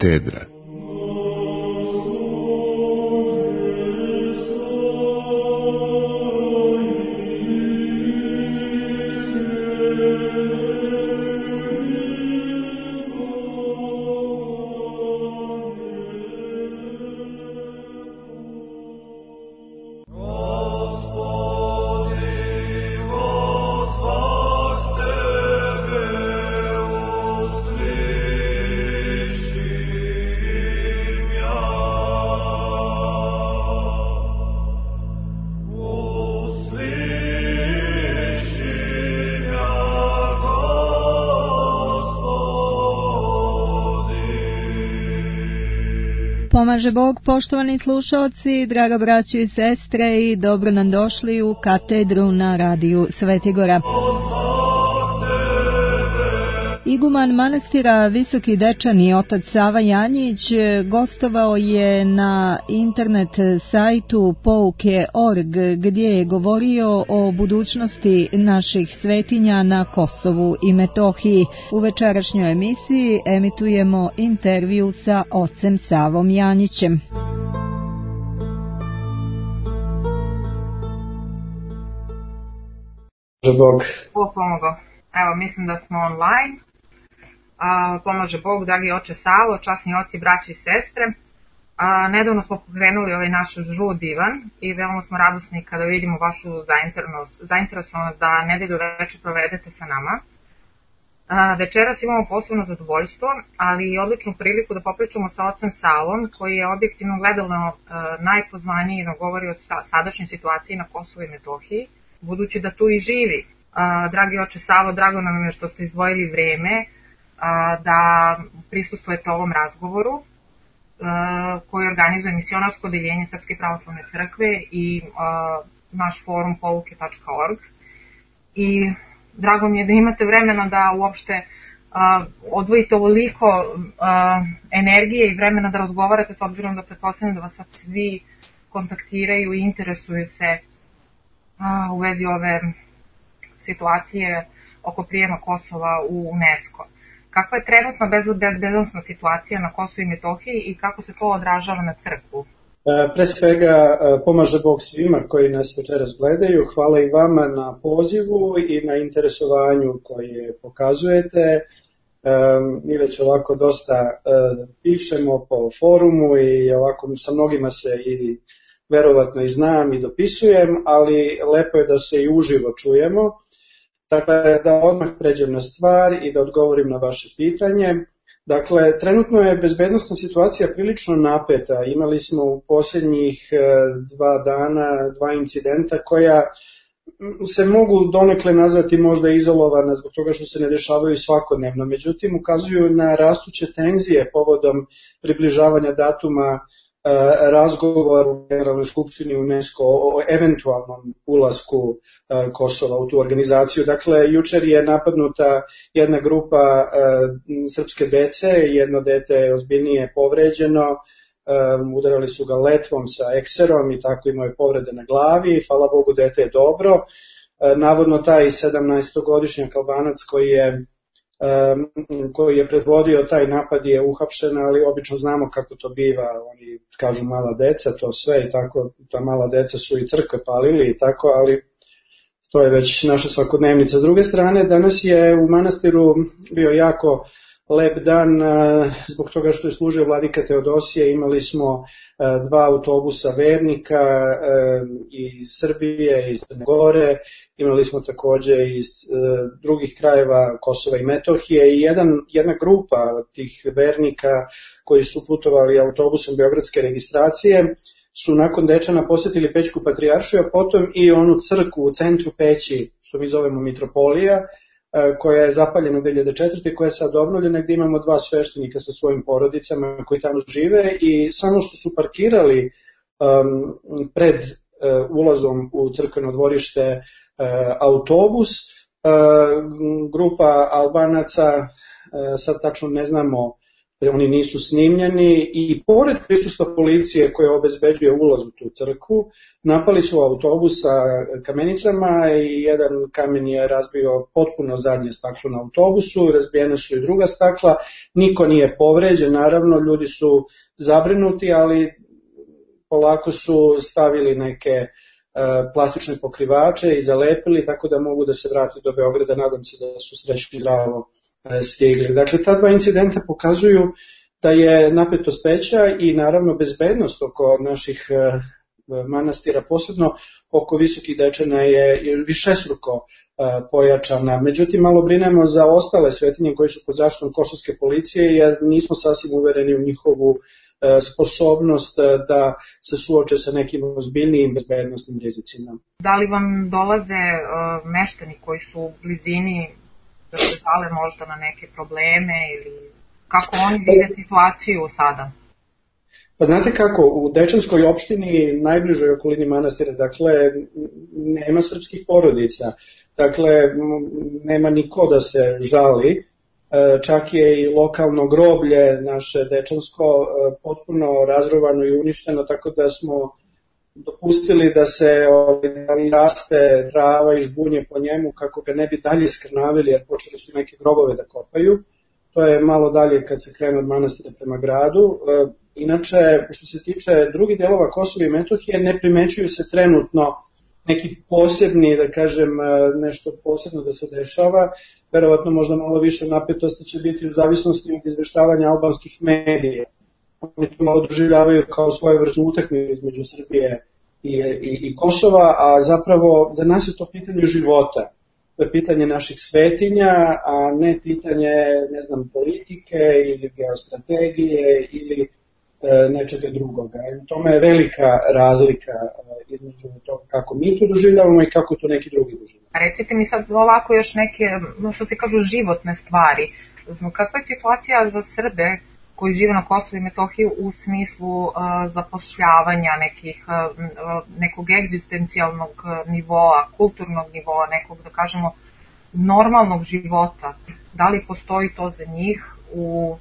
Katedra. Pomaže Bog, poštovani slušalci, draga braćo i sestre, i dobro nam došli u katedru na radiju Svetigora. Iguman manastira Visoki Dečani, otac Sava Janjić, gostovao je na internet sajtu pouke.org, gdje je govorio o budućnosti naših svetinja na Kosovu i Metohiji. U večerašnjoj emisiji emitujemo intervju sa ocem Savom Janjićem. Bog. Pomogao. Evo, mislim da smo online. Pomaže Bog, dragi oče Savo, časni oci, braći i sestre. Nedavno smo pokrenuli ovaj naš žud divan i veoma smo radosni kada vidimo vašu zainteresovanost da nedelju večer provedete sa nama. Večeras imamo posebno zadovoljstvo, ali i odličnu priliku da popričamo sa ocem Savom, koji je objektivno gledalno najpozvaniji da govori o sadašnjoj situaciji na Kosovu i Metohiji, budući da tu i živi. Dragi oče Savo, drago nam je što ste izdvojili vreme da prisustvujete ovom razgovoru koji organizuje misionarsko odeljenje Srpske pravoslavne crkve i naš forum pouke.org. I drago mi je da imate vremena da uopšte odvojite ovoliko energije i vremena da razgovarate, s obzirom da pretpostavljam da vas sad svi kontaktiraju i interesuju se u vezi ove situacije oko prijema Kosova u UNESCO. Kakva je trenutna bezbednosna situacija na Kosovu i Metohiji i kako se to odražava na crkvu? Pre svega, pomaže Bog svima koji nas večeras gledaju. Hvala i vama na pozivu i na interesovanju koje pokazujete. Mi već ovako dosta pišemo po forumu i ovako sa mnogima se i verovatno i znam i dopisujem, ali lepo je da se i uživo čujemo. Dakle, da odmah pređem na stvar i da odgovorim na vaše pitanje. Dakle, trenutno je bezbednosna situacija prilično napeta. Imali smo u posljednjih 2 dana 2 incidenta koja se mogu donekle nazvati možda izolovana zbog toga što se ne dešavaju svakodnevno. Međutim, ukazuju na rastuće tenzije povodom približavanja datuma razgovor u Generalnoj skupštini UNESCO o eventualnom ulasku Kosova u tu organizaciju. Dakle, jučer je napadnuta jedna grupa srpske dece, jedno dete je ozbiljnije povređeno, udarali su ga letvom sa ekserom i tako imao je povrede na glavi, hvala Bogu dete je dobro. Navodno taj 17-godišnjak Albanac koji je predvodio taj napad je uhapšen, ali obično znamo kako to biva, oni kažu mala deca, to sve i tako, ta mala deca su i crkve palili i tako, ali to je već naša svakodnevnica. S druge strane, danas je u manastiru bio jako lep dan zbog toga što je služio vladika Teodosije. Imali smo 2 autobusa vernika iz Srbije, iz Crne Gore, imali smo takođe iz drugih krajeva Kosova i Metohije i jedna grupa tih vernika koji su putovali autobusom beogradske registracije su nakon Dečana posjetili Pećku patrijaršiju, a potom i onu crkvu u centru Peći, što mi zovemo Mitropolija, koja je zapaljena 2004. koja je sad obnovljena, gdje imamo 2 sveštenika sa svojim porodicama koji tamo žive i samo što su parkirali pred ulazom u crkveno dvorište autobus, grupa Albanaca, sad tačno ne znamo oni nisu snimljeni i pored prisustva policije koja obezbeđuje ulaz u tu crkvu, napali su autobus sa kamenicama i jedan kamen je razbio potpuno zadnje staklo na autobusu, razbijene su i druga stakla, niko nije povređen, naravno ljudi su zabrinuti, ali polako su stavili neke plastične pokrivače i zalepili, tako da mogu da se vrati do Beograda, nadam se da su srećno zdravo stigli. Dakle, ta dva incidenta pokazuju da je napetost veća i naravno bezbednost oko naših manastira, posebno oko Visokih Dečana je višestruko pojačana. Međutim, malo brinemo za ostale svetinje koje su pod zaštitom kosovske policije, jer nismo sasvim uvereni u njihovu sposobnost da se suoče sa nekim ozbiljnijim bezbednostnim rizicima. Da li vam dolaze meštani koji su u blizini da se žale možda na neke probleme ili kako oni vide situaciju sada? Pa znate kako, u Dečanskoj opštini, najbližoj okolini manastira, dakle, nema srpskih porodica, dakle, nema niko da se žali, čak je i lokalno groblje naše Dečansko potpuno razrovano i uništeno, tako da smo dopustili da se raste trava i žbunje po njemu kako ga ne bi dalje skrnavili, jer počeli su neke grobove da kopaju. To je malo dalje kad se krene od manastira prema gradu. Inače, što se tiče drugih delova Kosova i Metohije, ne primećuju se trenutno neki posebni, da kažem, nešto posebno da se dešava. Verovatno možda malo više napetosti će biti u zavisnosti od izveštavanja albanskih medija. Oni to malo doživljavaju kao svoje vrstu utakmice između Srbije i Kosova, a zapravo za nas je to pitanje života. To je pitanje naših svetinja, a ne pitanje, ne znam, politike ili geostrategije ili nečega drugoga. U tome je velika razlika između toga kako mi to doživljavamo i kako to neki drugi doživljavamo. Recite mi sad ovako još neke, što se kažu, životne stvari. Kakva je situacija za Srbe koji žive na Kosovu i Metohiji u smislu zapošljavanja nekog egzistencijalnog nivoa, kulturnog nivoa, nekog, da kažemo, normalnog života? Da li postoji to za njih u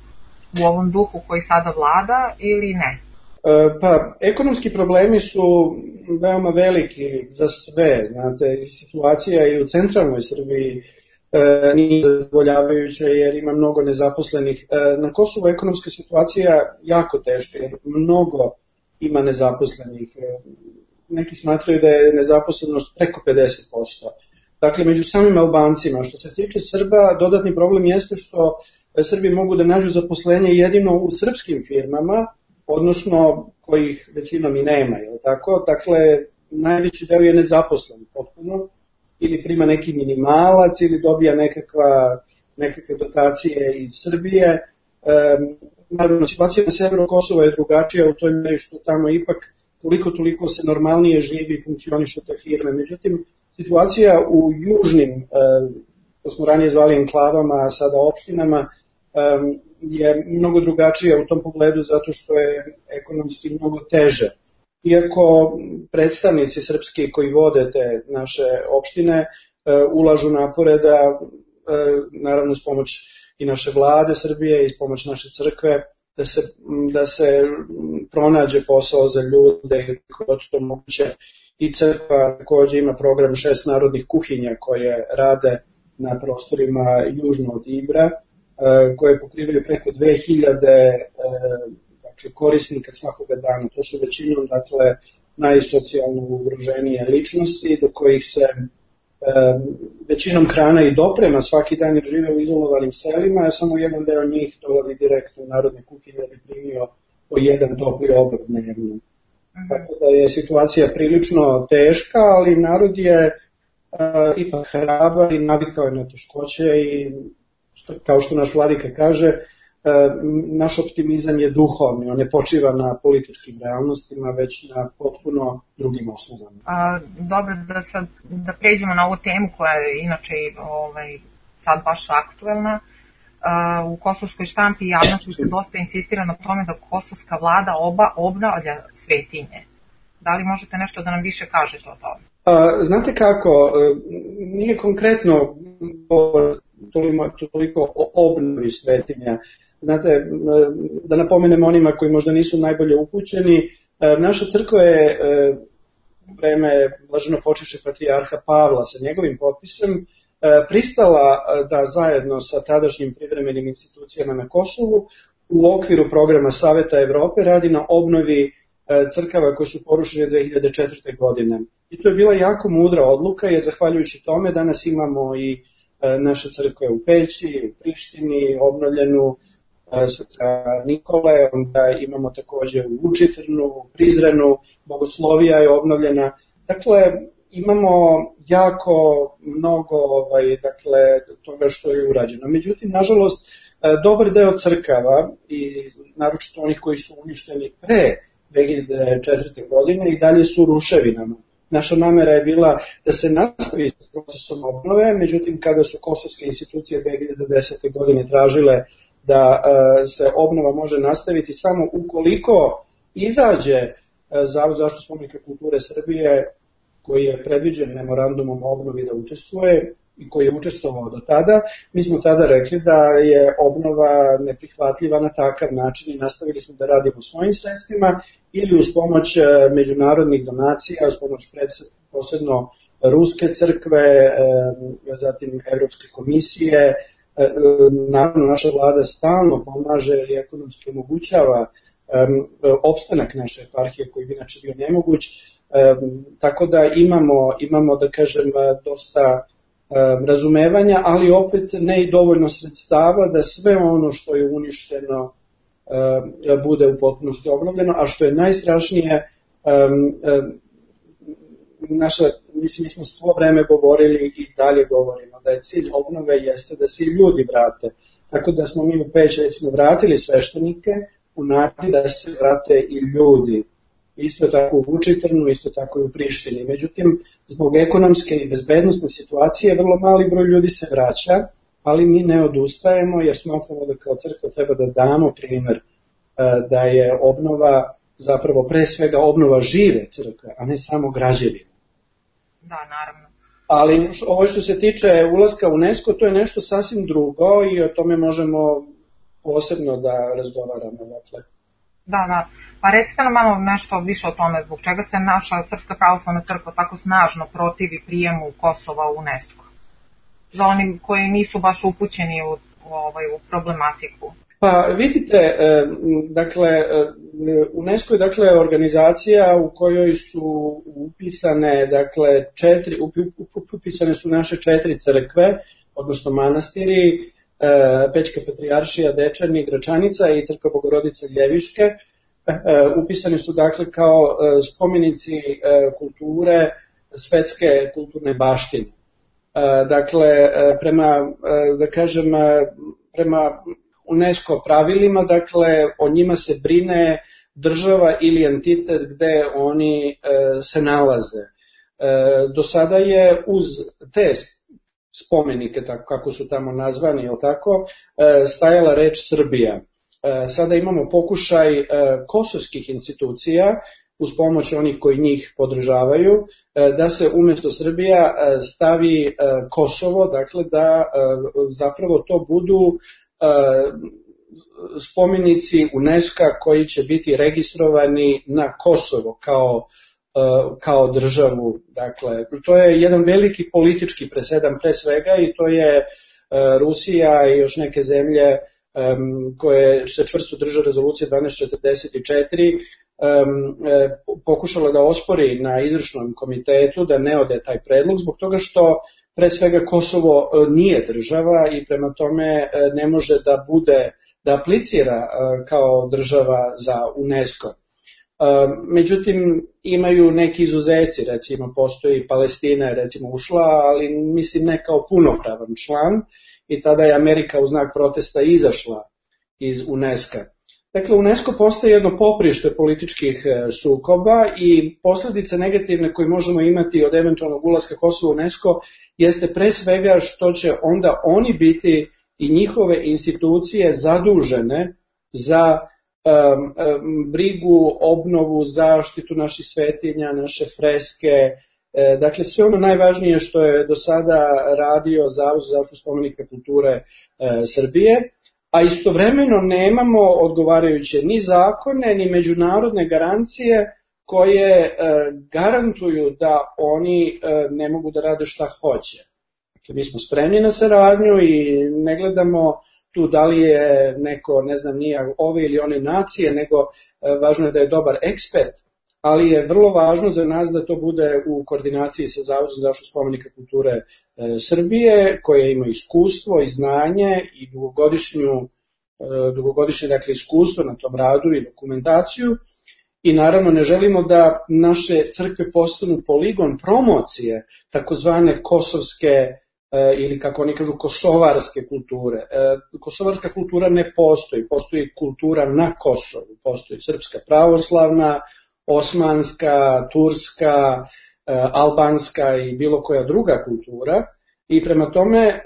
ovom duhu koji sada vlada ili ne? Pa, ekonomski problemi su veoma veliki za sve, znate, situacija i u centralnoj Srbiji nije zadovoljavajuća jer ima mnogo nezaposlenih. Na Kosovu ekonomska situacija jako teška jer mnogo ima nezaposlenih. Neki smatraju da je nezaposlenost preko 50%. Dakle, među samim Albancima, što se tiče Srba, dodatni problem jeste što Srbi mogu da nađu zaposlenje jedino u srpskim firmama, odnosno kojih većinom i nema, je li tako? Dakle, najveći deo je nezaposlen potpuno, ili prima neki minimalac, ili dobija nekakve dotacije iz Srbije. Naravno, situacija na severu Kosova je drugačija u toj meri što tamo ipak toliko se normalnije živi i funkcionišu te firme. Međutim, situacija u južnim, to smo ranije zvali enklavama, a sada opštinama, je mnogo drugačija u tom pogledu zato što je ekonomski mnogo teže. Iako predstavnici srpski koji vode te naše opštine ulažu napore da, naravno s pomoć i naše vlade Srbije i s pomoć naše crkve, da se pronađe posao za ljude koji to moguće. I crkva takođe ima program 6 narodnih kuhinja koje rade na prostorima južno od Ibra, koje pokrivaju preko 2000 korisnika svakoga dana. To su većinom, dakle, najsocijalno ugroženije ličnosti do kojih se većinom hrana i doprema svaki dan jer žive u izolovanim selima, a samo jedan deo njih dolazi direktno u narodne kuhinje da bi primio po jedan topli obrok dnevno. Tako da je situacija prilično teška, ali narod je ipak hrabar i navikao je na teškoće i kao što naš vladika kaže, naš optimizam je duhovni, on ne počiva na političkim realnostima, već na potpuno drugim osnovama. Dobro, da pređemo na ovu temu koja je inače sad baš aktuelna. U kosovskoj štampi i javnosti se dosta insistira na tome da kosovska vlada obnavlja svetinje. Da li možete nešto da nam više kažete o tome? Znate kako, nije konkretno toliko o obnovi svetinja. Znate, da napomenem onima koji možda nisu najbolje upućeni, naša crkva je u vreme blaženo počivše patrijarha Pavla sa njegovim potpisom pristala da zajedno sa tadašnjim privremenim institucijama na Kosovu u okviru programa Saveta Evrope radi na obnovi crkava koje su porušene 2004. godine. I to je bila jako mudra odluka, jer zahvaljujući tome danas imamo i naše crkve u Peći, u Prištini, obnovljenu Sveta Nikole, onda imamo takođe u Vučitrnu, u Prizrenu, Bogoslovija je obnovljena. Dakle, imamo jako mnogo toga što je urađeno. Međutim, nažalost, dobar deo crkava, i naročito onih koji su uništeni pre 2004. godine, i dalje su u ruševinama. Naša namera je bila da se nastavi s procesom obnove, međutim, kada su kosovske institucije 2010. godine tražile da se obnova može nastaviti samo ukoliko izađe Zavod za zaštitu spomenika kulture Srbije, koji je predviđen memorandumom o obnovi da učestvuje i koji je učestvovao do tada, mi smo tada rekli da je obnova neprihvatljiva na takav način i nastavili smo da radimo svojim sredstvima ili uz pomoć međunarodnih donacija, uz pomoć posebno Ruske crkve, zatim Evropske komisije. Naravno, naša vlada stalno pomaže i ekonomski omogućava opstanak naše eparhije koji bi inače bio nemoguć, tako da imamo da kažem dosta razumevanja, ali opet ne i dovoljno sredstava da sve ono što je uništeno bude u potpunosti obnovljeno, a što je najstrašnije, mi smo svo vreme govorili i dalje govorimo da je cilj obnove jeste da se ljudi vrate. Tako da smo mi u Peć recimo vratili sveštenike u nadi da se vrate i ljudi. Isto tako u Vučitrnu, isto tako i u Prištini. Međutim, zbog ekonomske i bezbednostne situacije vrlo mali broj ljudi se vraća, ali mi ne odustajemo jer smatramo da kao crkva treba da damo primer da je obnova zapravo pre svega obnova žive crkve, a ne samo građevine. Da, naravno. Ali ovo što se tiče ulaska u UNESCO, to je nešto sasvim drugo i o tome možemo posebno da razgovaramo. Dakle. Da. Pa recite nam malo nešto više o tome, zbog čega se naša Srpska pravoslavna crkva tako snažno protivi prijemu Kosova u UNESCO? Za oni koji nisu baš upućeni u problematiku. Pa vidite, dakle, UNESCO je dakle organizacija u kojoj su upisane, upisane su naše 4 crkve, odnosno manastiri, Pećka patrijaršija, Dečani, Gračanica i Crkva Bogorodice Ljeviške. Upisani su dakle kao spomenici kulture, svetske kulturne baštine. Dakle, prema UNESCO pravilima, dakle, o njima se brine država ili entitet gde oni se nalaze. Do sada je uz te spomenike, tako kako su tamo nazvani, stajala reč Srbija. Sada imamo pokušaj kosovskih institucija, uz pomoć onih koji njih podržavaju, da se umjesto Srbija stavi Kosovo, dakle da zapravo to budu spomenici UNESCO koji će biti registrovani na Kosovo kao državu. Dakle, to je jedan veliki politički presedan pre svega i to je Rusija i još neke zemlje koje se čvrsto drže rezolucije 1244 pokušala da ospori na izvršnom komitetu da ne ode taj predlog zbog toga što pre svega Kosovo nije država i prema tome ne može da aplicira kao država za UNESCO. Međutim, imaju neki izuzeci, recimo postoji Palestina je recimo ušla, ali mislim ne kao punopravan član i tada je Amerika u znak protesta izašla iz UNESCO. Dakle, UNESCO postaje jedno poprište političkih sukoba i posljedice negativne koje možemo imati od eventualnog ulaska Kosova u UNESCO jeste pre svega što će onda oni biti i njihove institucije zadužene za brigu, obnovu, zaštitu naših svetinja, naše freske, dakle sve ono najvažnije što je do sada radio Zavod za zaštitu spomenika kulture Srbije, a istovremeno nemamo odgovarajuće ni zakone, ni međunarodne garancije koje garantuju da oni ne mogu da rade šta hoće. Dakle, mi smo spremni na saradnju i ne gledamo tu da li je neko, ne znam, nije ove ili one nacije, nego važno je da je dobar ekspert, ali je vrlo važno za nas da to bude u koordinaciji sa Zavodom za zaštitu spomenika kulture Srbije, koje ima iskustvo i znanje i dugogodišnje dakle, iskustvo na tom radu i dokumentaciju. I naravno ne želimo da naše crkve postanu poligon promocije takozvane kosovske ili kako oni kažu kosovarske kulture. Kosovarska kultura ne postoji, postoji kultura na Kosovu, postoji srpska pravoslavna, osmanska, turska, albanska i bilo koja druga kultura. I prema tome,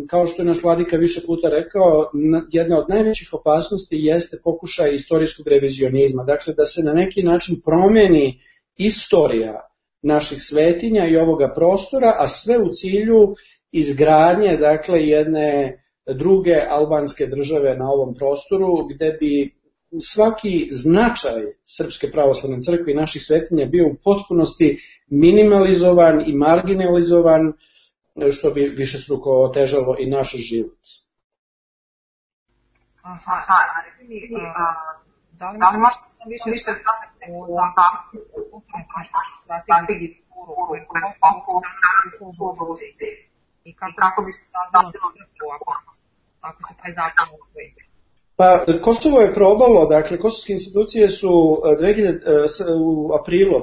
kao što je naš vladika više puta rekao, jedna od najvećih opasnosti jeste pokušaj istorijskog revizionizma. Dakle, da se na neki način promeni istorija naših svetinja i ovoga prostora, a sve u cilju izgradnje, dakle, jedne druge albanske države na ovom prostoru, gde bi svaki značaj Srpske pravoslavne crkve i naših svetinja bio u potpunosti minimalizovan i marginalizovan, što bi višestruko otežalo i naš život. Da li možete više o strategiji i kako bi se radilo ako se taj zakon usvoji? Pa, Kosovo je probalo, dakle, kosovske institucije su u aprilu,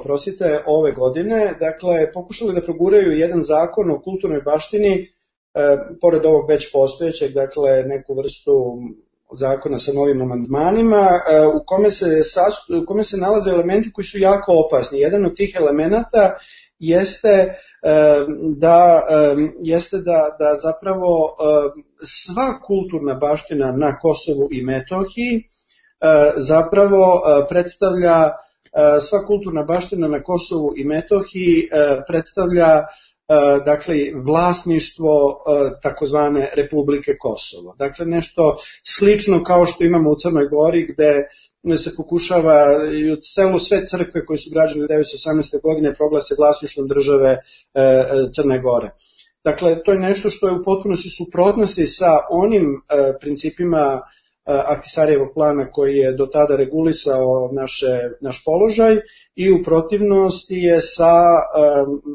ove godine, dakle, pokušali da proguraju jedan zakon o kulturnoj baštini, pored ovog već postojećeg, dakle, neku vrstu zakona sa novim amandmanima, u kome se nalaze elementi koji su jako opasni. Jedan od tih elemenata jeste da zapravo sva kulturna baština na Kosovu i Metohiji zapravo predstavlja, sva kulturna baština na Kosovu i Metohiji predstavlja dakle vlasništvo takozvane Republike Kosovo. Dakle nešto slično kao što imamo u Crnoj Gori gde se pokušava i sve crkve koje su građene 1918. godine proglase vlasništvom države Crne Gore. Dakle, to je nešto što je u potpunosti suprotnosti sa onim principima Ahtisarijevog plana koji je do tada regulisao naš položaj i u protivnosti je sa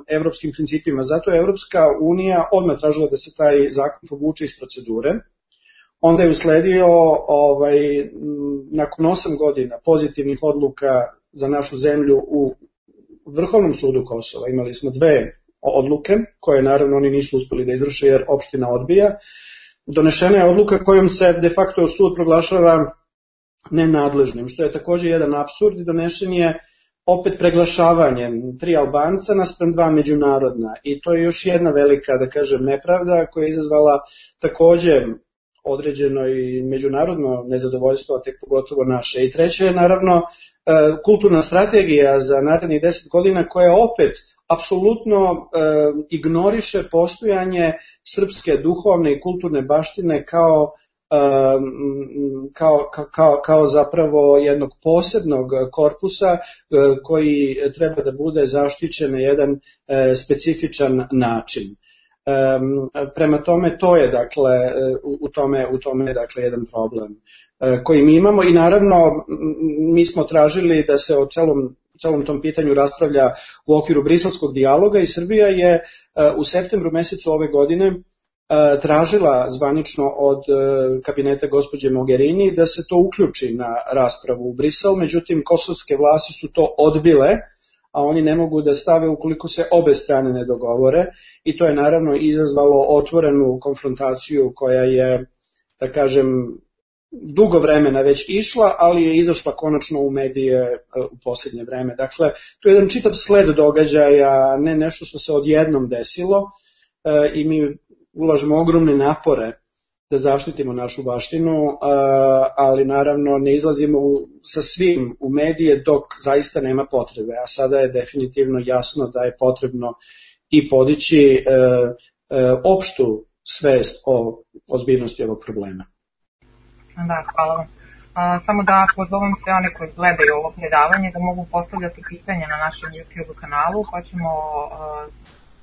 evropskim principima. Zato je Evropska unija odmah tražila da se taj zakon povuče iz procedure. Onda je usledio, nakon 8 godina pozitivnih odluka za našu zemlju u Vrhovnom sudu Kosova, imali smo 2 odluke, koje naravno oni nisu uspeli da izvrše jer opština odbija. Donešena je odluka kojom se de facto sud proglašava nenadležnim, što je također jedan apsurd i donešen je opet preglašavanjem 3 Albanca naspram 2 međunarodna. I to je još jedna velika, da kažem, nepravda koja je izazvala također određeno i međunarodno nezadovoljstvo, a tek pogotovo naše. I treće je naravno kulturna strategija za narednih 10 godina koja opet apsolutno ignoriše postojanje srpske duhovne i kulturne baštine kao zapravo jednog posebnog korpusa koji treba da bude zaštićen na jedan specifičan način. Prema tome to je dakle u tome je dakle jedan problem koji mi imamo i naravno mi smo tražili da se o celom tom pitanju raspravlja u okviru briselskog dijaloga i Srbija je u septembru mesecu ove godine tražila zvanično od kabineta gospođe Mogherini da se to uključi na raspravu u Brisel, međutim kosovske vlasti su to odbile, a oni ne mogu da stave ukoliko se obe strane ne dogovore i to je naravno izazvalo otvorenu konfrontaciju koja je, da kažem, dugo vremena već išla, ali je izašla konačno u medije u posljednje vreme. Dakle, to je jedan čitav sled događaja, ne nešto što se odjednom desilo i mi ulažemo ogromne napore da zaštitimo našu baštinu, ali naravno ne izlazimo sa svim u medije dok zaista nema potrebe, a sada je definitivno jasno da je potrebno i podići opštu svest o ozbiljnosti ovog problema. Da, hvala vam. Samo da pozovem sve one koji gledaju ovo predavanje da mogu postavljati pitanja na našem YouTube kanalu, pa ćemo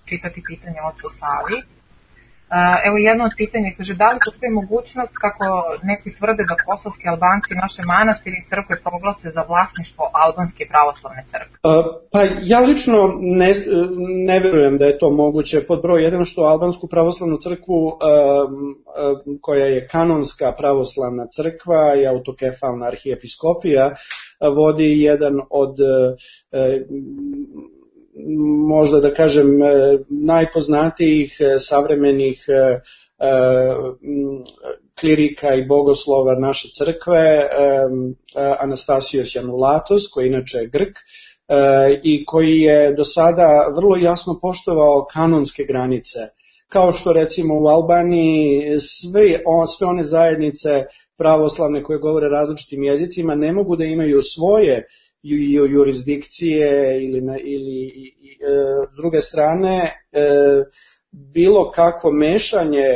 čitati pitanje ocu Savi. Evo jedno od pitanja kaže, da li postoji mogućnost kako neki tvrde da kosovski Albanci naše manastire i crkve proglase za vlasništvo albanske pravoslavne crkve? Pa ja lično ne verujem da je to moguće. Pod broj 1 što albansku pravoslavnu crkvu koja je kanonska pravoslavna crkva i autokefalna arhijepiskopija vodi jedan od možda da kažem najpoznatijih savremenih klirika i bogoslova naše crkve, Anastasios Janulatos, koji inače je Grk i koji je do sada vrlo jasno poštovao kanonske granice. Kao što recimo u Albaniji sve one zajednice pravoslavne koje govore različitim jezicima ne mogu da imaju svoje jurisdikcije ili s druge strane bilo kakvo mešanje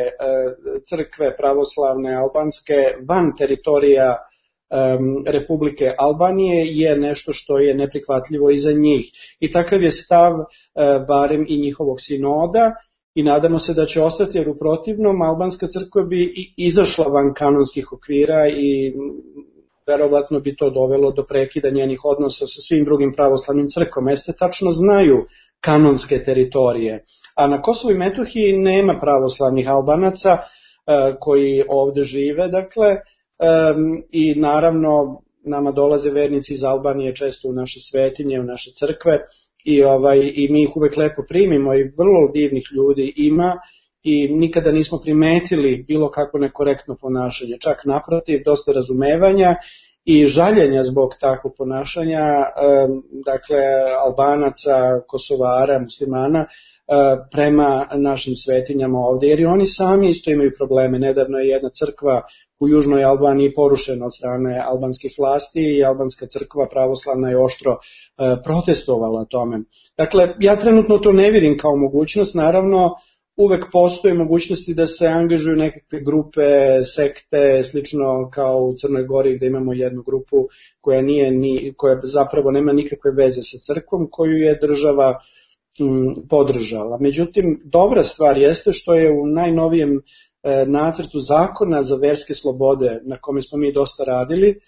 crkve pravoslavne albanske van teritorija Republike Albanije je nešto što je neprihvatljivo i za njih. I takav je stav barem i njihovog sinoda i nadamo se da će ostati, jer u protivnom albanska crkva bi izašla van kanonskih okvira i verovatno bi to dovelo do prekida njenih odnosa sa svim drugim pravoslavnim crkvama, jer se tačno znaju kanonske teritorije. A na Kosovu i Metohiji nema pravoslavnih Albanaca koji ovde žive, dakle, i naravno nama dolaze vernici iz Albanije često u naše svetinje, u naše crkve i mi ih uvek lepo primimo i vrlo divnih ljudi ima i nikada nismo primetili bilo kako nekorektno ponašanje, čak naprotiv, dosta razumevanja i žaljenja zbog takvog ponašanja, dakle Albanaca, Kosovara, muslimana, prema našim svetinjama ovde, jer i oni sami isto imaju probleme. Nedavno je jedna crkva u Južnoj Albaniji porušena od strane albanskih vlasti i albanska crkva pravoslavna je oštro protestovala tome. Dakle, ja trenutno to ne vidim kao mogućnost, naravno uvek postoje mogućnosti da se angažuju nekakve grupe, sekte, slično kao u Crnoj Gori gde imamo jednu grupu koja zapravo nema nikakve veze sa crkvom, koju je država podržala. Međutim, dobra stvar jeste što je u najnovijem nacrtu zakona za verske slobode, na kome smo mi dosta radili,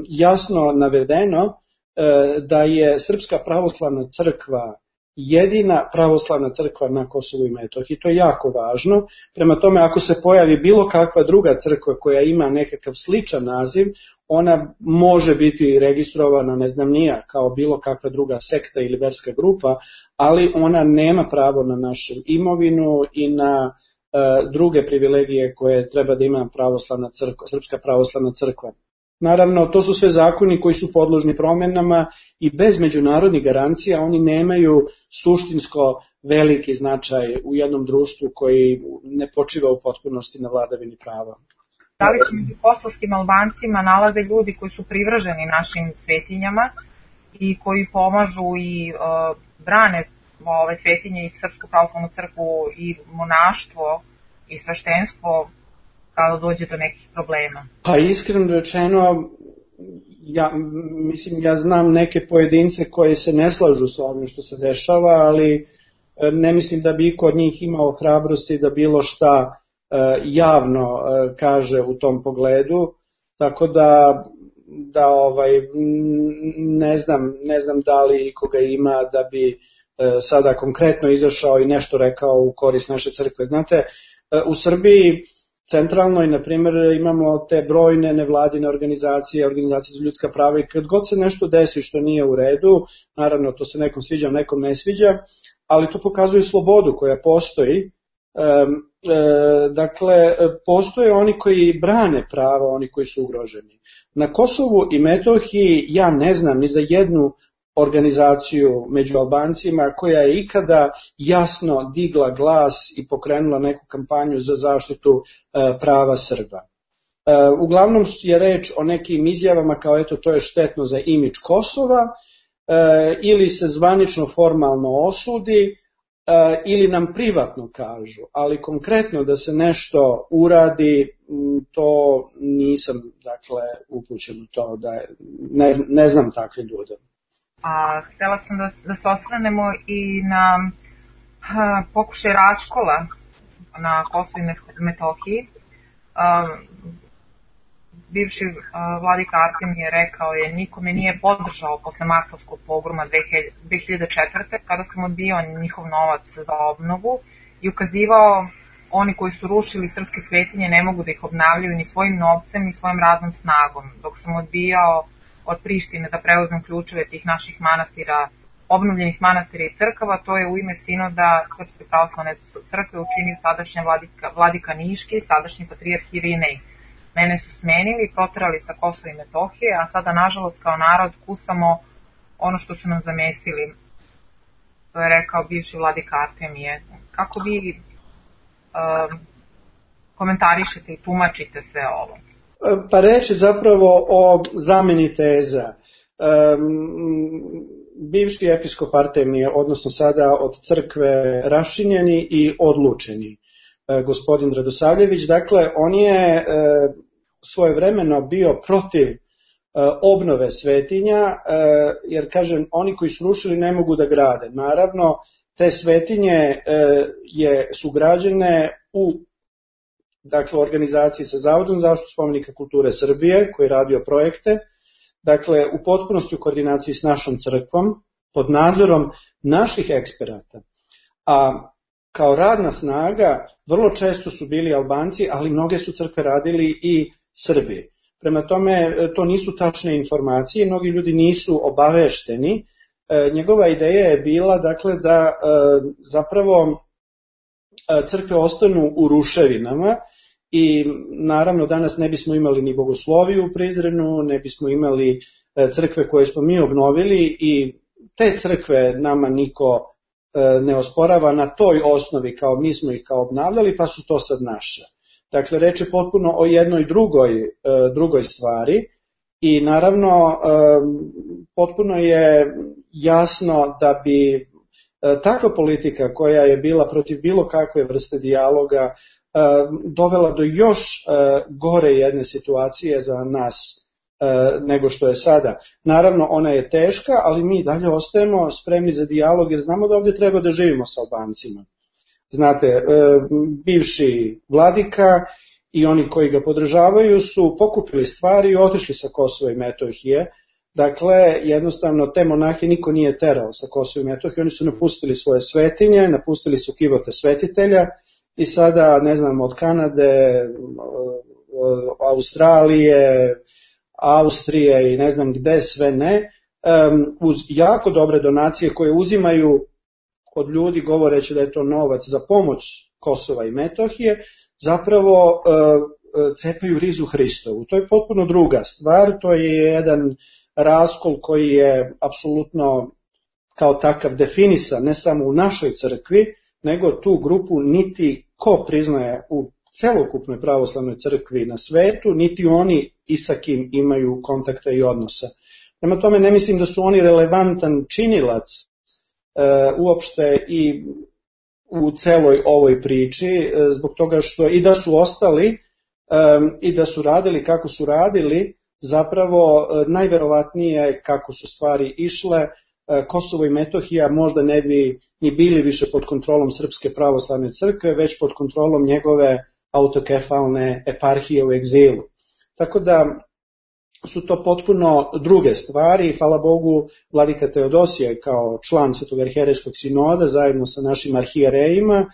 jasno navedeno da je Srpska pravoslavna crkva jedina pravoslavna crkva na Kosovu i Metohiji. To je jako važno. Prema tome, ako se pojavi bilo kakva druga crkva koja ima nekakav sličan naziv, ona može biti registrovana, ne znam nija, kao bilo kakva druga sekta ili verska grupa, ali ona nema pravo na našu imovinu i na druge privilegije koje treba da ima pravoslavna crkva, Srpska pravoslavna crkva. Naravno, to su sve zakoni koji su podložni promenama i bez međunarodnih garancija oni nemaju suštinsko veliki značaj u jednom društvu koji ne počiva u potpunosti na vladavini prava. Da li se među kosovskim Albancima nalaze ljudi koji su privrženi našim svetinjama i koji pomažu i brane ove svetinje i Srpsku pravoslavnu crkvu i monaštvo i sveštenstvo kada dođe do nekih problema? Pa iskreno rečeno, ja znam neke pojedince koji se ne slažu sa ovim što se dešava, ali ne mislim da bi iko od njih imao hrabrosti da bilo šta javno kaže u tom pogledu, tako da ne znam da li koga ima da bi sada konkretno izašao i nešto rekao u korist naše crkve. Znate, u Srbiji centralnoj, na primjer, imamo te brojne nevladine organizacije za ljudska prava i kad god se nešto desi što nije u redu, naravno to se nekom sviđa, nekom ne sviđa, ali to pokazuje slobodu koja postoji. Dakle, postoje oni koji brane prava, oni koji su ugroženi. Na Kosovu i Metohiji ja ne znam ni za jednu organizaciju među Albancima koja je ikada jasno digla glas i pokrenula neku kampanju za zaštitu prava Srba. Uglavnom je reč o nekim izjavama kao eto to je štetno za imidž Kosova ili se zvanično formalno osudi, ili nam privatno kažu, ali konkretno da se nešto uradi, to nisam, dakle, upućen u to, da ne znam takve ljude. Htela sam da se osvrnemo i na pokušaj raskola na Kosovu i Metohiji. Bivši vladika Artemije rekao je: niko me nije podržao posle martovskog pogroma 2004. kada sam odbijao njihov novac za obnovu i ukazivao oni koji su rušili srpske svetinje ne mogu da ih obnavljaju ni svojim novcem ni svojim radnom snagom. Dok sam odbijao od Prištine da preuzmem ključeve tih naših manastira, obnovljenih manastira i crkava, to je u ime sinoda Srpske pravoslavne crkve učinio tadašnja vladika Niški, sadašnji patrijarh Irinej. Mene su smenili, proterali sa Kosova i Metohije, a sada, nažalost, kao narod kusamo ono što su nam zamesili. To je rekao bivši vladika Artemije. Kako vi komentarišete i tumačite sve ovo? Pa reći zapravo o zameni teza. Bivši episkop Artemije, odnosno sada od crkve raščinjeni i odlučeni gospodin Radosavljević, dakle, on je svojevremeno bio protiv obnove svetinja, jer, kažem, oni koji su rušili ne mogu da grade. Naravno, te svetinje su građene u, dakle, organizaciji sa Zavodom za zaštitu spomenika kulture Srbije, koji je radio projekte, dakle, u potpunosti u koordinaciji s našom crkvom, pod nadzorom naših eksperata. A kao radna snaga vrlo često su bili Albanci, ali mnoge su crkve radili i Srbi. Prema tome, to nisu tačne informacije, mnogi ljudi nisu obavešteni. Njegova ideja je bila, dakle, da zapravo crkve ostanu u ruševinama i naravno danas ne bismo imali ni bogosloviju u Prizrenu, ne bismo imali crkve koje smo mi obnovili i te crkve nama niko ne osporava na toj osnovi, kao mi smo ih kao obnavljali, pa su to sad naše. Dakle, reč je potpuno o jednoj drugoj stvari i naravno potpuno je jasno da bi takva politika koja je bila protiv bilo kakve vrste dijaloga dovela do još gore jedne situacije za nas nego što je sada. Naravno, ona je teška, ali mi dalje ostajemo spremni za dijalog jer znamo da ovdje treba da živimo sa Albancima. Znate, bivši vladika i oni koji ga podržavaju su pokupili stvari i otišli sa Kosova i Metohije. Dakle, jednostavno, te monahe niko nije terao sa Kosova i Metohije, oni su napustili svoje svetinje, napustili su kivote svetitelja i sada, ne znam, od Kanade, Australije, Austrije i ne znam gde sve ne, uz jako dobre donacije koje uzimaju od ljudi govoreći da je to novac za pomoć Kosova i Metohije, zapravo cepaju rizu Hristovu. To je potpuno druga stvar, to je jedan raskol koji je apsolutno kao takav definisan ne samo u našoj crkvi, nego tu grupu niti ko priznaje u celokupnoj pravoslavnoj crkvi na svetu, niti oni i sa kim imaju kontakta i odnosa. Prema tome ne mislim da su oni relevantan činilac uopšte i u celoj ovoj priči, zbog toga što i da su ostali i da su radili kako su radili, zapravo najverovatnije kako su stvari išle, Kosovo i Metohija možda ne bi ni bili više pod kontrolom Srpske pravoslavne crkve, već pod kontrolom njegove autokefalne eparhije u egzilu. Tako da su to potpuno druge stvari i hvala Bogu vladika Teodosije kao član Svetog arhijerejskog sinoda zajedno sa našim arhijerejima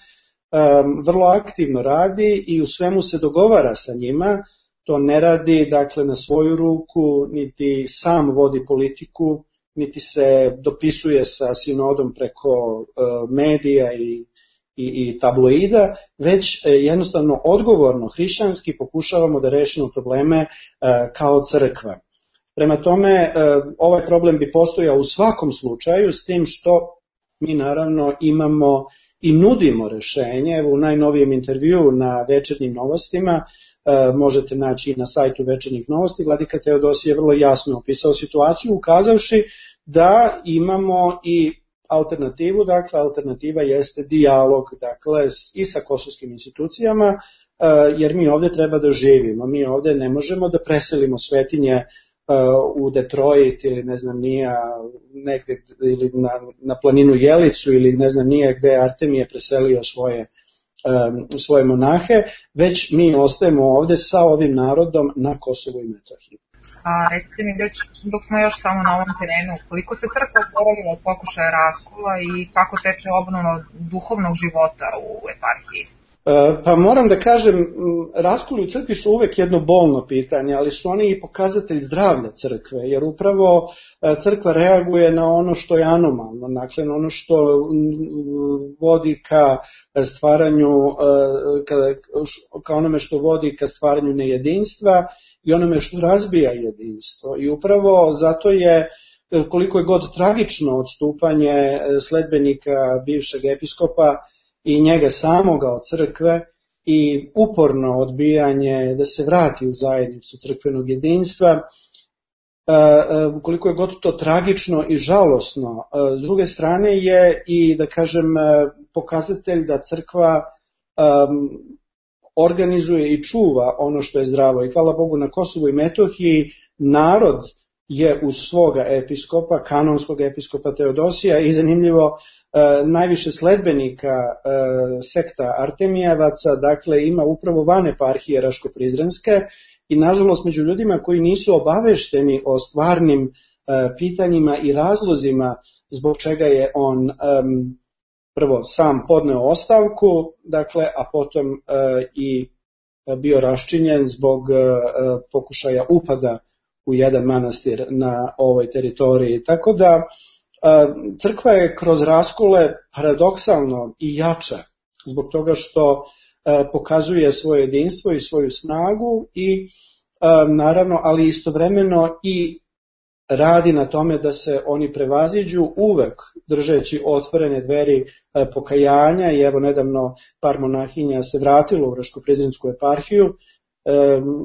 vrlo aktivno radi i u svemu se dogovara sa njima, to ne radi dakle na svoju ruku, niti sam vodi politiku, niti se dopisuje sa sinodom preko medija i tabloida, već jednostavno odgovorno, hrišćanski pokušavamo da rešimo probleme kao crkva. Prema tome, ovaj problem bi postojao u svakom slučaju, s tim što mi naravno imamo i nudimo rešenje. Evo u najnovijem intervjuu na Večernjim novostima, možete naći i na sajtu Večernjih novosti, vladika Teodosije je vrlo jasno opisao situaciju, ukazavši da imamo i alternativu, dakle alternativa jeste dijalog, dakle i sa kosovskim institucijama, jer mi ovdje treba da živimo, mi ovdje ne možemo da preselimo svetinje u Detroit ili ne znam nije negde ili na planinu Jelicu ili ne znam nije gde Artemije preselio svoje monahe, već mi ostajemo ovdje sa ovim narodom na Kosovu i Metohiji. Recite mi već, dok smo još samo na ovom terenu, koliko se crkva oporavila od pokušaja raskola i kako teče obnova duhovnog života u eparhiji? Pa moram da kažem, raskoli u crkvi su uvek jedno bolno pitanje, ali su oni i pokazatelj zdravlja crkve, jer upravo crkva reaguje na ono što je anomalno, dakle na ono što vodi ka stvaranju, ka onome što vodi ka stvaranju nejedinstva i onome što razbija jedinstvo. I upravo zato je, koliko je god tragično odstupanje sledbenika bivšeg episkopa i njega samoga od crkve i uporno odbijanje da se vrati u zajednicu crkvenog jedinstva, koliko je god to tragično i žalosno, s druge strane je i, da kažem, pokazatelj da crkva organizuje i čuva ono što je zdravo. I hvala Bogu na Kosovu i Metohiji narod je uz svoga episkopa, kanonskog episkopa Teodosija i zanimljivo najviše sledbenika sekta Artemijevaca, dakle ima upravo van eparhije Raško-Prizrenske i nažalost među ljudima koji nisu obavešteni o stvarnim pitanjima i razlozima zbog čega je on prvo sam podneo ostavku, dakle, a potom i bio raščinjen zbog pokušaja upada u jedan manastir na ovoj teritoriji. Tako da crkva je kroz raskole paradoksalno i jača zbog toga što pokazuje svoje jedinstvo i svoju snagu i naravno, ali istovremeno i radi na tome da se oni prevaziđu uvek držeći otvorene dveri pokajanja i evo nedavno par monahinja se vratilo u Raško-Prizrensku eparhiju,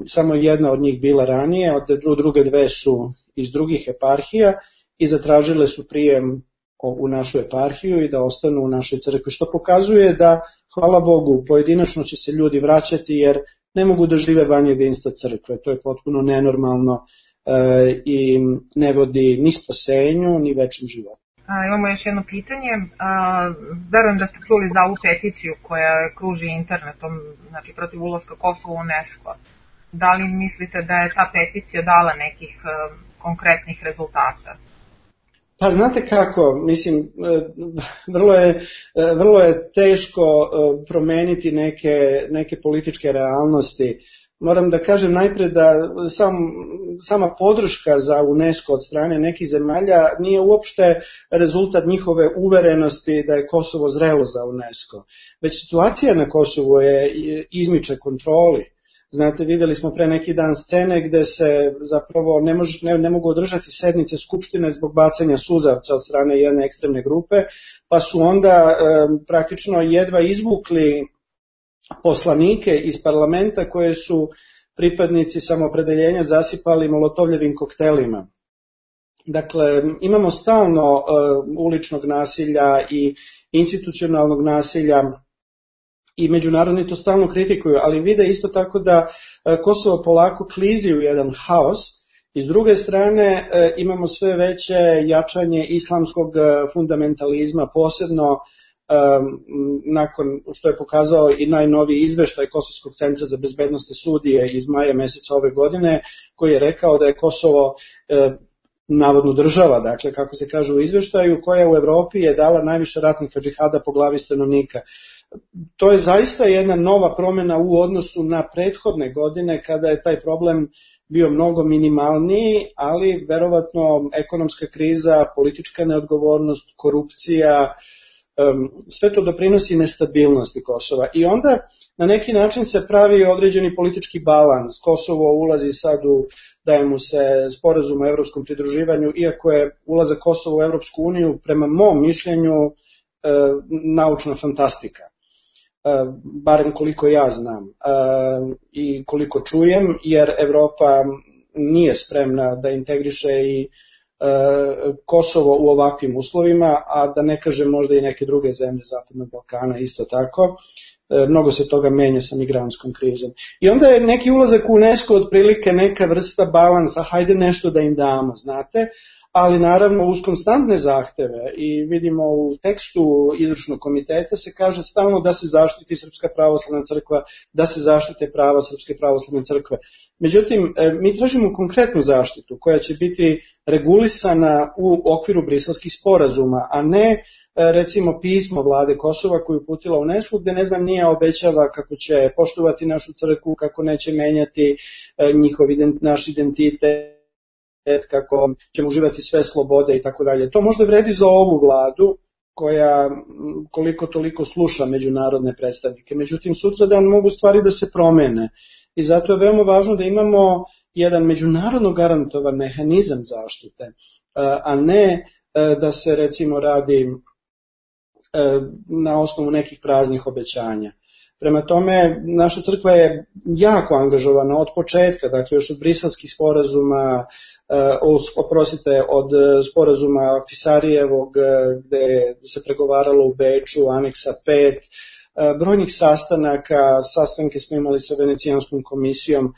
samo jedna od njih bila ranije, druge dve su iz drugih eparhija i zatražile su prijem u našu eparhiju i da ostanu u našoj crkvi, što pokazuje da, hvala Bogu, pojedinačno će se ljudi vraćati jer ne mogu da žive van jedinstva crkve, to je potpuno nenormalno i ne vodi ni spasenju, ni većem životu. Imamo još jedno pitanje. Verujem da ste čuli za ovu peticiju koja kruži internetom, znači protiv ulaska Kosova u UNESCO. Da li mislite da je ta peticija dala nekih konkretnih rezultata? Pa znate kako, mislim, vrlo je teško promeniti neke političke realnosti. Moram da kažem najpred da sama podrška za UNESCO od strane nekih zemalja nije uopšte rezultat njihove uverenosti da je Kosovo zrelo za UNESCO. Već situacija na Kosovu je izmiče kontroli. Znate, videli smo pre neki dan scene gde se zapravo ne mogu održati sednice Skupštine zbog bacanja suzavca od strane jedne ekstremne grupe, pa su onda praktično jedva izvukli poslanike iz parlamenta koje su pripadnici samoopredeljenja zasipali molotovljevim koktelima. Dakle, imamo stalno uličnog nasilja i institucionalnog nasilja i međunarodni to stalno kritikuju, ali vide isto tako da Kosovo polako klizi u jedan haos i s druge strane imamo sve veće jačanje islamskog fundamentalizma, posebno nakon što je pokazao i najnoviji izveštaj Kosovskog centra za bezbednosne studije iz maja meseca ove godine, koji je rekao da je Kosovo navodno država, dakle kako se kaže u izveštaju, koja u Evropi je dala najviše ratnika džihada po glavi stanovnika. To je zaista jedna nova promjena u odnosu na prethodne godine kada je taj problem bio mnogo minimalniji, ali verovatno ekonomska kriza, politička neodgovornost, korupcija, sve to doprinosi nestabilnosti Kosova. I onda na neki način se pravi određeni politički balans. Kosovo ulazi sad daje mu se sporazum o evropskom pridruživanju, iako je ulazak Kosova u Evropsku uniju prema mom mišljenju naučna fantastika. Barem koliko ja znam i koliko čujem, jer Evropa nije spremna da integriše i Kosovo u ovakvim uslovima, a da ne kažem možda i neke druge zemlje Zapadnog Balkana isto tako. Mnogo se toga menja sa migrantskom krizom. I onda je neki ulazak u UNESCO otprilike neka vrsta balansa, hajde nešto da im damo, znate, ali naravno uz konstantne zahteve i vidimo u tekstu izvršnog komiteta se kaže stalno da se zaštiti Srpska pravoslavna crkva, da se zaštite prava Srpske pravoslavne crkve. Međutim, mi tražimo konkretnu zaštitu koja će biti regulisana u okviru briselskih sporazuma, a ne recimo pismo vlade Kosova koju uputila UNESCO gde ne znam nije obećava kako će poštovati našu crkvu, kako neće menjati naš identitet, kako ćemo uživati sve slobode i tako dalje. To možda vredi za ovu vladu koja koliko toliko sluša međunarodne predstavnike. Međutim, sutradan mogu stvari da se promene i zato je veoma važno da imamo jedan međunarodno garantovan mehanizam zaštite, a ne da se recimo radi na osnovu nekih praznih obećanja. Prema tome, naša crkva je jako angažovana od početka, dakle još od briselskih sporazuma, od sporazuma Fisarijevog gde se pregovaralo u Beču, aneksa 5, brojnih sastanke smo imali sa Venecijanskom komisijom.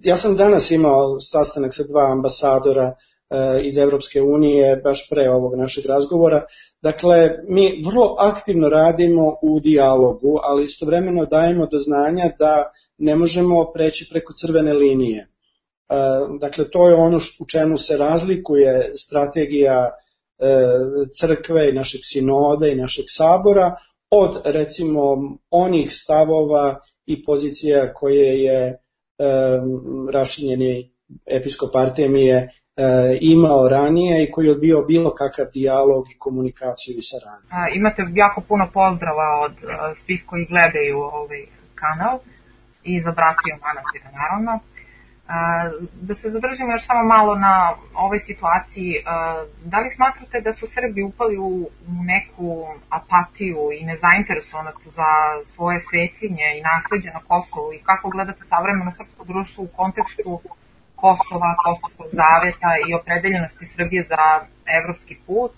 Ja sam danas imao sastanak sa 2 ambasadora iz Evropske unije, baš pre ovog našeg razgovora. Dakle, mi vrlo aktivno radimo u dijalogu, ali istovremeno dajemo do znanja da ne možemo preći preko crvene linije. Dakle, to je ono u čemu se razlikuje strategija crkve i našeg sinoda i našeg sabora od, recimo, onih stavova i pozicija koje je rašinjeni episkop Artemije imao ranije i koji je odbio bilo kakav dijalog i komunikaciju i saradnju. Imate jako puno pozdrava od svih koji gledaju ovaj kanal i za bratiju manastira naravno. Da se zadržimo još samo malo na ovoj situaciji, da li smatrate da su Srbi upali u neku apatiju i nezainteresovanost za svoje svetinje i nasleđe na Kosovu i kako gledate savremeno srpsko društvo u kontekstu Kosova, Kosovskog zaveta i opredeljenosti Srbije za evropski put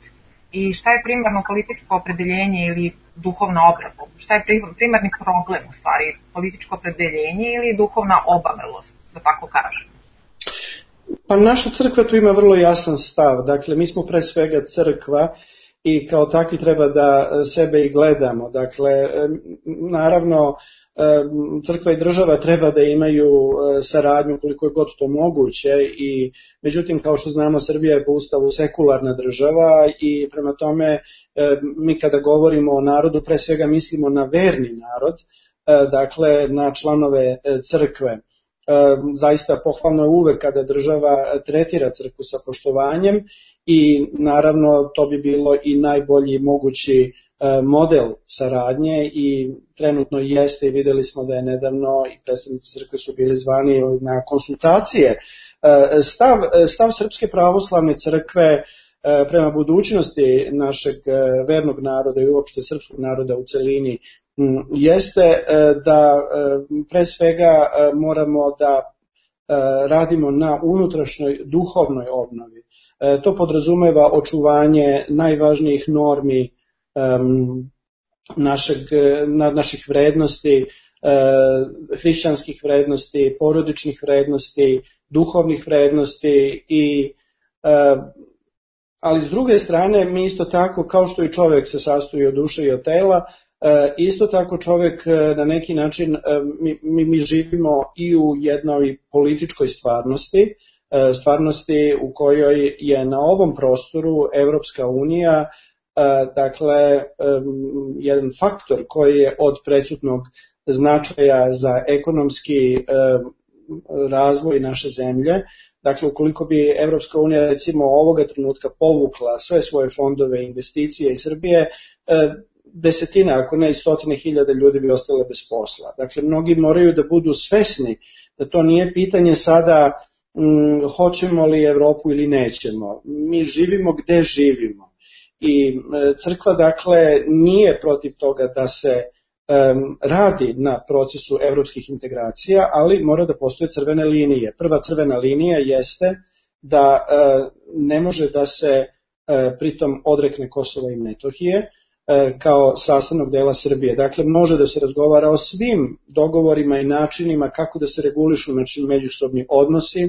i šta je primarno političko opredeljenje ili duhovna obrada? Šta je primarni problem u stvari, političko opredeljenje ili duhovna obavelost, da tako kažem? Pa naša crkva tu ima vrlo jasan stav, dakle mi smo pre svega crkva i kao takvi treba da sebe i gledamo, dakle naravno crkva i država treba da imaju saradnju koliko je god to moguće i međutim kao što znamo Srbija je po ustavu sekularna država i prema tome mi kada govorimo o narodu pre svega mislimo na verni narod, dakle na članove crkve. Zaista pohvalno je uvek kada država tretira crkvu sa poštovanjem i naravno to bi bilo i najbolji mogući model saradnje i trenutno jeste i videli smo da je nedavno i predstavnici crkve su bili zvani na konsultacije. Stav Srpske pravoslavne crkve prema budućnosti našeg vernog naroda i uopšte srpskog naroda u celini jeste da pre svega moramo da radimo na unutrašnjoj duhovnoj obnovi. To podrazumeva očuvanje najvažnijih normi naših vrednosti, hrišćanskih vrednosti, porodičnih vrednosti, duhovnih vrednosti ali s druge strane mi isto tako kao što i čovjek se sastoji od duše i od tela, isto tako čovjek na neki način, mi živimo i u jednoj političkoj stvarnosti u kojoj je na ovom prostoru Evropska unija, dakle, jedan faktor koji je od presudnog značaja za ekonomski razvoj naše zemlje. Dakle, ukoliko bi Evropska unija recimo ovoga trenutka povukla sve svoje fondove i investicije iz Srbije, desetina, ako ne i stotine hiljada ljudi bi ostale bez posla. Dakle, mnogi moraju da budu svesni da to nije pitanje sada hoćemo li Evropu ili nećemo. Mi živimo gde živimo. I crkva, dakle, nije protiv toga da se radi na procesu evropskih integracija, ali mora da postoje crvene linije. Prva crvena linija jeste da ne može da se pritom odrekne Kosova i Metohije kao sastavnog dela Srbije. Dakle, može da se razgovara o svim dogovorima i načinima kako da se regulišu međusobni odnosi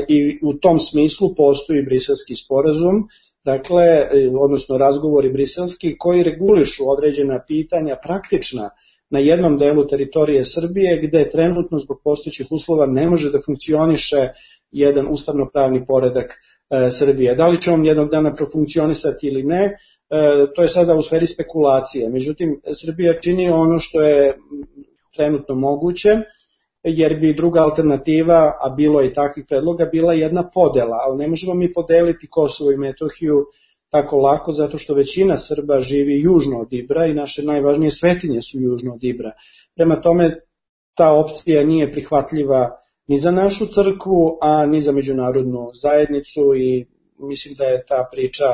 i u tom smislu postoji Briselski sporazum, dakle, odnosno razgovori briselski koji regulišu određena pitanja praktična na jednom delu teritorije Srbije gde trenutno zbog postojećih uslova ne može da funkcioniše jedan ustavno-pravni poredak Srbije. Da li će on jednog dana profunkcionisati ili ne, to je sada u sferi spekulacije. Međutim, Srbija čini ono što je trenutno moguće, jer bi druga alternativa, a bilo je i takvih predloga, bila jedna podela, ali ne možemo mi podeliti Kosovo i Metohiju tako lako, zato što većina Srba živi južno od Ibra i naše najvažnije svetinje su južno od Ibra. Prema tome, ta opcija nije prihvatljiva ni za našu crkvu, a ni za međunarodnu zajednicu i mislim da je ta priča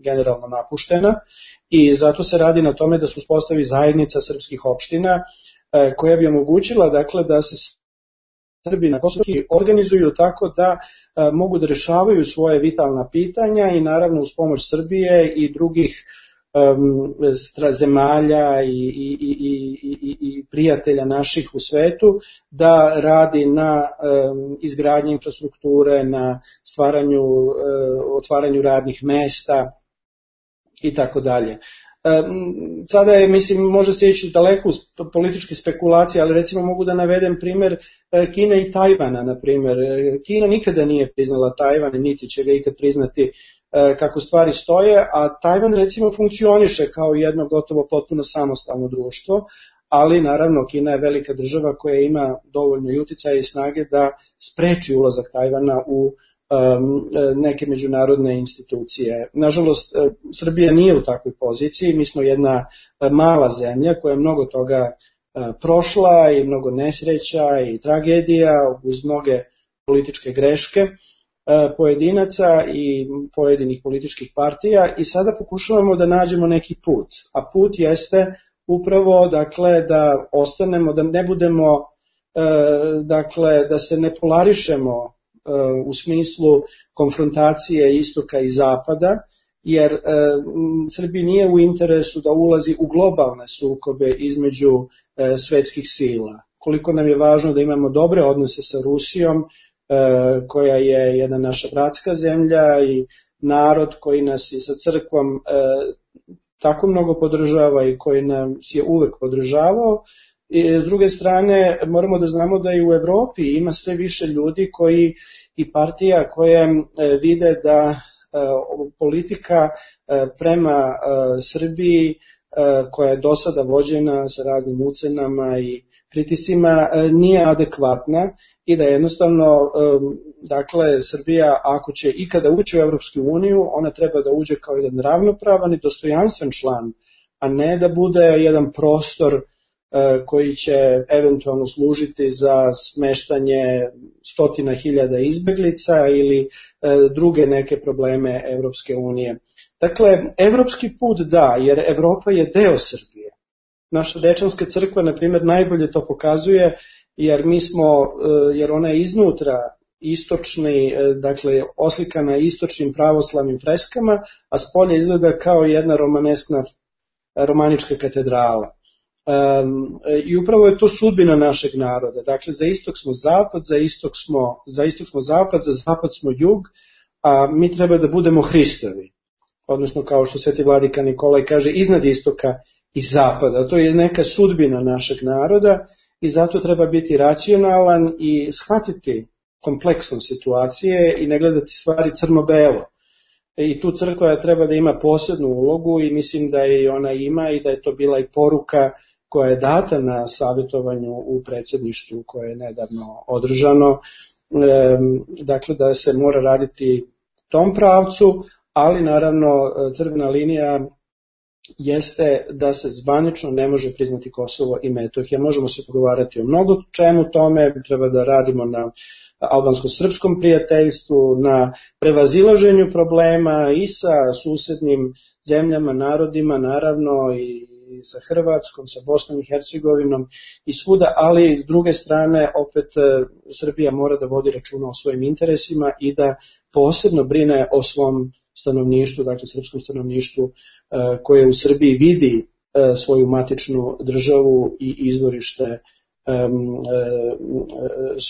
generalno napuštena i zato se radi na tome da se uspostavi zajednica srpskih opština koja bi omogućila dakle, da se Srbi na Kosovu organizuju tako da mogu da rešavaju svoje vitalna pitanja i naravno uz pomoć Srbije i drugih zemalja i prijatelja naših u svetu da radi na izgradnji infrastrukture, na otvaranju radnih mesta i tako dalje. Sada je, mislim, može se ići daleko uz političke spekulacije, ali recimo mogu da navedem primer Kine i Tajvana, na primer. Kina nikada nije priznala Tajvan, niti će ga ikad priznati kako stvari stoje, a Tajvan recimo funkcioniše kao jedno gotovo potpuno samostalno društvo, ali naravno Kina je velika država koja ima dovoljno i uticaja i snage da spreči ulazak Tajvana u neke međunarodne institucije. Nažalost, Srbija nije u takvoj poziciji, mi smo jedna mala zemlja koja je mnogo toga prošla i mnogo nesreća i tragedija uz mnoge političke greške pojedinaca i pojedinih političkih partija i sada pokušavamo da nađemo neki put, a put jeste upravo dakle da ostanemo, da ne budemo dakle da se ne polarišemo u smislu konfrontacije istoka i zapada, jer Srbiji nije u interesu da ulazi u globalne sukobe između svetskih sila. Koliko nam je važno da imamo dobre odnose sa Rusijom, koja je jedna naša bratska zemlja i narod koji nas i sa crkvom tako mnogo podržava i koji nas je uvek podržavao. I s druge strane, moramo da znamo da i u Evropi ima sve više ljudi koji i partija koje vide da politika prema Srbiji koja je do sada vođena sa raznim ucenama i pritiscima nije adekvatna i da jednostavno dakle Srbija ako će ikada ući u Evropsku uniju ona treba da uđe kao jedan ravnopravan i dostojanstven član, a ne da bude jedan prostor koji će eventualno služiti za smeštanje stotina hiljada izbeglica ili druge neke probleme Evropske unije. Dakle, evropski put da, jer Evropa je deo Srbije. Naša Dečanska crkva, na primjer, najbolje to pokazuje, jer ona je iznutra istočni, dakle, oslikana istočnim pravoslavnim freskama, a spolje izgleda kao jedna romanička katedrala. I upravo je to sudbina našeg naroda. Dakle, za istok smo zapad, za istok smo zapad, za zapad smo jug, a mi treba da budemo Hristovi. Odnosno, kao što Sveti vladika Nikolaj kaže, iznad istoka i zapada. To je neka sudbina našeg naroda i zato treba biti racionalan i shvatiti kompleksnost situacije i ne gledati stvari crno-belo. I tu crkva treba da ima posebnu ulogu i mislim da je ona ima i da je to bila i poruka koja je data na savjetovanju u predsjedništvu koje je nedavno održano. Dakle, da se mora raditi tom pravcu, ali naravno crvena linija jeste da se zvanično ne može priznati Kosovo i Metohija. Možemo se pogovarati o mnogo čemu tome, treba da radimo na albansko-srpskom prijateljstvu, na prevazilaženju problema i sa susednim zemljama, narodima, naravno i sa Hrvatskom, sa Bosnom i Hercegovinom i svuda, ali s druge strane opet Srbija mora da vodi računa o svojim interesima i da posebno brine o svom stanovništvu, dakle srpskom stanovništvu koje u Srbiji vidi svoju matičnu državu i izvorište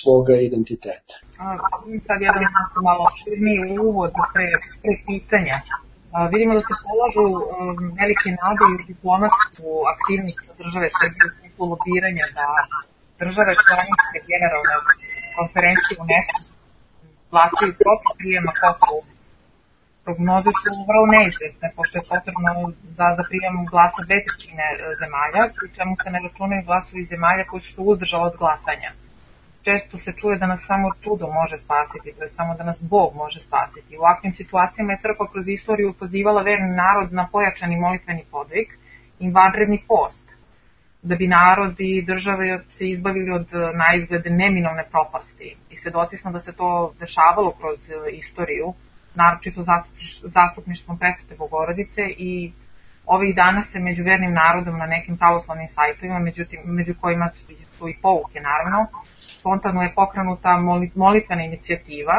svoga identiteta. Sad jedan malo širniji uvod pre pitanja. Vidimo da se polažu velike nade i u diplomatsku aktivnost države Srbije u smislu lobiranja da države članice generalne konferencije UNESCO glasaju protiv prijema Kosovu. Prognoze su vrlo neizvesne, pošto je potrebno da za prijem glasa 2/3 zemalja, pri čemu se ne računaju glasovi zemalja koji su se uzdržali od glasanja. Često se čuje da nas samo čudo može spasiti, to je samo da nas Bog može spasiti. U ovakvim situacijama je crkva kroz istoriju pozivala verni narod na pojačani molitveni podvig i vanredni post, da bi narod i države se izbavili od naizgled neminovne propasti. I svedoci smo da se to dešavalo kroz istoriju, naročito zastupništvom Presvete Bogorodice, i ovih dana se među vernim narodom na nekim pravoslavnim sajtovima, među kojima su i pouke naravno, spontano je pokrenuta molitvena inicijativa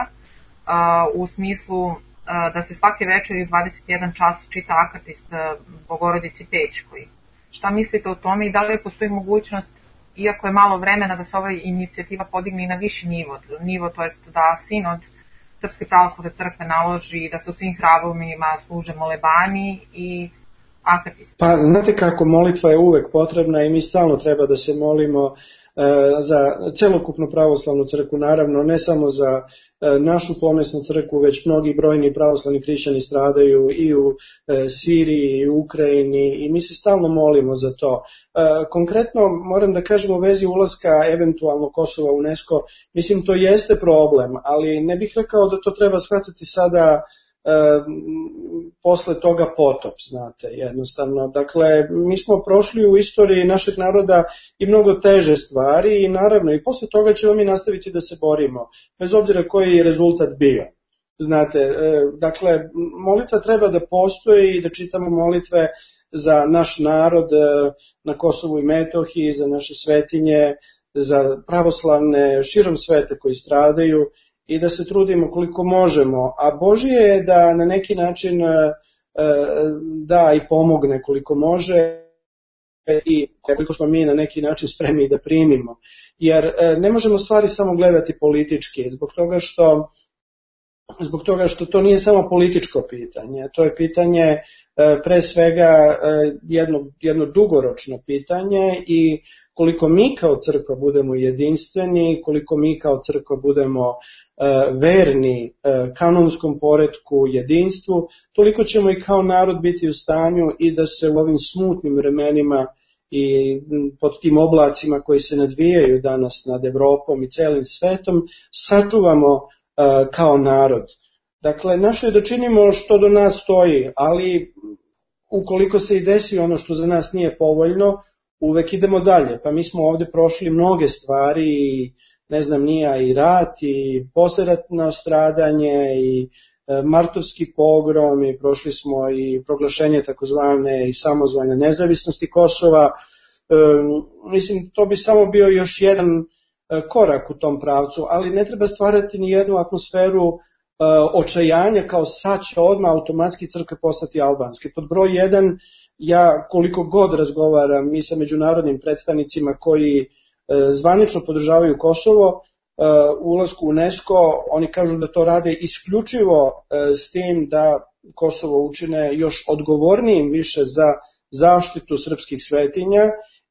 u smislu da se svake večeri u 21 čas čita akatist Bogorodici Pećkoj. Šta mislite o tome i da li postoji mogućnost, iako je malo vremena, da se ova inicijativa podigne i na viši nivo, to jest da sinod Srpske pravoslavne crkve naloži da se u svim hramovima služe molebani i akatisti? Pa, znate kako, molitva je uvek potrebna i mi stalno treba da se molimo za celokupnu pravoslavnu crkvu, naravno ne samo za našu pomesnu crkvu, već mnogi brojni pravoslavni hrišćani stradaju i u Siriji i u Ukrajini i mi se stalno molimo za to. Konkretno moram da kažem u vezi ulaska eventualno Kosova u UNESCO, mislim to jeste problem, ali ne bih rekao da to treba shvatiti sada posle toga potop, znate, jednostavno. Dakle, mi smo prošli u istoriji našeg naroda i mnogo teže stvari i naravno i posle toga ćemo mi nastaviti da se borimo, bez obzira koji je rezultat bio. Znate, dakle, molitva treba da postoji i da čitamo molitve za naš narod na Kosovu i Metohiji, za naše svetinje, za pravoslavne širom sveta koji stradaju, i da se trudimo koliko možemo, a Božije je da na neki način da i pomogne koliko može i koliko smo mi na neki način spremni da primimo. Jer ne možemo stvari samo gledati politički, zbog toga što to nije samo političko pitanje, to je pitanje pre svega jedno dugoročno pitanje i koliko mi kao crkva budemo jedinstveni, koliko mi kao crkva budemo verni kanonskom poretku, jedinstvu, toliko ćemo i kao narod biti u stanju i da se u ovim smutnim vremenima i pod tim oblacima koji se nadvijaju danas nad Evropom i celim svetom sačuvamo kao narod. Dakle, naše je da činimo što do nas stoji, ali ukoliko se i desi ono što za nas nije povoljno, uvek idemo dalje. Pa mi smo ovde prošli mnoge stvari i ne znam, nije i rat i posleratno stradanje i martovski pogrom i prošli smo i proglašenje takozvane i samozvane nezavisnosti Kosova. Mislim, to bi samo bio još jedan korak u tom pravcu, ali ne treba stvarati ni jednu atmosferu očajanja kao sad će odmah automatski crkve postati albanske. Pod broj 1, ja koliko god razgovaram i sa međunarodnim predstavnicima koji zvanično podržavaju Kosovo, ulasku u UNESCO, oni kažu da to rade isključivo s tim da Kosovo učine još odgovornijim više za zaštitu srpskih svetinja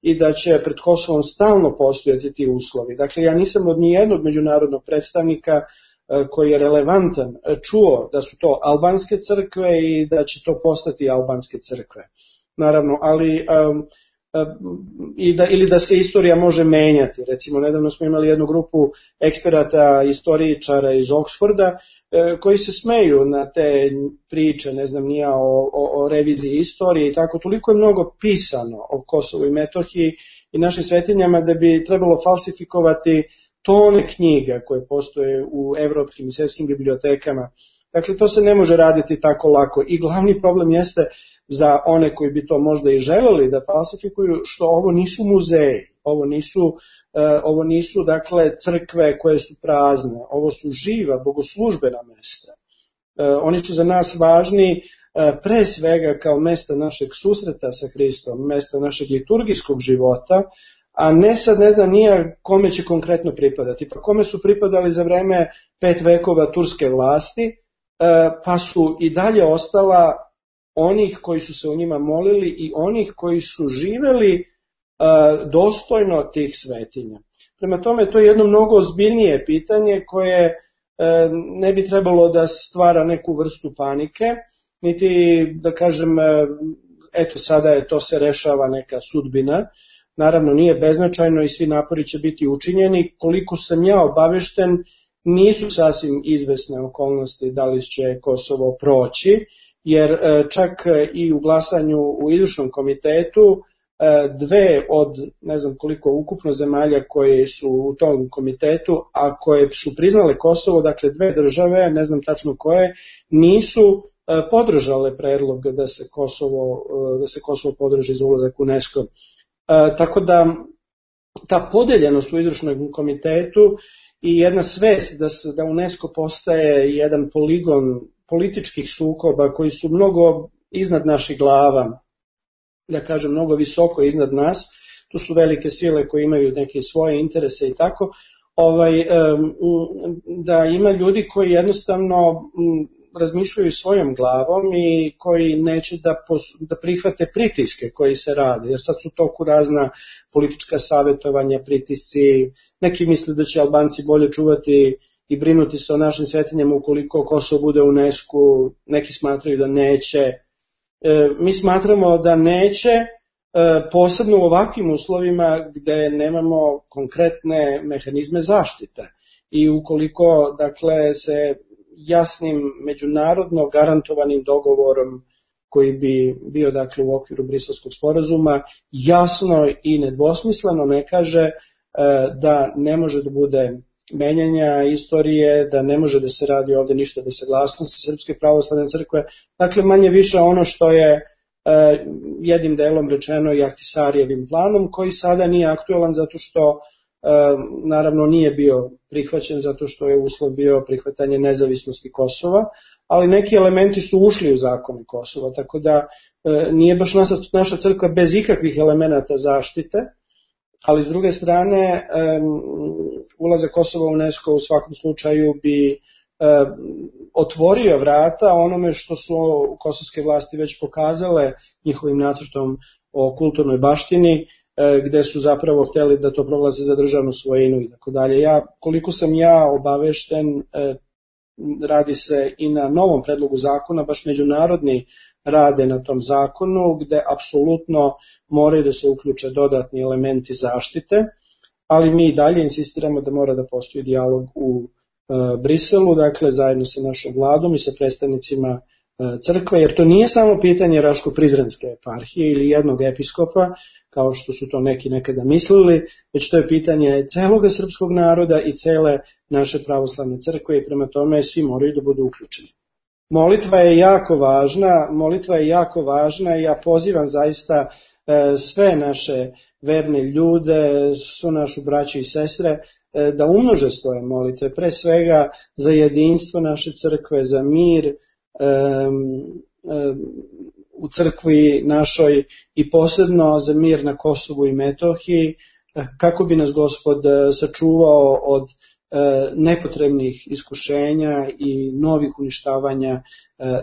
i da će pred Kosovom stalno postojati ti uslovi. Dakle, ja nisam od nijednog međunarodnog predstavnika koji je relevantan čuo da su to albanske crkve i da će to postati albanske crkve. Naravno, ali ili da se istorija može menjati. Recimo, nedavno smo imali jednu grupu eksperata, istoričara iz Oksforda koji se smeju na te priče, ne znam nija, o reviziji istorije i tako. Toliko je mnogo pisano o Kosovu i Metohiji i našim svetinjama da bi trebalo falsifikovati tone knjiga koje postoje u evropskim i svetskim bibliotekama. Dakle, to se ne može raditi tako lako i glavni problem jeste za one koji bi to možda i želeli da falsifikuju, što ovo nisu muzeji, ovo nisu dakle crkve koje su prazne, ovo su živa bogoslužbena mesta. Oni su za nas važni pre svega kao mesta našeg susreta sa Hristom, mesta našeg liturgijskog života, a ne sad ne znam nija kome će konkretno pripadati. Pa kome su pripadali za vreme 5 vekova turske vlasti, pa su i dalje ostala onih koji su se o njima molili i onih koji su živeli dostojno tih svetinja. Prema tome, to je jedno mnogo ozbiljnije pitanje koje ne bi trebalo da stvara neku vrstu panike, niti da kažem, eto sada je to se rešava neka sudbina. Naravno nije beznačajno i svi napori će biti učinjeni. Koliko sam ja obavešten, nisu sasvim izvesne okolnosti da li će Kosovo proći, jer čak i u glasanju u izvršnom komitetu 2 od ne znam koliko ukupno zemalja koje su u tom komitetu, a koje su priznale Kosovo, dakle 2 države, ne znam tačno koje, nisu podržale predlog da se Kosovo podrži za ulazak u UNESCO. Tako da ta podeljenost u izvršnom komitetu i jedna svest da UNESCO postaje jedan poligon političkih sukoba koji su mnogo iznad naših glava, da kažem mnogo visoko iznad nas, tu su velike sile koje imaju neke svoje interese i tako, da ima ljudi koji jednostavno razmišljaju svojom glavom i koji neće da prihvate pritiske koji se rade, jer sad su toku razna politička savjetovanja, pritisci, neki misle da će Albanci bolje čuvati i brinuti se o našim svetinjama ukoliko Kosovo bude u UNESCO, neki smatraju da neće. Mi smatramo da neće, posebno u ovakvim uslovima gde nemamo konkretne mehanizme zaštite i ukoliko dakle se jasnim međunarodno garantovanim dogovorom koji bi bio dakle u okviru Briselskog sporazuma jasno i nedvosmisleno ne kaže da ne može da bude menjanja istorije, da ne može da se radi ovde ništa bez saglasnosti Srpske pravoslavne crkve, dakle manje više ono što je jednim delom rečeno i Ahtisarijevim planom, koji sada nije aktualan zato što naravno nije bio prihvaćen zato što je uslov bio prihvatanje nezavisnosti Kosova, ali neki elementi su ušli u zakone Kosova, tako da nije baš naša crkva bez ikakvih elemenata zaštite, ali s druge strane ulazak Kosova u UNESCO u svakom slučaju bi otvorio vrata onome što su kosovske vlasti već pokazale njihovim nacrtom o kulturnoj baštini, gde su zapravo hteli da to proglase za državnu svojinu i tako dalje. Koliko sam ja obavešten, radi se i na novom predlogu zakona, baš međunarodni rade na tom zakonu, gde apsolutno moraju da se uključe dodatni elementi zaštite, ali mi i dalje insistiramo da mora da postoji dijalog u Briselu, dakle zajedno sa našom vladom i sa predstavnicima crkve, jer to nije samo pitanje Raško-Prizrenske eparhije ili jednog episkopa, kao što su to neki nekada mislili, već to je pitanje celoga srpskog naroda i cele naše pravoslavne crkve i prema tome svi moraju da budu uključeni. Molitva je jako važna i ja pozivam zaista sve naše verne ljude, svu našu braću i sestre, da umnože svoje molitve, pre svega za jedinstvo naše crkve, za mir u crkvi našoj i posebno za mir na Kosovu i Metohiji, kako bi nas Gospod sačuvao od nepotrebnih iskušenja i novih uništavanja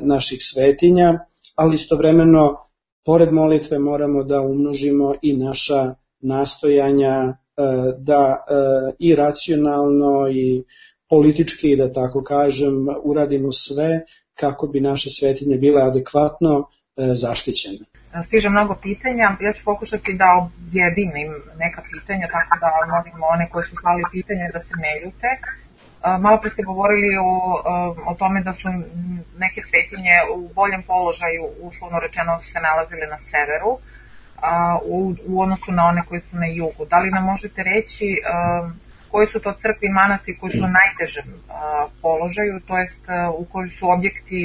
naših svetinja, ali istovremeno, pored molitve moramo da umnožimo i naša nastojanja da i racionalno i politički, da tako kažem, uradimo sve kako bi naše svetinje bile adekvatno zaštićene. Stiže mnogo pitanja, ja ću pokušati da objedinim neka pitanja, tako da molimo one koji su slali pitanje da se ne ljute. Malo pre ste govorili o tome da su neke svetinje u boljem položaju, uslovno rečeno su se nalazile na severu, u odnosu na one koji su na jugu. Da li nam možete reći koji su to crkve i manastiri koji su u najtežem položaju, to jest u koji su objekti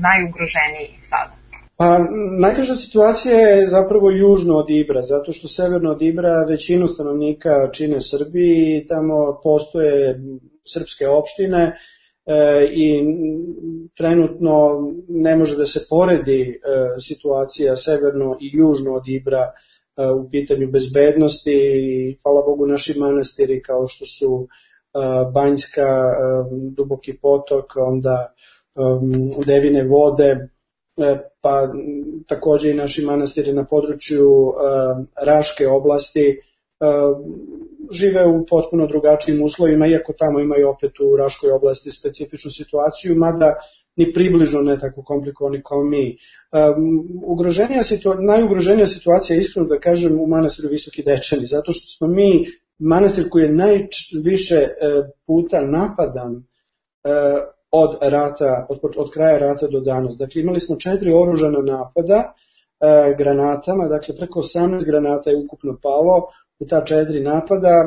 najugroženiji sada? Pa najteža situacija je zapravo južno od Ibra, zato što severno od Ibra većinu stanovnika čine Srbi i tamo postoje srpske opštine i trenutno ne može da se poredi situacija severno i južno od Ibra u pitanju bezbednosti i hvala Bogu naši manastiri kao što su Banjska, Duboki potok, onda Devine vode, pa takođe i naši manastiri na području Raške oblasti žive u potpuno drugačijim uslovima, iako tamo imaju opet u Raškoj oblasti specifičnu situaciju, mada ni približno ne tako komplikovani kao mi. Najugroženija situacija je iskreno da kažem u manastiru Visoki Dečani, zato što smo mi manastir koji je najviše puta napadan od kraja rata do danas. Dakle, imali smo 4 oružana napada granatama, dakle preko 18 granata je ukupno palo u ta 4 napada,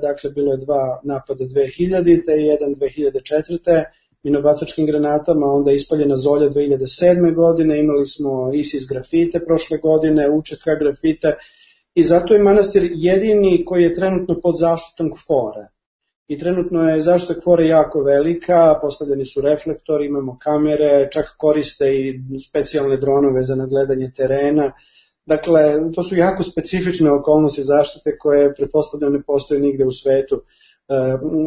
dakle bilo je 2 napada 2000-te i 1 2004. minobacačkim granatama, onda je ispaljena Zolja 2007. godine, imali smo ISIS grafite prošle godine, UČK grafite i zato je manastir jedini koji je trenutno pod zaštitom KFOR-a. I trenutno je zaštita KFOR-a jako velika, postavljeni su reflektori, imamo kamere, čak koriste i specijalne dronove za nadgledanje terena. Dakle, to su jako specifične okolnosti zaštite koje pretpostavljam ne postoje nigde u svetu,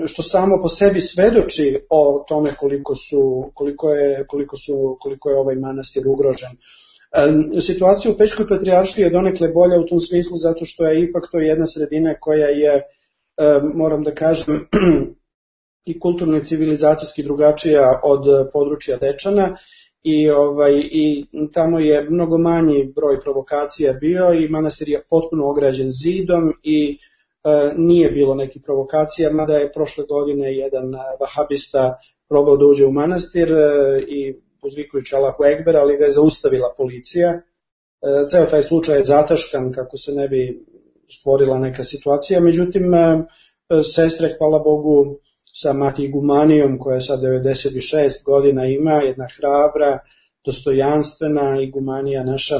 što samo po sebi svedoči o tome koliko je ovaj manastir ugrožen. Situacija u Pećkoj patrijaršiji je donekle bolja u tom smislu zato što je ipak to jedna sredina koja je, moram da kažem, i kulturno i civilizacijski drugačija od područja Dečana i tamo je mnogo manji broj provokacija bio i manastir je potpuno ograđen zidom i nije bilo nekih provokacija, mada je prošle godine jedan vahabista probao da uđe u manastir i uzvikujući Allahu Ekber, ali ga je zaustavila policija. Ceo taj slučaj je zataškan kako se ne bi stvorila neka situacija, međutim sestre, hvala Bogu, sa mati igumanijom koja sad 96 godina ima, jedna hrabra, dostojanstvena igumanija naša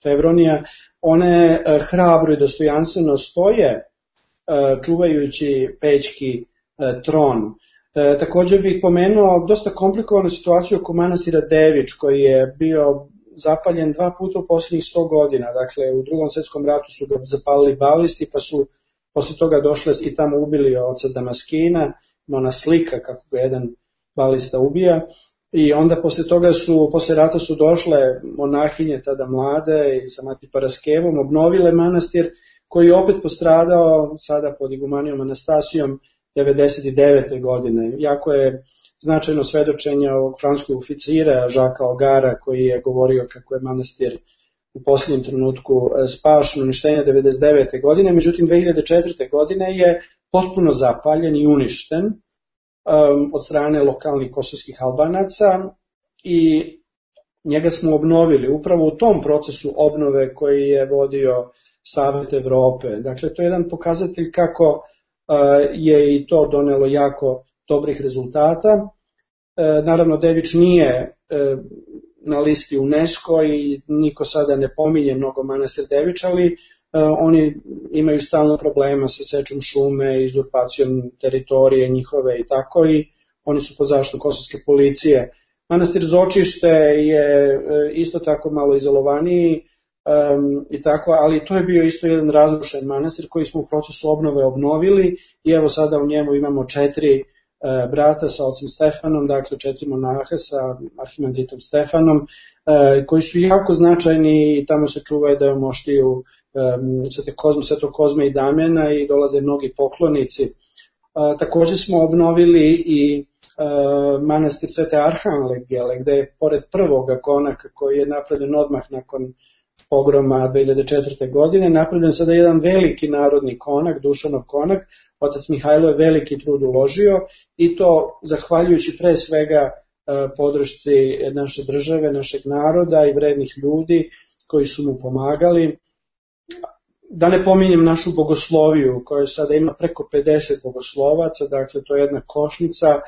Fevronija, one hrabro i dostojanstveno stoje čuvajući pećki tron. Također bih pomenuo dosta komplikovanu situaciju oko manastira Devič koji je bio zapaljen 2 puta u posljednjih 100 godina. Dakle, u Drugom svjetskom ratu su ga zapalili balisti pa su posle toga došle i tamo ubili oca Damaskina, ona slika kako ga jedan balista ubija. I onda posle rata su došle monahinje tada mlade i sa mati Paraskevom obnovile manastir koji je opet postradao sada pod igumanijom Anastasijom 99. godine. Jako je značajno svedočenje ovog francuskog oficira Žaka Ogara koji je govorio kako je manastir u posljednjem trenutku spašen, uništenja 99. godine, međutim 2004. godine je potpuno zapaljen i uništen od strane lokalnih kosovskih Albanaca i njega smo obnovili upravo u tom procesu obnove koji je vodio Savet Evrope. Dakle, to je jedan pokazatelj kako je i to donelo jako dobrih rezultata. Naravno, Devič nije na listi UNESCO i niko sada ne pominje mnogo manastir Devič, ali oni imaju stalno problema sa sečom šume, izurpacijom teritorije njihove i tako i oni su pod zaštitom kosovske policije. Manastir Zočište je isto tako malo izolovaniji i tako, ali to je bio isto jedan razrušen manastir koji smo u procesu obnove obnovili i evo sada u njemu imamo 4 brata sa ocem Stefanom, dakle 4 monaha sa arhimandritom Stefanom, koji su jako značajni i tamo se čuvaju da je moštiju Svetog Kozme i Damjana i dolaze mnogi poklonici. Također smo obnovili i manastir Svete Arhangele, gde je pored prvoga konaka koji je napravljen odmah nakon pogroma 2004. godine, napravljen sada jedan veliki narodni konak, Dušanov konak. Otac Mihajlo je veliki trud uložio i to zahvaljujući pre svega podršci naše države, našeg naroda i vrednih ljudi koji su mu pomagali. Da ne pominjem našu bogosloviju koja sada ima preko 50 bogoslovaca, dakle to je jedna košnica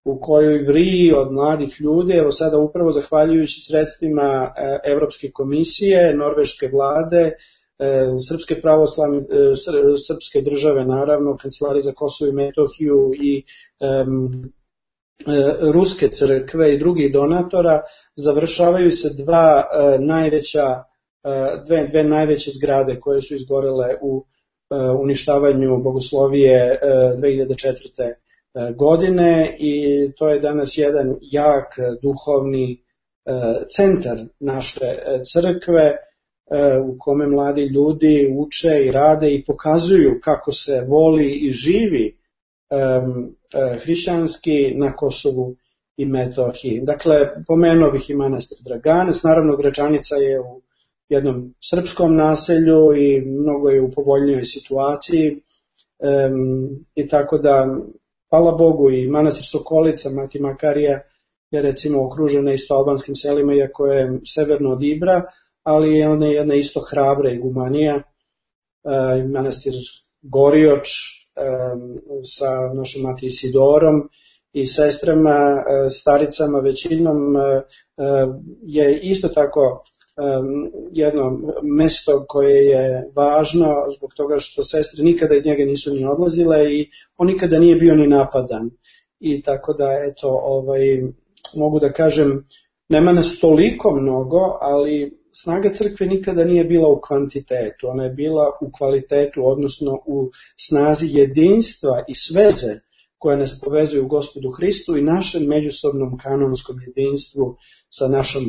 u kojoj vriji od mladih ljudi, evo sada upravo zahvaljujući sredstvima Evropske komisije, norveške vlade, srpske pravoslavne, srpske države naravno, Kancelarije za Kosovo i Metohiju i ruske crkve i drugih donatora, završavaju se dve najveće zgrade koje su izgorele u uništavanju bogoslovije 2004. godine i to je danas jedan jak duhovni centar naše crkve u kome mladi ljudi uče i rade i pokazuju kako se voli i živi hrišćanski na Kosovu i Metohiji. Dakle, pomenuo bih i manastir Draganac, naravno Gračanica je u jednom srpskom naselju i mnogo je u povoljnijoj situaciji i tako da, hvala Bogu, i manastir Sokolica, Mati Makarija je recimo okružena isto albanskim selima, iako je severno od Ibra, ali je ona jedna isto hrabra igumanija, manastir Gorioč sa našom Mati Isidorom i sestrama, staricama većinom, je isto tako jedno mesto koje je važno zbog toga što sestre nikada iz njega nisu ni odlazile i on nikada nije bio ni napadan. I tako da, eto, mogu da kažem, nema nas toliko mnogo, ali snaga crkve nikada nije bila u kvantitetu, ona je bila u kvalitetu, odnosno u snazi jedinstva i sveze koje nas povezuju u Gospodu Hristu i našem međusobnom kanonskom jedinstvu sa našom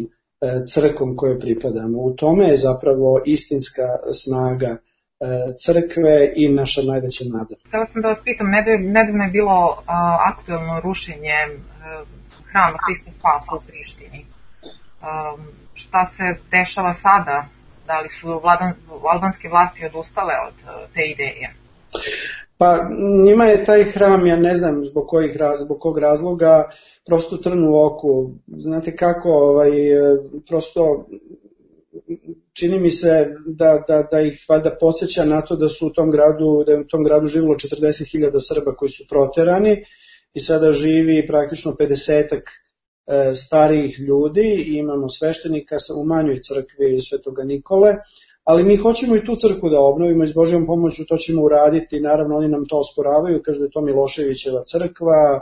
crkvom kojoj pripadamo. U tome je zapravo istinska snaga crkve i naša najveća nada. Htela sam da vas pitam, nedavno je bilo aktuelno rušenje hrama Hrista Spasa u Prištini. Šta se dešava sada? Da li su albanske vlasti odustale od te ideje? Pa njima je taj hram, ja ne znam zbog kog razloga, prosto trn u oku. Znate kako, prosto čini mi se da ih valjda podsjeća na to da su u tom gradu živilo 40.000 Srba koji su proterani i sada živi praktično 50-ak starijih ljudi i imamo sveštenika u manjoj crkvi Svetoga Nikole, ali mi hoćemo i tu crkvu da obnovimo i s Božjom pomoću to ćemo uraditi, naravno oni nam to osporavaju, kažu da je to Miloševićeva crkva,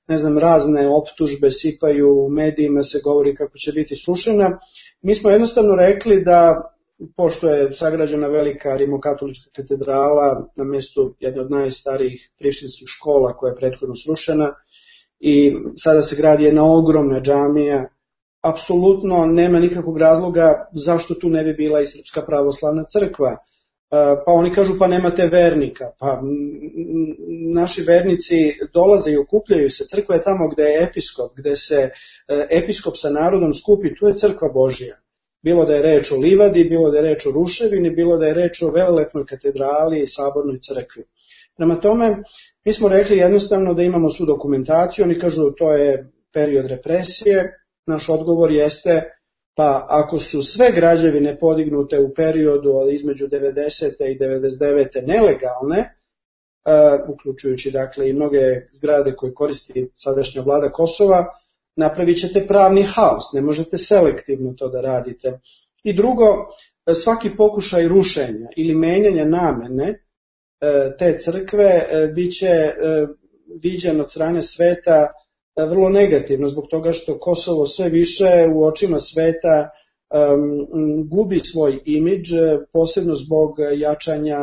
ne znam, razne optužbe sipaju u medijima, se govori kako će biti srušena. Mi smo jednostavno rekli da, pošto je sagrađena velika rimokatolička katedrala na mjestu jedne od najstarijih prištinskih škola koja je prethodno srušena i sada se gradi jedna ogromna džamija, apsolutno nema nikakvog razloga zašto tu ne bi bila i Srpska pravoslavna crkva. Pa oni kažu pa nemate vernika, pa naši vernici dolaze i okupljaju se, crkva je tamo gde je episkop, gde se episkop sa narodom skupi, tu je crkva Božja. Bilo da je reč o livadi, bilo da je reč o ruševini, bilo da je reč o velelepnoj katedrali i sabornoj crkvi. Prema tome, mi smo rekli jednostavno da imamo svu dokumentaciju, oni kažu to je period represije, naš odgovor jeste pa ako su sve građevine podignute u periodu između 90. i 99. nelegalne, uključujući dakle i mnoge zgrade koje koristi sadašnja vlada Kosova, napravit ćete pravni haos, ne možete selektivno to da radite. I drugo, svaki pokušaj rušenja ili menjanja namene te crkve biće viđen od strane sveta vrlo negativno, zbog toga što Kosovo sve više u očima sveta gubi svoj imidž, posebno zbog jačanja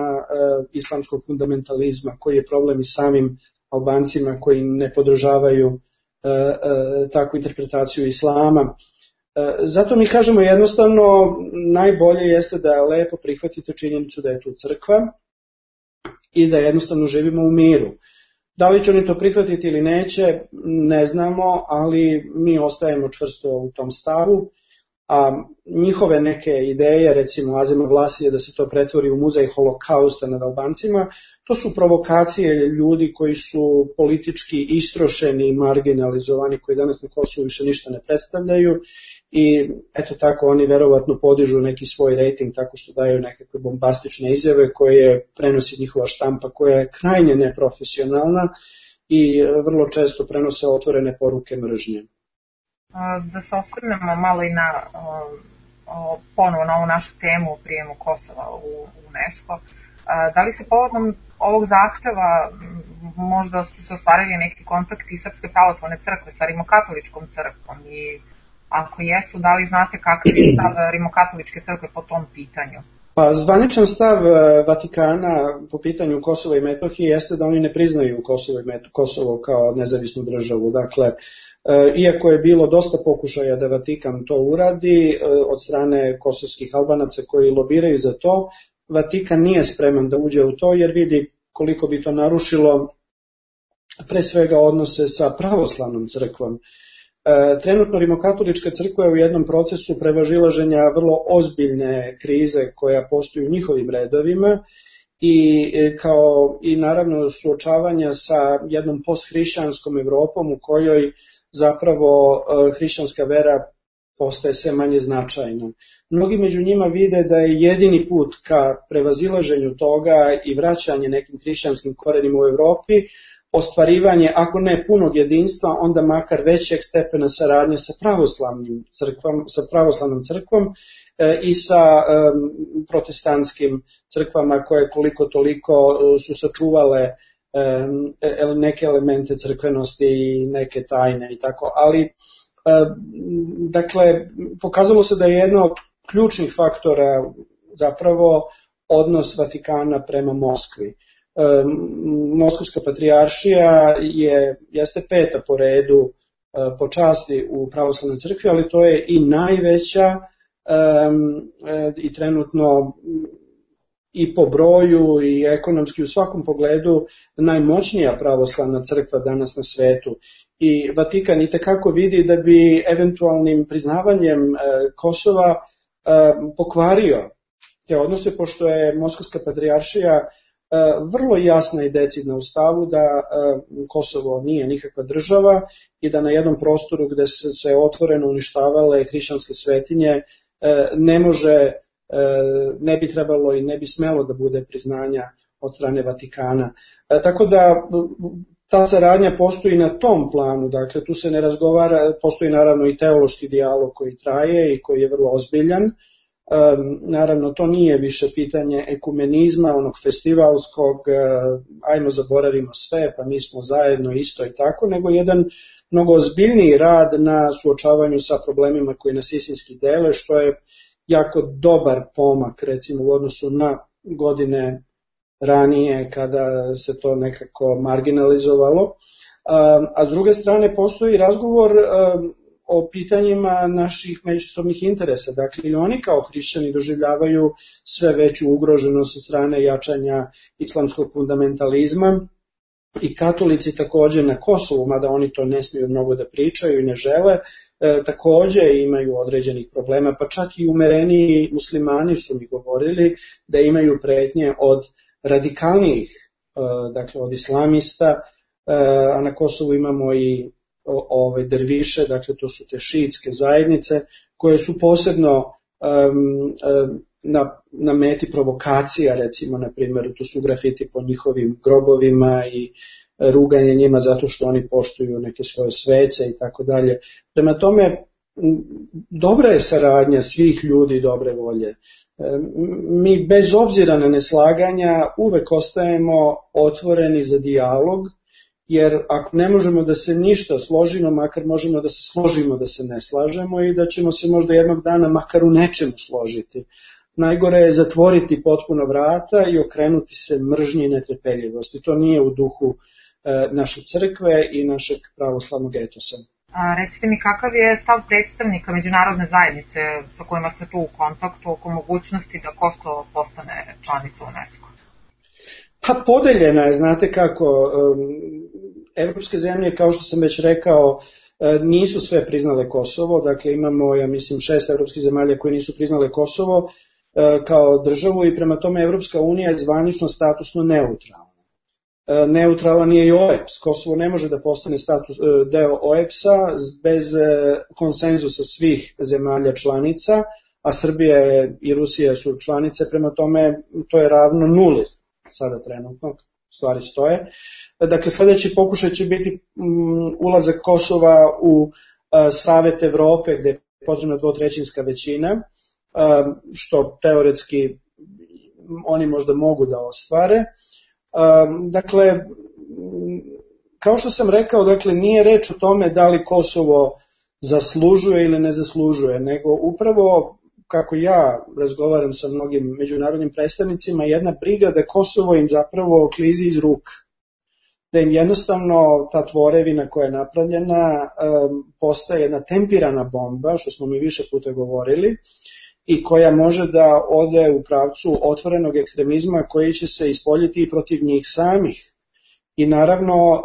islamskog fundamentalizma, koji je problem i samim Albancima koji ne podržavaju takvu interpretaciju islama. Zato mi kažemo jednostavno, najbolje jeste da lepo prihvatite činjenicu da je tu crkva i da jednostavno živimo u miru. Da li će oni to prihvatiti ili neće, ne znamo, ali mi ostajemo čvrsto u tom stavu, a njihove neke ideje, recimo Azema Vlasije da se to pretvori u muzej holokausta nad Albancima, to su provokacije ljudi koji su politički istrošeni i marginalizovani, koji danas na Kosovu više ništa ne predstavljaju i eto tako oni verovatno podižu neki svoj rejting tako što daju nekakve bombastične izjave koje prenosi njihova štampa koja je krajnje neprofesionalna i vrlo često prenose otvorene poruke mržnje. Da se osvrnemo malo i na ponovo na ovu našu temu o prijemu Kosova u UNESCO. Da li se povodom ovog zahteva možda su se ostvarili neki kontakti Srpske pravoslavne crkve sa Rimokatoličkom crkvom i ako jesu, da li znate kakav je stav Rimokatoličke crkve po tom pitanju? Pa zvaničan stav Vatikana po pitanju Kosova i Metohije jeste da oni ne priznaju Kosovo kao nezavisnu državu. Dakle, iako je bilo dosta pokušaja da Vatikan to uradi od strane kosovskih Albanaca koji lobiraju za to, Vatikan nije spreman da uđe u to jer vidi koliko bi to narušilo pre svega odnose sa pravoslavnom crkvom. Trenutno Rimokatolička crkva je u jednom procesu prevažilaženja vrlo ozbiljne krize koja postoji u njihovim redovima i naravno suočavanja sa jednom posthrišćanskom Evropom u kojoj zapravo hrišćanska vera postaje sve manje značajna. Mnogi među njima vide da je jedini put ka prevazilaženju toga i vraćanje nekim hrišćanskim korenima u Evropi ostvarivanje, ako ne punog jedinstva, onda makar većeg stepena saradnje sa pravoslavnom crkvom i sa protestantskim crkvama koje koliko toliko su sačuvale neke elemente crkvenosti i neke tajne i tako. Ali, dakle, pokazalo se da je jedno od ključnih faktora zapravo odnos Vatikana prema Moskvi. Moskovska patrijaršija jeste peta po redu po časti u pravoslavnoj crkvi, ali to je i najveća i trenutno i po broju i ekonomski u svakom pogledu najmoćnija pravoslavna crkva danas na svetu. I Vatikan itekako vidi da bi eventualnim priznavanjem Kosova pokvario te odnose, pošto je Moskovska patrijaršija vrlo jasna i decidna u stavu da Kosovo nije nikakva država i da na jednom prostoru gde su se otvoreno uništavale hrišćanske svetinje ne bi trebalo i ne bi smelo da bude priznanja od strane Vatikana. Tako da ta saradnja postoji na tom planu, dakle tu se ne razgovara, postoji naravno i teološki dijalog koji traje i koji je vrlo ozbiljan. Naravno, to nije više pitanje ekumenizma, onog festivalskog, ajmo zaboravimo sve, pa mi smo zajedno isto i tako, nego jedan mnogo ozbiljniji rad na suočavanju sa problemima koji nas istinski dele, što je jako dobar pomak, recimo u odnosu na godine ranije kada se to nekako marginalizovalo. A s druge strane postoji razgovor o pitanjima naših međusobnih interesa. Dakle, i oni kao hrišćani doživljavaju sve veću ugroženost od strane jačanja islamskog fundamentalizma i katolici takođe na Kosovu, mada oni to ne smiju mnogo da pričaju i ne žele, takođe imaju određenih problema, pa čak i umereniji muslimani su mi govorili da imaju pretnje od radikalnijih, dakle od islamista, a na Kosovu imamo i derviše, dakle to su te šiitske zajednice koje su posebno na meti provokacija, recimo na primjer tu su grafiti po njihovim grobovima i ruganje njima zato što oni poštuju neke svoje svece i tako dalje. Prema tome, dobra je saradnja svih ljudi dobre volje. Mi bez obzira na neslaganja uvek ostajemo otvoreni za dijalog, jer ako ne možemo da se ništa složimo, makar možemo da se složimo da se ne slažemo i da ćemo se možda jednog dana makar u nečemu složiti. Najgore je zatvoriti potpuno vrata i okrenuti se mržnji i netrpeljivosti. To nije u duhu naše crkve i našeg pravoslavnog etosa. Recite mi, kakav je stav predstavnika međunarodne zajednice sa kojima ste tu u kontaktu oko mogućnosti da Kosovo postane članica UNESCO? Pa podeljena je, znate kako, evropske zemlje, kao što sam već rekao, nisu sve priznale Kosovo, dakle imamo, ja mislim, 6 evropskih zemalja koje nisu priznale Kosovo kao državu i prema tome Evropska unija je zvanično statusno neutralna. Neutralan je i OEBS, Kosovo ne može da postane deo OEBS-a bez konsenzusa svih zemalja članica, a Srbija i Rusija su članice, prema tome to je ravno nuli sada trenutno, stvari stoje. Dakle, sledeći pokušaj će biti ulazak Kosova u Savet Evrope, gde je potrebna dvotrećinska većina, što teoretski oni možda mogu da ostvare. Dakle, kao što sam rekao, dakle, nije reč o tome da li Kosovo zaslužuje ili ne zaslužuje, nego upravo, kako ja razgovaram sa mnogim međunarodnim predstavnicima, jedna briga da Kosovo im zapravo klizi iz ruka. Da im jednostavno ta tvorevina koja je napravljena postaje jedna tempirana bomba, što smo mi više puta govorili, i koja može da ode u pravcu otvorenog ekstremizma koji će se ispoljiti i protiv njih samih. I naravno,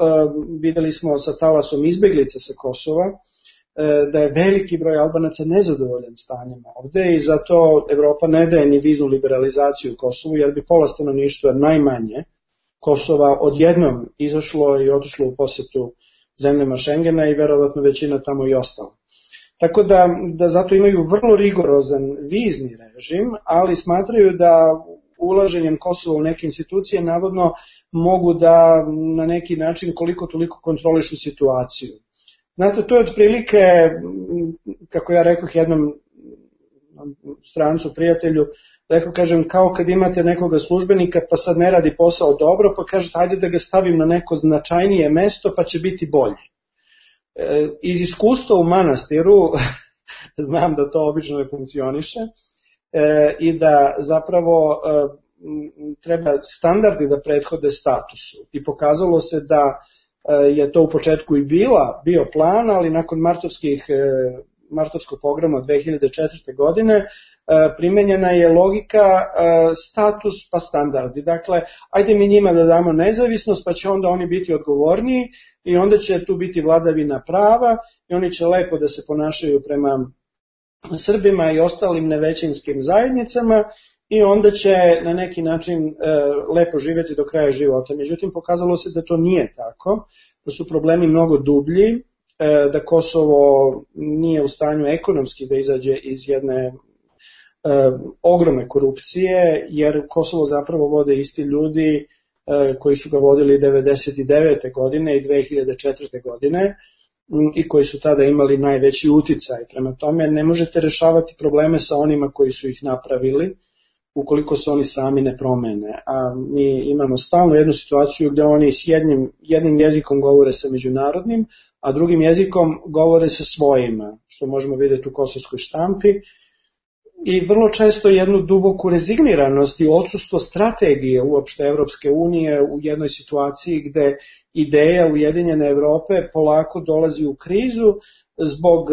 videli smo sa talasom izbeglica sa Kosova, da je veliki broj Albanaca nezadovoljan stanjem ovde i zato Evropa ne daje ni viznu liberalizaciju Kosovu, jer bi pola stanovništva najmanje Kosova odjednom izašlo i otišlo u posetu zemljama Šengena i verovatno većina tamo i ostala. Tako da zato imaju vrlo rigorozan vizni režim, ali smatraju da ulaženjem Kosova u neke institucije navodno mogu da na neki način koliko toliko kontrolišu situaciju. Znate, to je otprilike, kako ja rekoh jednom strancu, prijatelju, kažem, kao kad imate nekoga službenika pa sad ne radi posao dobro, pa kažete ajde da ga stavim na neko značajnije mesto pa će biti bolje. Iz iskustva u manastiru znam da to obično ne funkcioniše i da zapravo treba standardi da prethode statusu. I pokazalo se da je to u početku i bio plan, ali nakon martovskog pogroma 2004. godine primenjena je logika status pa standardi. Dakle, ajde mi njima da damo nezavisnost, pa će onda oni biti odgovorniji i onda će tu biti vladavina prava i oni će lepo da se ponašaju prema Srbima i ostalim nevećinskim zajednicama i onda će na neki način lepo živjeti do kraja života. Međutim, pokazalo se da to nije tako, da su problemi mnogo dublji, da Kosovo nije u stanju ekonomski da izađe iz jedne ogromne korupcije, jer Kosovo zapravo vode isti ljudi koji su ga vodili 1999. godine i 2004. godine i koji su tada imali najveći uticaj. Prema tome ne možete rešavati probleme sa onima koji su ih napravili ukoliko se oni sami ne promene. A mi imamo stalno jednu situaciju gde oni s jednim jezikom govore sa međunarodnim, a drugim jezikom govore sa svojima, što možemo vidjeti u kosovskoj štampi. I vrlo često jednu duboku rezigniranost i odsustvo strategije uopšte Evropske unije u jednoj situaciji gde ideja Ujedinjene Evrope polako dolazi u krizu zbog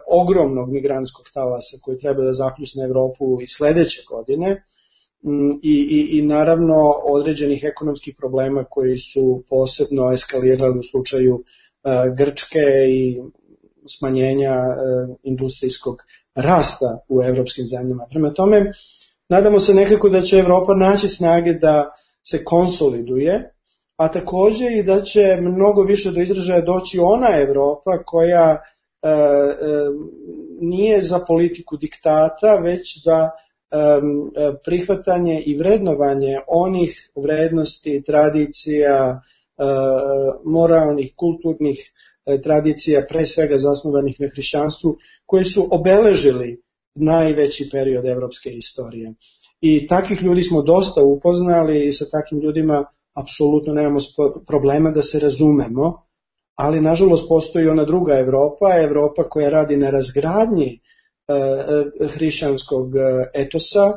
ogromnog migrantskog talasa koji treba da zapljusne Evropu i sledeće godine i naravno određenih ekonomskih problema koji su posebno eskalirali u slučaju Grčke i smanjenja industrijskog rasta u evropskim zemljama. Prema tome, nadamo se nekako da će Evropa naći snage da se konsoliduje, a takođe i da će mnogo više do izražaja doći ona Evropa koja nije za politiku diktata, već za prihvatanje i vrednovanje onih vrednosti, tradicija, moralnih, kulturnih tradicija, pre svega zasnovanih na hrišćanstvu, koji su obeležili najveći period evropske istorije. I takvih ljudi smo dosta upoznali i sa takvim ljudima apsolutno nemamo problema da se razumemo, ali nažalost postoji ona druga Evropa koja radi na razgradnji hrišćanskog etosa,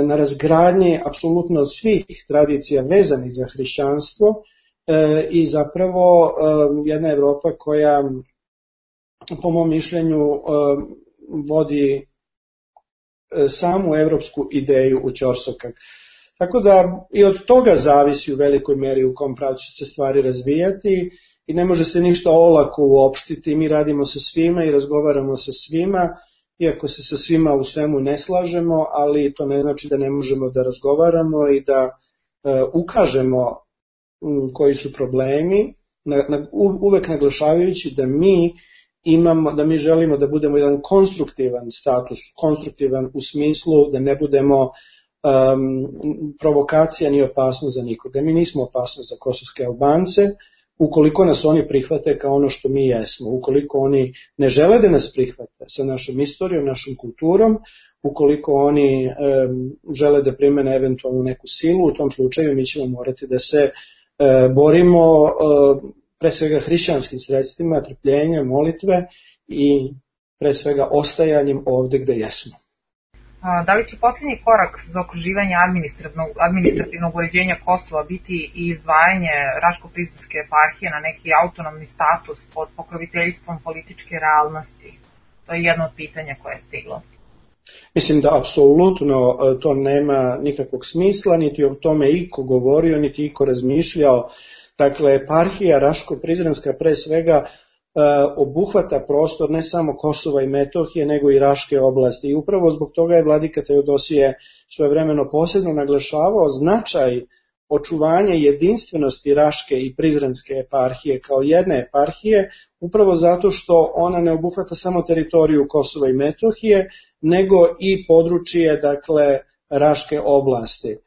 na razgradnji apsolutno svih tradicija vezanih za hrišćanstvo i zapravo jedna Evropa koja po mom mišljenju vodi samu evropsku ideju u ćorsokak. Tako da i od toga zavisi u velikoj meri u kom pravcu će se stvari razvijati i ne može se ništa olako uopštiti. Mi radimo sa svima i razgovaramo sa svima, iako se sa svima u svemu ne slažemo, ali to ne znači da ne možemo da razgovaramo i da ukažemo koji su problemi, uvek naglašavajući da mi želimo da budemo jedan konstruktivan status, konstruktivan u smislu da ne budemo provokacija ni opasnost za nikoga. Mi nismo opasnost za kosovske Albance, ukoliko nas oni prihvate kao ono što mi jesmo, ukoliko oni ne žele da nas prihvate sa našom istorijom, našom kulturom, ukoliko oni žele da primene eventualno neku silu, u tom slučaju mi ćemo morati da se borimo pre svega hrišćanskim sredstvima, trpljenja, molitve i pre svega ostajanjem ovde gde jesmo. Da li će posljednji korak za okruživanje administrativnog uređenja Kosova biti i izdvajanje Raško-Prizrenske eparhije na neki autonomni status pod pokroviteljstvom političke realnosti? To je jedno od pitanja koje je stiglo. Mislim da apsolutno to nema nikakvog smisla, niti o tome iko govorio, niti iko razmišljao. Dakle, eparhija Raško-Prizrenska pre svega obuhvata prostor ne samo Kosova i Metohije, nego i Raške oblasti. I upravo zbog toga je vladika Teodosije svojevremeno posebno naglašavao značaj očuvanja jedinstvenosti Raške i Prizrenske eparhije kao jedne eparhije, upravo zato što ona ne obuhvata samo teritoriju Kosova i Metohije, nego i područje, dakle, Raške oblasti.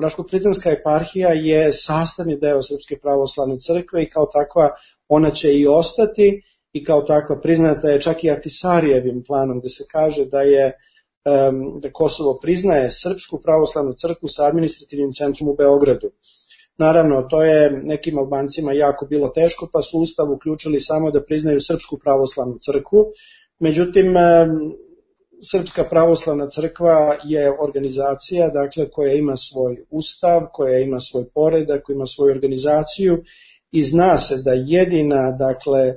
Raško-Prizrenska eparhija je sastavni deo Srpske pravoslavne crkve i kao takva ona će i ostati i kao takva priznata je čak i Ahtisarijevim planom gde se kaže da Kosovo priznaje Srpsku pravoslavnu crkvu sa administrativnim centrom u Beogradu. Naravno, to je nekim Albancima jako bilo teško, pa su Ustav uključili samo da priznaju Srpsku pravoslavnu crkvu. Međutim, Srpska pravoslavna crkva je organizacija, dakle, koja ima svoj ustav, koja ima svoj poredak, koja ima svoju organizaciju i zna se da jedina, dakle,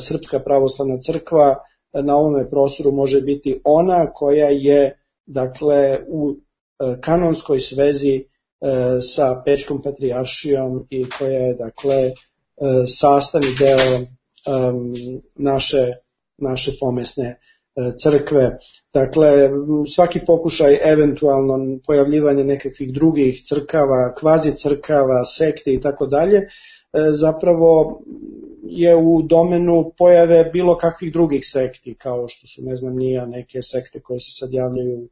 Srpska pravoslavna crkva na ovome prostoru može biti ona koja je, dakle, u kanonskoj svezi sa Pečkom patrijaršijom i koja je, dakle, sastavni deo naše pomesne crkve. Dakle, svaki pokušaj eventualno pojavljivanje nekakvih drugih crkava, kvazi crkava, sekte i tako dalje, zapravo je u domenu pojave bilo kakvih drugih sekti, kao što su, ne znam, neke sekte koje se sad javljaju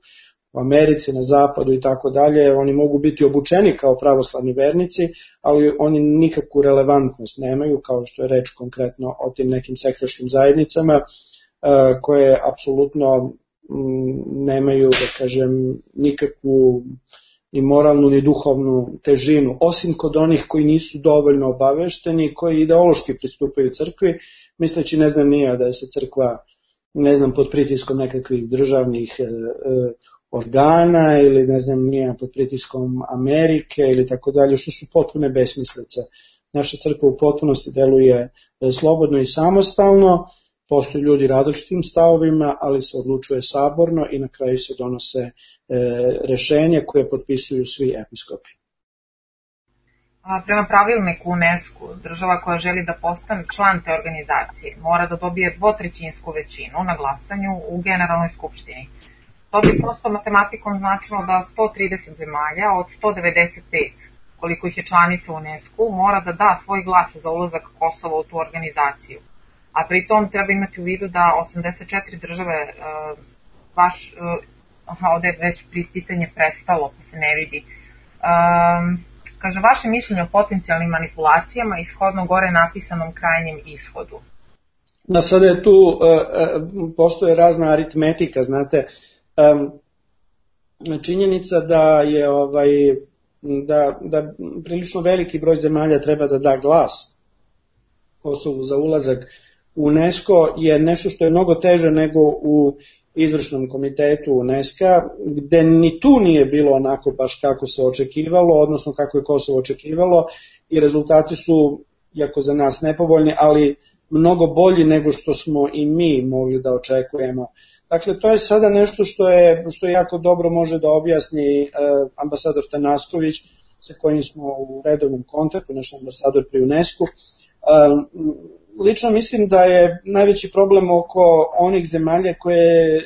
u Americi, na zapadu i tako dalje. Oni mogu biti obučeni kao pravoslavni vernici, ali oni nikakvu relevantnost nemaju, kao što je reč konkretno o tim nekim sektaškim zajednicama, koje apsolutno nemaju, da kažem, nikakvu ni moralnu ni duhovnu težinu, osim kod onih koji nisu dovoljno obavešteni, koji ideološki pristupaju crkvi, misleći, ne znam nija, da je se crkva, ne znam, pod pritiskom nekakvih državnih organa ili ne znam nija pod pritiskom Amerike ili tako dalje, što su potpune besmislice. Naša crkva u potpunosti deluje slobodno i samostalno, postoji ljudi različitim stavovima, ali se odlučuje saborno i na kraju se donose rešenja koje potpisuju svi episkopi. Prema pravilniku UNESCO, država koja želi da postane član te organizacije mora da dobije 2/3 većinu na glasanju u Generalnoj skupštini. To bi prosto matematikom značilo da 130 zemalja od 195, koliko ih je članica UNESCO, mora da da svoj glas za ulazak Kosova u tu organizaciju. A pritom treba imati u vidu da 84 države, ovde je već pitanje prestalo pa se ne vidi, kaže vaše mišljenje o potencijalnim manipulacijama ishodno gore napisanom krajnjem ishodu. Sada je tu, postoje razna aritmetika, znate, činjenica da je da prilično veliki broj zemalja treba da da glas Kosovu za ulazak u UNESCO je nešto što je mnogo teže nego u izvršnom komitetu UNESCO, gde ni tu nije bilo onako baš kako se očekivalo, odnosno kako je Kosovo očekivalo i rezultati su, iako za nas nepovoljni, ali mnogo bolji nego što smo i mi mogli da očekujemo. Dakle, to je sada nešto što jako dobro može da objasni ambasador Tanasković, sa kojim smo u redovnom kontaktu, naš ambasador pri UNESCO. Lično mislim da je najveći problem oko onih zemalja koje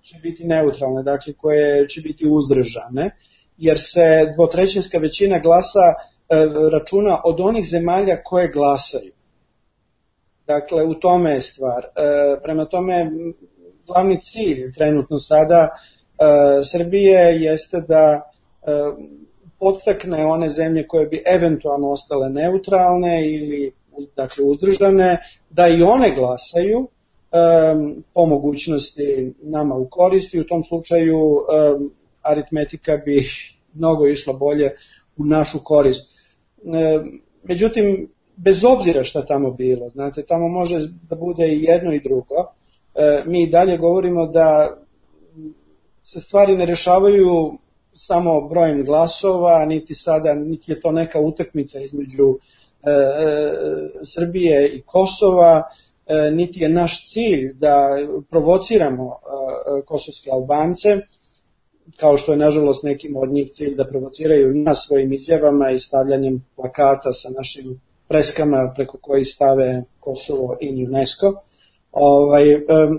će biti neutralne, dakle koje će biti uzdržane, jer se 2/3 većina glasa računa od onih zemalja koje glasaju. Dakle, u tome je stvar. Prema tome, glavni cilj trenutno sada Srbije jeste da podstakne one zemlje koje bi eventualno ostale neutralne ili dakle uzdržane, da i one glasaju po mogućnosti nama u korist i u tom slučaju aritmetika bi mnogo išla bolje u našu korist. Međutim, bez obzira šta tamo bilo, znate, tamo može da bude i jedno i drugo, mi dalje govorimo da se stvari ne rešavaju samo brojem glasova, niti je to neka utakmica između Srbije i Kosova, niti je naš cilj da provociramo kosovske Albance, kao što je nažalost nekim od njih cilj da provociraju nas svojim izjavama i stavljanjem plakata sa našim freskama preko kojih stave Kosovo i UNESCO.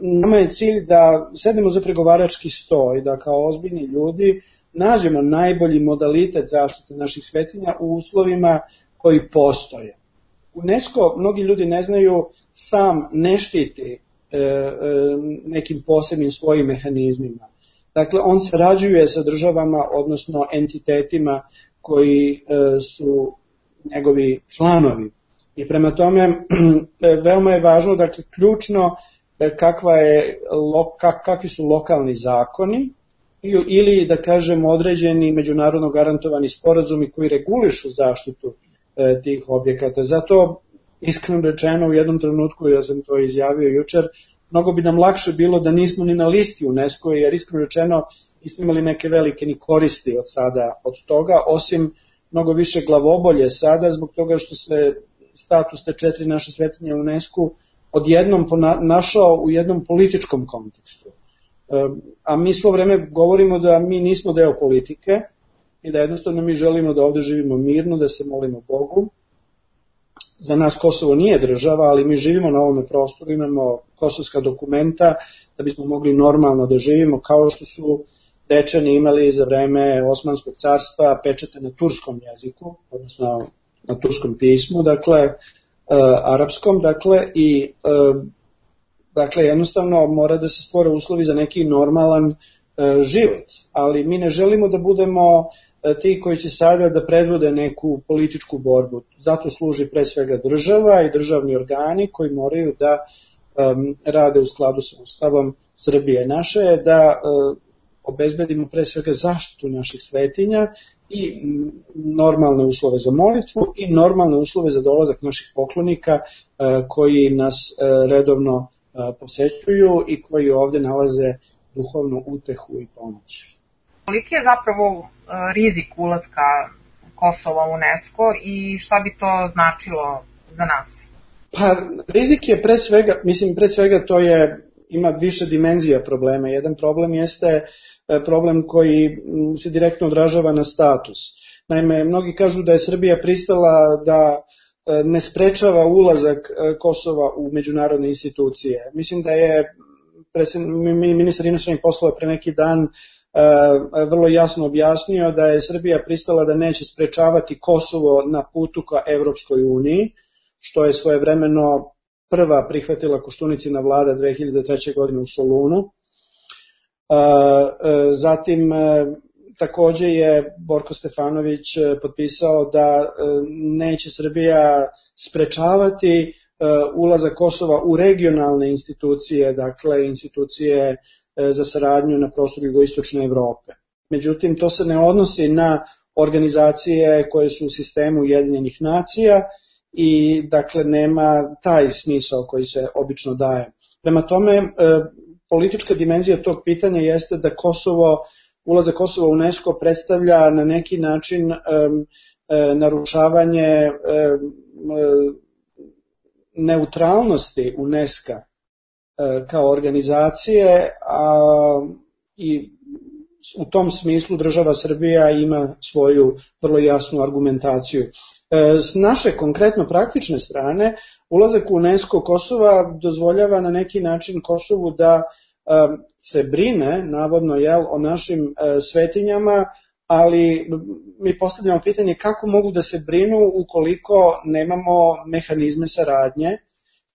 Nama je cilj da sedemo za pregovarački sto i da kao ozbiljni ljudi nađemo najbolji modalitet zaštite naših svetinja u uslovima koji postoje. UNESCO, mnogi ljudi ne znaju, sam ne štiti nekim posebnim svojim mehanizmima. Dakle, on sarađuje sa državama, odnosno entitetima koji su njegovi članovi. I prema tome, veoma je važno, dakle, ključno kakvi su lokalni zakoni ili, da kažem, određeni međunarodno garantovani sporazumi koji regulišu zaštitu tih objekata. Zato, iskreno rečeno, u jednom trenutku, ja sam to izjavio jučer, mnogo bi nam lakše bilo da nismo ni na listi UNESCO, jer iskreno rečeno nismo imali neke velike ni koristi od toga, osim mnogo više glavobolje sada, zbog toga što se status te 4 naše svetinje u UNESCO odjednom našao u jednom političkom kontekstu. A mi svo vreme govorimo da mi nismo deo politike i da jednostavno mi želimo da ovde živimo mirno, da se molimo Bogu. Za nas Kosovo nije država, ali mi živimo na ovome prostoru, imamo kosovska dokumenta da bismo mogli normalno da živimo, kao što su Dečani imali za vreme Osmanskog carstva pečate na turskom jeziku, odnosno na turskom pismu, dakle, arapskom, dakle, i dakle, jednostavno mora da se stvore uslovi za neki normalan život, ali mi ne želimo da budemo ti koji će sada da predvode neku političku borbu. Zato služi pre svega država i državni organi koji moraju da rade u skladu sa Ustavom Srbije. Naše je da obezbedimo pre svega zaštitu naših svetinja i normalne uslove za molitvu i normalne uslove za dolazak naših poklonika koji nas redovno posećuju i koji ovde nalaze duhovnu utehu i pomoć. Koliki je zapravo rizik ulaska Kosova u UNESCO i šta bi to značilo za nas? Pa rizik je pre svega to ima više dimenzija problema. Jedan problem jeste problem koji se direktno odražava na status. Naime, mnogi kažu da je Srbija pristala da ne sprečava ulazak Kosova u međunarodne institucije. Mislim da je ministar inostranih poslova pre neki dan vrlo jasno objasnio da je Srbija pristala da neće sprečavati Kosovo na putu ka Evropskoj uniji, što je svojevremeno prva prihvatila Koštunicina vlada 2003. godine u Solunu. Zatim, takođe je Borko Stefanović potpisao da neće Srbija sprečavati ulazak Kosova u regionalne institucije, dakle institucije za saradnju na prostoru jugoistočne Evrope. Međutim, to se ne odnosi na organizacije koje su u sistemu Ujedinjenih nacija i dakle nema taj smisao koji se obično daje. Prema tome, politička dimenzija tog pitanja jeste da ulazak Kosova u UNESCO predstavlja na neki način narušavanje neutralnosti UNESCO kao organizacije, i u tom smislu država Srbija ima svoju vrlo jasnu argumentaciju. S naše konkretno praktične strane, ulazak u UNESCO Kosova dozvoljava na neki način Kosovu da se brine, navodno, o našim svetinjama, ali mi postavljamo pitanje kako mogu da se brinu ukoliko nemamo mehanizme saradnje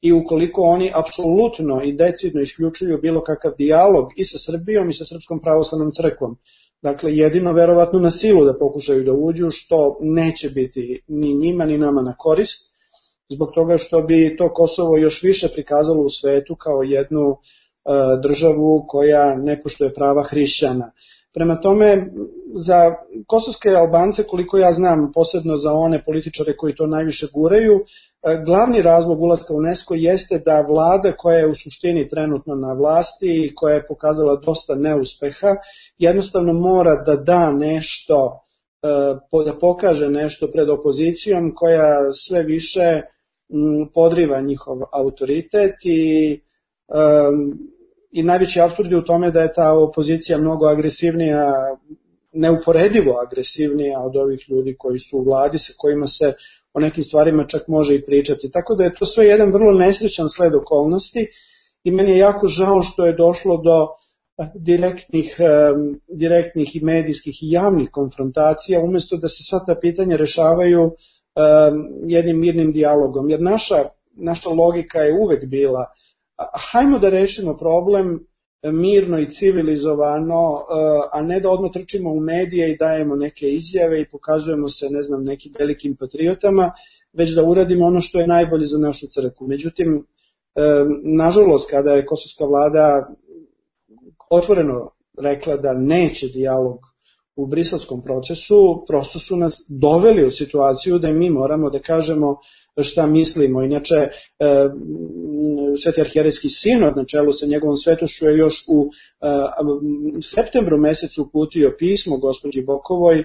i ukoliko oni apsolutno i decidno isključuju bilo kakav dijalog i sa Srbijom i sa Srpskom pravoslavnom crkvom. Dakle, jedino verovatno na silu da pokušaju da uđu, što neće biti ni njima ni nama na korist, zbog toga što bi to Kosovo još više prikazalo u svetu kao jednu državu koja ne poštuje prava hrišćana. Prema tome, za kosovske Albance, koliko ja znam, posebno za one političare koji to najviše guraju, glavni razlog ulaska u UNESCO jeste da vlada koja je u suštini trenutno na vlasti i koja je pokazala dosta neuspeha, jednostavno mora da da nešto, da pokaže nešto pred opozicijom koja sve više podriva njihov autoritet i najveći apsurd je u tome da je ta opozicija mnogo agresivnija, neuporedivo agresivnija od ovih ljudi koji su u vladi, sa kojima se o nekim stvarima čak može i pričati. Tako da je to sve jedan vrlo nesrećan sled okolnosti i meni je jako žao što je došlo do direktnih i medijskih i javnih konfrontacija, umesto da se sva ta pitanja rešavaju jednim mirnim dijalogom. Jer naša logika je uvek bila hajmo da rešimo problem mirno i civilizovano, a ne da odmah trčimo u medije i dajemo neke izjave i pokazujemo se, ne znam, nekim velikim patriotama, već da uradimo ono što je najbolje za našu crkvu. Međutim, nažalost, kada je kosovska vlada otvoreno rekla da neće dijalog u briselskom procesu, prosto su nas doveli u situaciju da mi moramo da kažemo šta mislimo. Inače, Sveti arhijerejski sinod na čelu sa njegovom svetošću je još u septembru mesecu uputio pismo gospođi Bokovoj,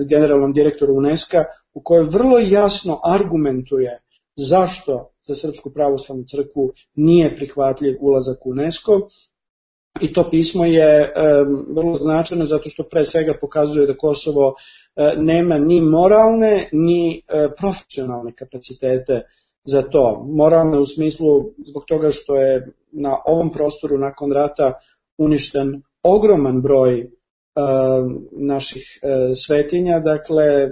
generalnom direktoru UNESCO, u kojoj vrlo jasno argumentuje zašto za Srpsku pravoslavnu crkvu nije prihvatljiv ulazak u UNESCO. I to pismo je vrlo značajno zato što pre svega pokazuje da Kosovo nema ni moralne ni profesionalne kapacitete za to. Moralne u smislu zbog toga što je na ovom prostoru nakon rata uništen ogroman broj naših svetinja, dakle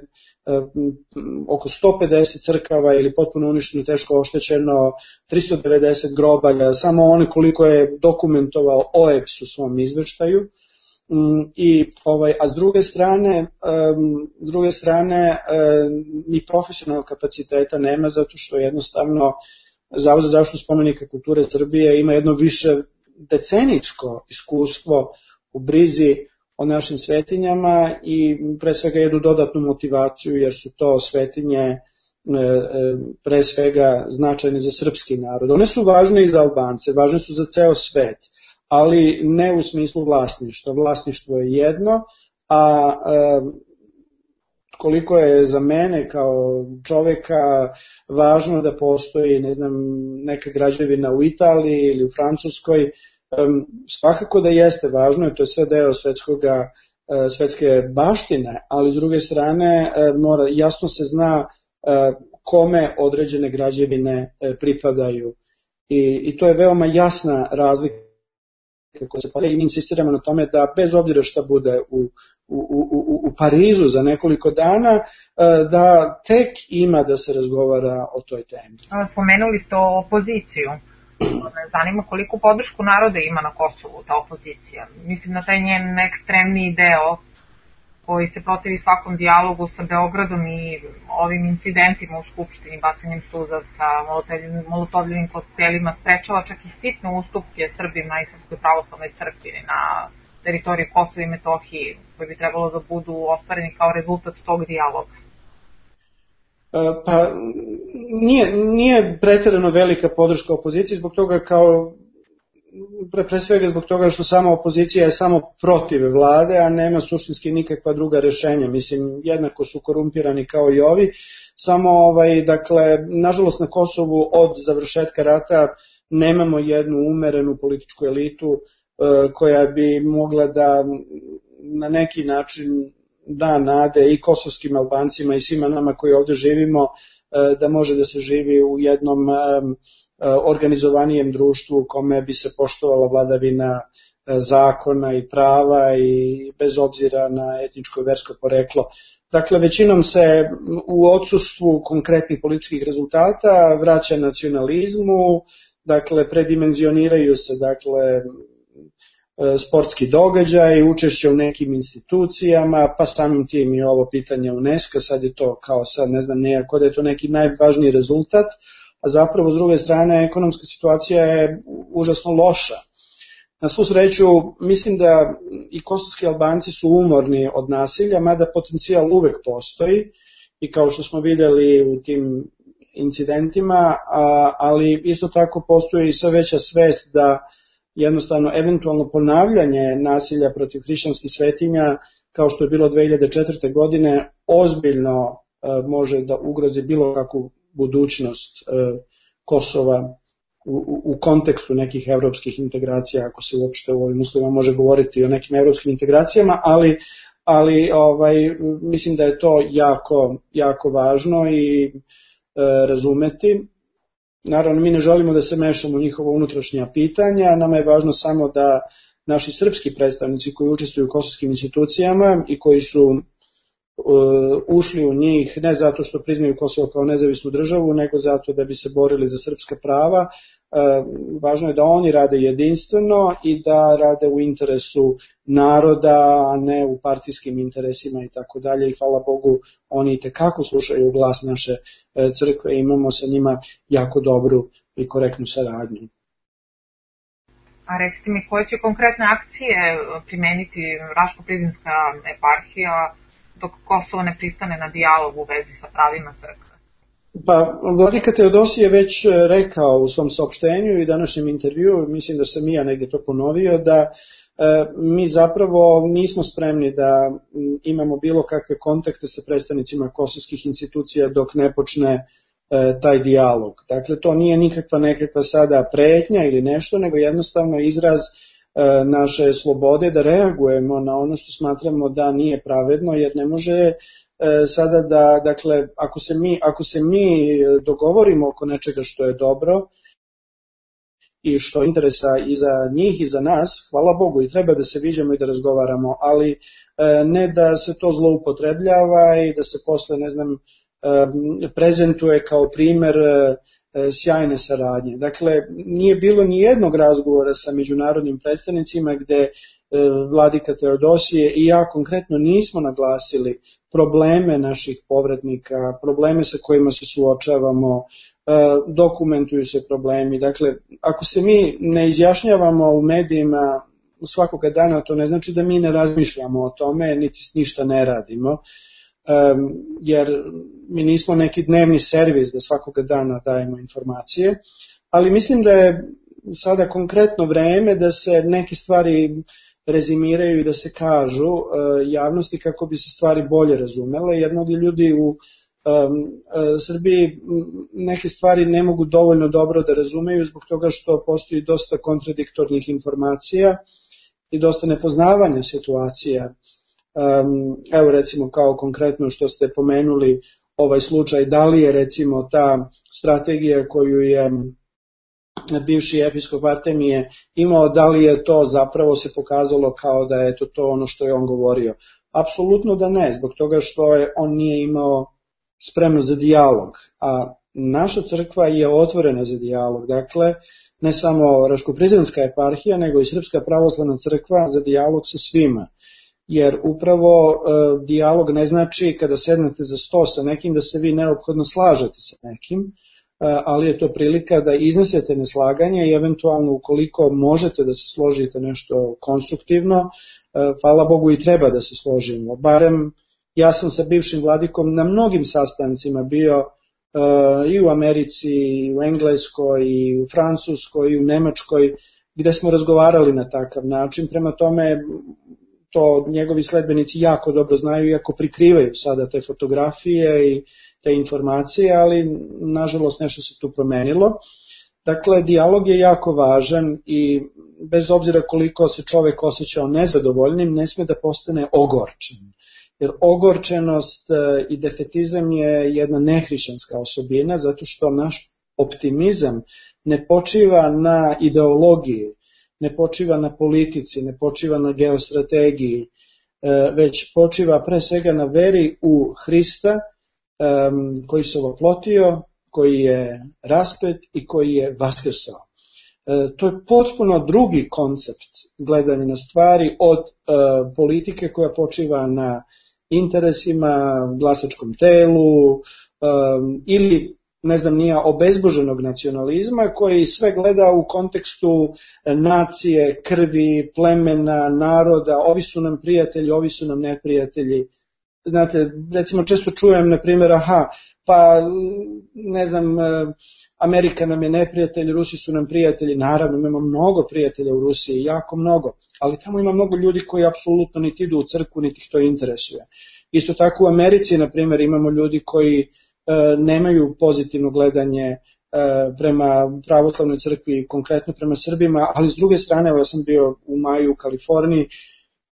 oko 150 crkava ili potpuno uništeno, teško oštećeno, 390 grobalja, samo one koliko je dokumentovao OEBS u svom izveštaju. A s druge strane ni profesionalnog kapaciteta nema, zato što jednostavno Zavod za zaštitu spomenika kulture Srbije ima jedno više decenijsko iskustvo u brizi o našim svetinjama i pre svega jednu dodatnu motivaciju, jer su to svetinje pre svega značajne za srpski narod. One su važne i za Albance, važne su za ceo svet, ali ne u smislu vlasništva. Vlasništvo je jedno, a koliko je za mene kao čoveka važno da postoji, ne znam, neka građevina u Italiji ili u Francuskoj, svakako da jeste važno i to je sve deo svetske baštine, ali s druge strane jasno se zna kome određene građevine pripadaju i to je veoma jasna razlika koja se pravi i mi insistiramo na tome da bez obzira šta bude u Parizu za nekoliko dana, da tek ima da se razgovara o toj temi. Spomenuli ste opoziciju. Zanima koliko podršku naroda ima na Kosovu ta opozicija. Mislim na taj njen ekstremniji deo koji se protivi svakom dijalogu sa Beogradom i ovim incidentima u Skupštini, bacanjem suzavca, molotovljivim koktelima, sprečava čak i sitne ustupke Srbima i Srpskoj pravoslavnoj crkvi na teritoriji Kosova i Metohije, koji bi trebalo da budu ostvareni kao rezultat tog dijaloga. Pa nije preterano velika podrška opoziciji zbog toga pre svega zbog toga što sama opozicija je samo protiv vlade, a nema suštinski nikakva druga rešenja. Mislim, jednako su korumpirani kao i ovi, samo dakle, nažalost na Kosovu od završetka rata nemamo jednu umerenu političku elitu koja bi mogla da na neki način da nade i kosovskim Albancima i svima nama koji ovde živimo da može da se živi u jednom organizovanijem društvu u kome bi se poštovala vladavina zakona i prava i bez obzira na etničko i versko poreklo. Dakle, većinom se u odsustvu konkretnih političkih rezultata vraća nacionalizmu, dakle, predimenzioniraju se, dakle, sportski događaj, učešće u nekim institucijama, pa samim tim i ovo pitanje UNESCO, sad je to kao sad, ne znam, nekako da je to neki najvažniji rezultat, a zapravo s druge strane ekonomska situacija je užasno loša. Na svu sreću, mislim da i kosovski Albanci su umorni od nasilja, mada potencijal uvek postoji i kao što smo videli u tim incidentima, ali isto tako postoji i sve veća svest da jednostavno eventualno ponavljanje nasilja protiv hrišćanskih svetinja, kao što je bilo 2004. godine, ozbiljno može da ugrozi bilo kakvu budućnost Kosova u kontekstu nekih evropskih integracija, ako se uopšte u ovim uslovima može govoriti o nekim evropskim integracijama, ali mislim da je to jako važno i razumeti. Naravno, mi ne želimo da se mešamo u njihova unutrašnja pitanja, nama je važno samo da naši srpski predstavnici koji učestvuju u kosovskim institucijama i koji su ušli u njih ne zato što priznaju Kosovo kao nezavisnu državu, nego zato da bi se borili za srpska prava. Važno je da oni rade jedinstveno i da rade u interesu naroda, a ne u partijskim interesima i tako dalje. I hvala Bogu, oni itekako slušaju glas naše crkve i imamo sa njima jako dobru i korektnu saradnju. A recite mi, koje će konkretne akcije primeniti Raško-Prizinska eparhija dok Kosovo ne pristane na dijalog u vezi sa pravima crkve? Pa, vladika Teodosije je već rekao u svom saopštenju i današnjem intervjuu, mislim da sam i ja negdje to ponovio, da mi zapravo nismo spremni da imamo bilo kakve kontakte sa predstavnicima kosovskih institucija dok ne počne taj dijalog. Dakle, to nije nekakva sada pretnja ili nešto, nego jednostavno izraz naše slobode da reagujemo na ono što smatramo da nije pravedno, jer ne može sada da, dakle, ako se mi dogovorimo oko nečega što je dobro i što je interesa i za njih i za nas, hvala Bogu, i treba da se viđamo i da razgovaramo, ali ne da se to zloupotrebljava i da se posle, ne znam, prezentuje kao primer sjajne saradnje. Dakle, nije bilo ni jednog razgovora sa međunarodnim predstavnicima gde vladika Teodosije i ja konkretno nismo naglasili probleme naših povratnika, probleme sa kojima se suočavamo, dokumentuju se problemi. Dakle, ako se mi ne izjašnjavamo u medijima svakoga dana, to ne znači da mi ne razmišljamo o tome, niti ništa ne radimo, jer mi nismo neki dnevni servis da svakoga dana dajemo informacije, ali mislim da je sada konkretno vreme da se neke stvari rezimiraju i da se kažu javnosti kako bi se stvari bolje razumele, jer mnogi ljudi u Srbiji neke stvari ne mogu dovoljno dobro da razumeju zbog toga što postoji dosta kontradiktornih informacija i dosta nepoznavanja situacija. Evo recimo kao konkretno što ste pomenuli ovaj slučaj, da li je recimo ta strategija koju je bivši episkop Artemije imao, da li je to zapravo se pokazalo kao da je to ono što je on govorio? Apsolutno da ne, zbog toga što on nije imao spremnost za dijalog, a naša crkva je otvorena za dijalog, dakle ne samo Raško-Prizrenska eparhija, nego i Srpska pravoslavna crkva za dijalog sa svima. Jer upravo dijalog ne znači kada sednete za sto sa nekim da se vi neophodno slažete sa nekim, ali je to prilika da iznesete neslaganje i eventualno ukoliko možete da se složite nešto konstruktivno, hvala Bogu i treba da se složimo. Barem ja sam sa bivšim vladikom na mnogim sastancima bio i u Americi, i u Engleskoj, i u Francuskoj, i u Nemačkoj, gde smo razgovarali na takav način. Prema tome, to njegovi sledbenici jako dobro znaju, iako prikrivaju sada te fotografije i te informacije, ali nažalost nešto se tu promenilo. Dakle, dijalog je jako važan i bez obzira koliko se čovek osjećao nezadovoljnim, ne sme da postane ogorčen. Jer ogorčenost i defetizam je jedna nehrišćanska osobina, zato što naš optimizam ne počiva na ideologiji, ne počiva na politici, ne počiva na geostrategiji, već počiva pre svega na veri u Hrista koji se ovoplotio, koji je raspet i koji je vaskrsao. To je potpuno drugi koncept gledanja na stvari od politike koja počiva na interesima, glasačkom telu ili ne znam nija obezboženog nacionalizma koji sve gleda u kontekstu nacije, krvi, plemena, naroda, ovi su nam prijatelji, ovi su nam neprijatelji. Znate, recimo često čujem na primjer, pa ne znam, Amerika nam je neprijatelj, Rusi su nam prijatelji, naravno imamo mnogo prijatelja u Rusiji, jako mnogo, ali tamo ima mnogo ljudi koji apsolutno niti idu u crkvu, niti ih to interesuje. Isto tako u Americi, na primjer, imamo ljudi koji nemaju pozitivno gledanje prema pravoslavnoj crkvi, konkretno prema Srbima, ali s druge strane, ja sam bio u maju u Kaliforniji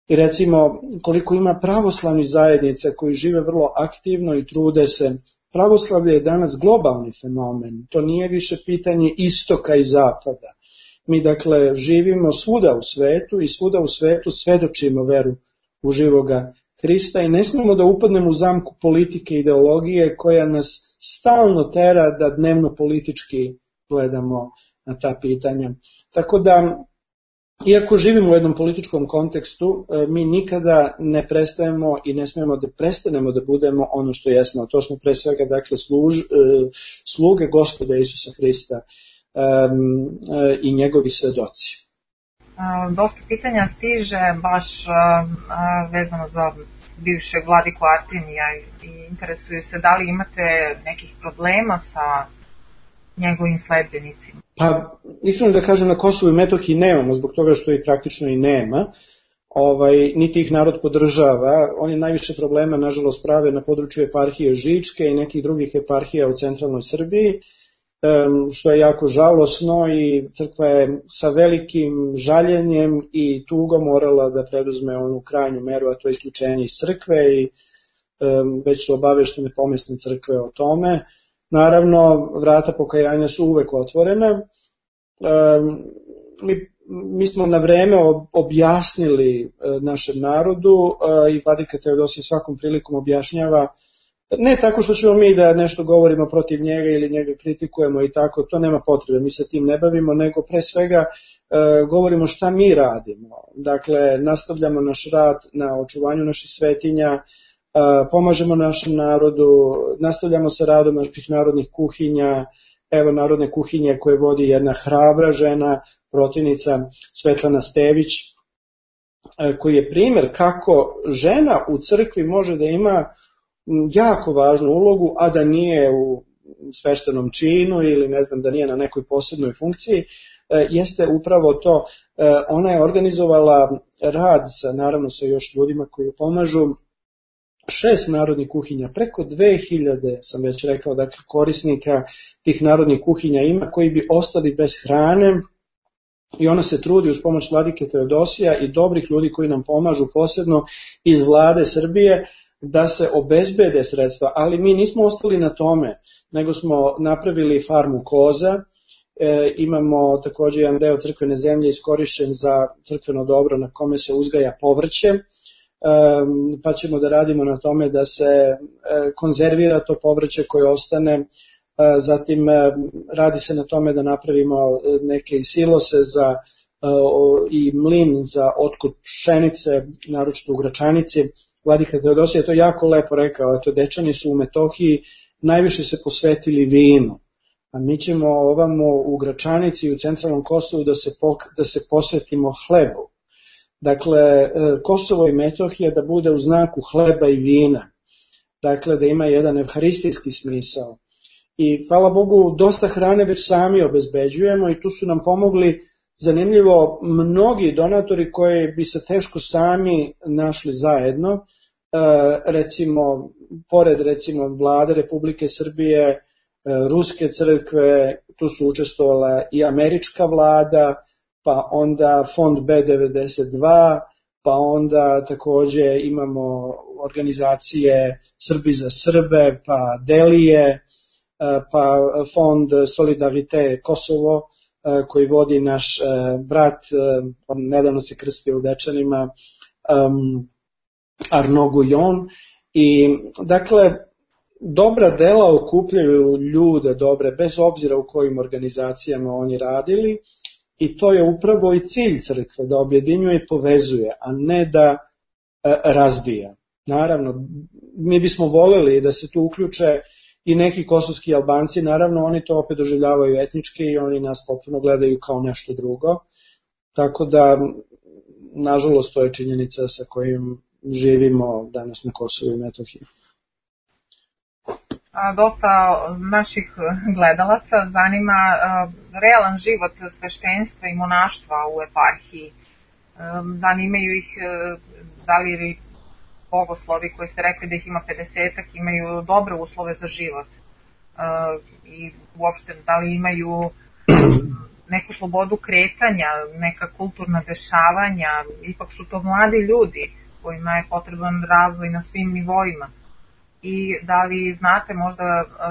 i recimo koliko ima pravoslavnih zajednica koji žive vrlo aktivno i trude se. Pravoslavlje je danas globalni fenomen, to nije više pitanje istoka i zapada. Mi dakle živimo svuda u svetu i svuda u svetu svedočimo veru u živoga Hrista i ne smemo da upadnemo u zamku politike i ideologije koja nas stalno tera da dnevno politički gledamo na ta pitanja. Tako da, iako živimo u jednom političkom kontekstu, mi nikada ne prestajemo i ne smemo da prestanemo da budemo ono što jesmo. A to smo pre svega dakle, sluge Gospoda Isusa Hrista i njegovi svedoci. Dosta pitanja stiže baš vezano za bivšeg vladiku Artemija i interesuju se da li imate nekih problema sa njegovim sledbenicima. Pa, iskreno da kažem, na Kosovu i Metohiji nemamo, zbog toga što ih praktično i nema, niti ih narod podržava. Oni najviše problema, nažalost, prave na području eparhije Žičke i nekih drugih eparhija u centralnoj Srbiji, što je jako žalosno i crkva je sa velikim žaljenjem i tugom morala da preduzme onu krajnju meru, a to je isključenje iz crkve i već su obaveštene pomesne crkve o tome. Naravno, vrata pokajanja su uvek otvorena. Mi smo na vreme objasnili našem narodu i vladika Teodosije svakom prilikom objašnjava, ne tako što ćemo mi da nešto govorimo protiv njega ili njega kritikujemo i tako, to nema potrebe, mi se tim ne bavimo, nego pre svega govorimo šta mi radimo. Dakle, nastavljamo naš rad na očuvanju naših svetinja, pomažemo našem narodu, nastavljamo sa radom naših narodnih kuhinja, evo narodne kuhinje koje vodi jedna hrabra žena, protivnica Svetlana Stević, koji je primer kako žena u crkvi može da ima jako važnu ulogu, a da nije u sveštenom činu ili ne znam da nije na nekoj posebnoj funkciji, jeste upravo to. Ona je organizovala rad naravno sa još ljudima koji pomažu, 6 narodnih kuhinja, preko 2000 sam već rekao, dakle korisnika tih narodnih kuhinja ima koji bi ostali bez hrane i ona se trudi uz pomoć vladike Teodosija i dobrih ljudi koji nam pomažu posebno iz vlade Srbije da se obezbede sredstva, ali mi nismo ostali na tome, nego smo napravili farmu koza, imamo također jedan deo crkvene zemlje iskorišćen za crkveno dobro na kome se uzgaja povrće, pa ćemo da radimo na tome da se konzervira to povrće koje ostane, zatim radi se na tome da napravimo neke silose i mlin za otkup pšenice, naročito u Gračanici. Vladika Teodosije je to jako lepo rekao, eto Dečani su u Metohiji najviše se posvetili vinu, a mi ćemo ovamo u Gračanici i u centralnom Kosovu da se posvetimo hlebu. Dakle, Kosovo i Metohija da bude u znaku hleba i vina, dakle da ima jedan evharistijski smisao. I hvala Bogu, dosta hrane već sami obezbeđujemo i tu su nam pomogli, zanimljivo, mnogi donatori koji bi se teško sami našli zajedno, recimo, pored recimo vlade Republike Srbije, Ruske crkve, tu su učestvovala i američka vlada, pa onda fond B92, pa onda takođe imamo organizacije Srbi za Srbe, pa Delije, pa fond Solidarite Kosovo, koji vodi naš brat, on nedavno se krstio u Dečanima, Arnaud Guyon. I dakle, dobra dela okupljaju ljude dobre, bez obzira u kojim organizacijama oni radili, i to je upravo i cilj crkve, da objedinjuje i povezuje, a ne da razbija. Naravno, mi bismo voljeli da se tu uključe i neki kosovski Albanci, naravno oni to opet doživljavaju etnički i oni nas potpuno gledaju kao nešto drugo, tako da, nažalost, to je činjenica sa kojim živimo danas na Kosovu i Metohiji. Dosta naših gledalaca zanima realan život sveštenstva i monaštva u eparhiji. Zanimaju ih da li bogoslovi koji ste rekli da ih ima 50-ak imaju dobre uslove za život i uopšte da li imaju neku slobodu kretanja, neka kulturna dešavanja, ipak su to mladi ljudi kojima je potreban razvoj na svim nivoima. I da li znate možda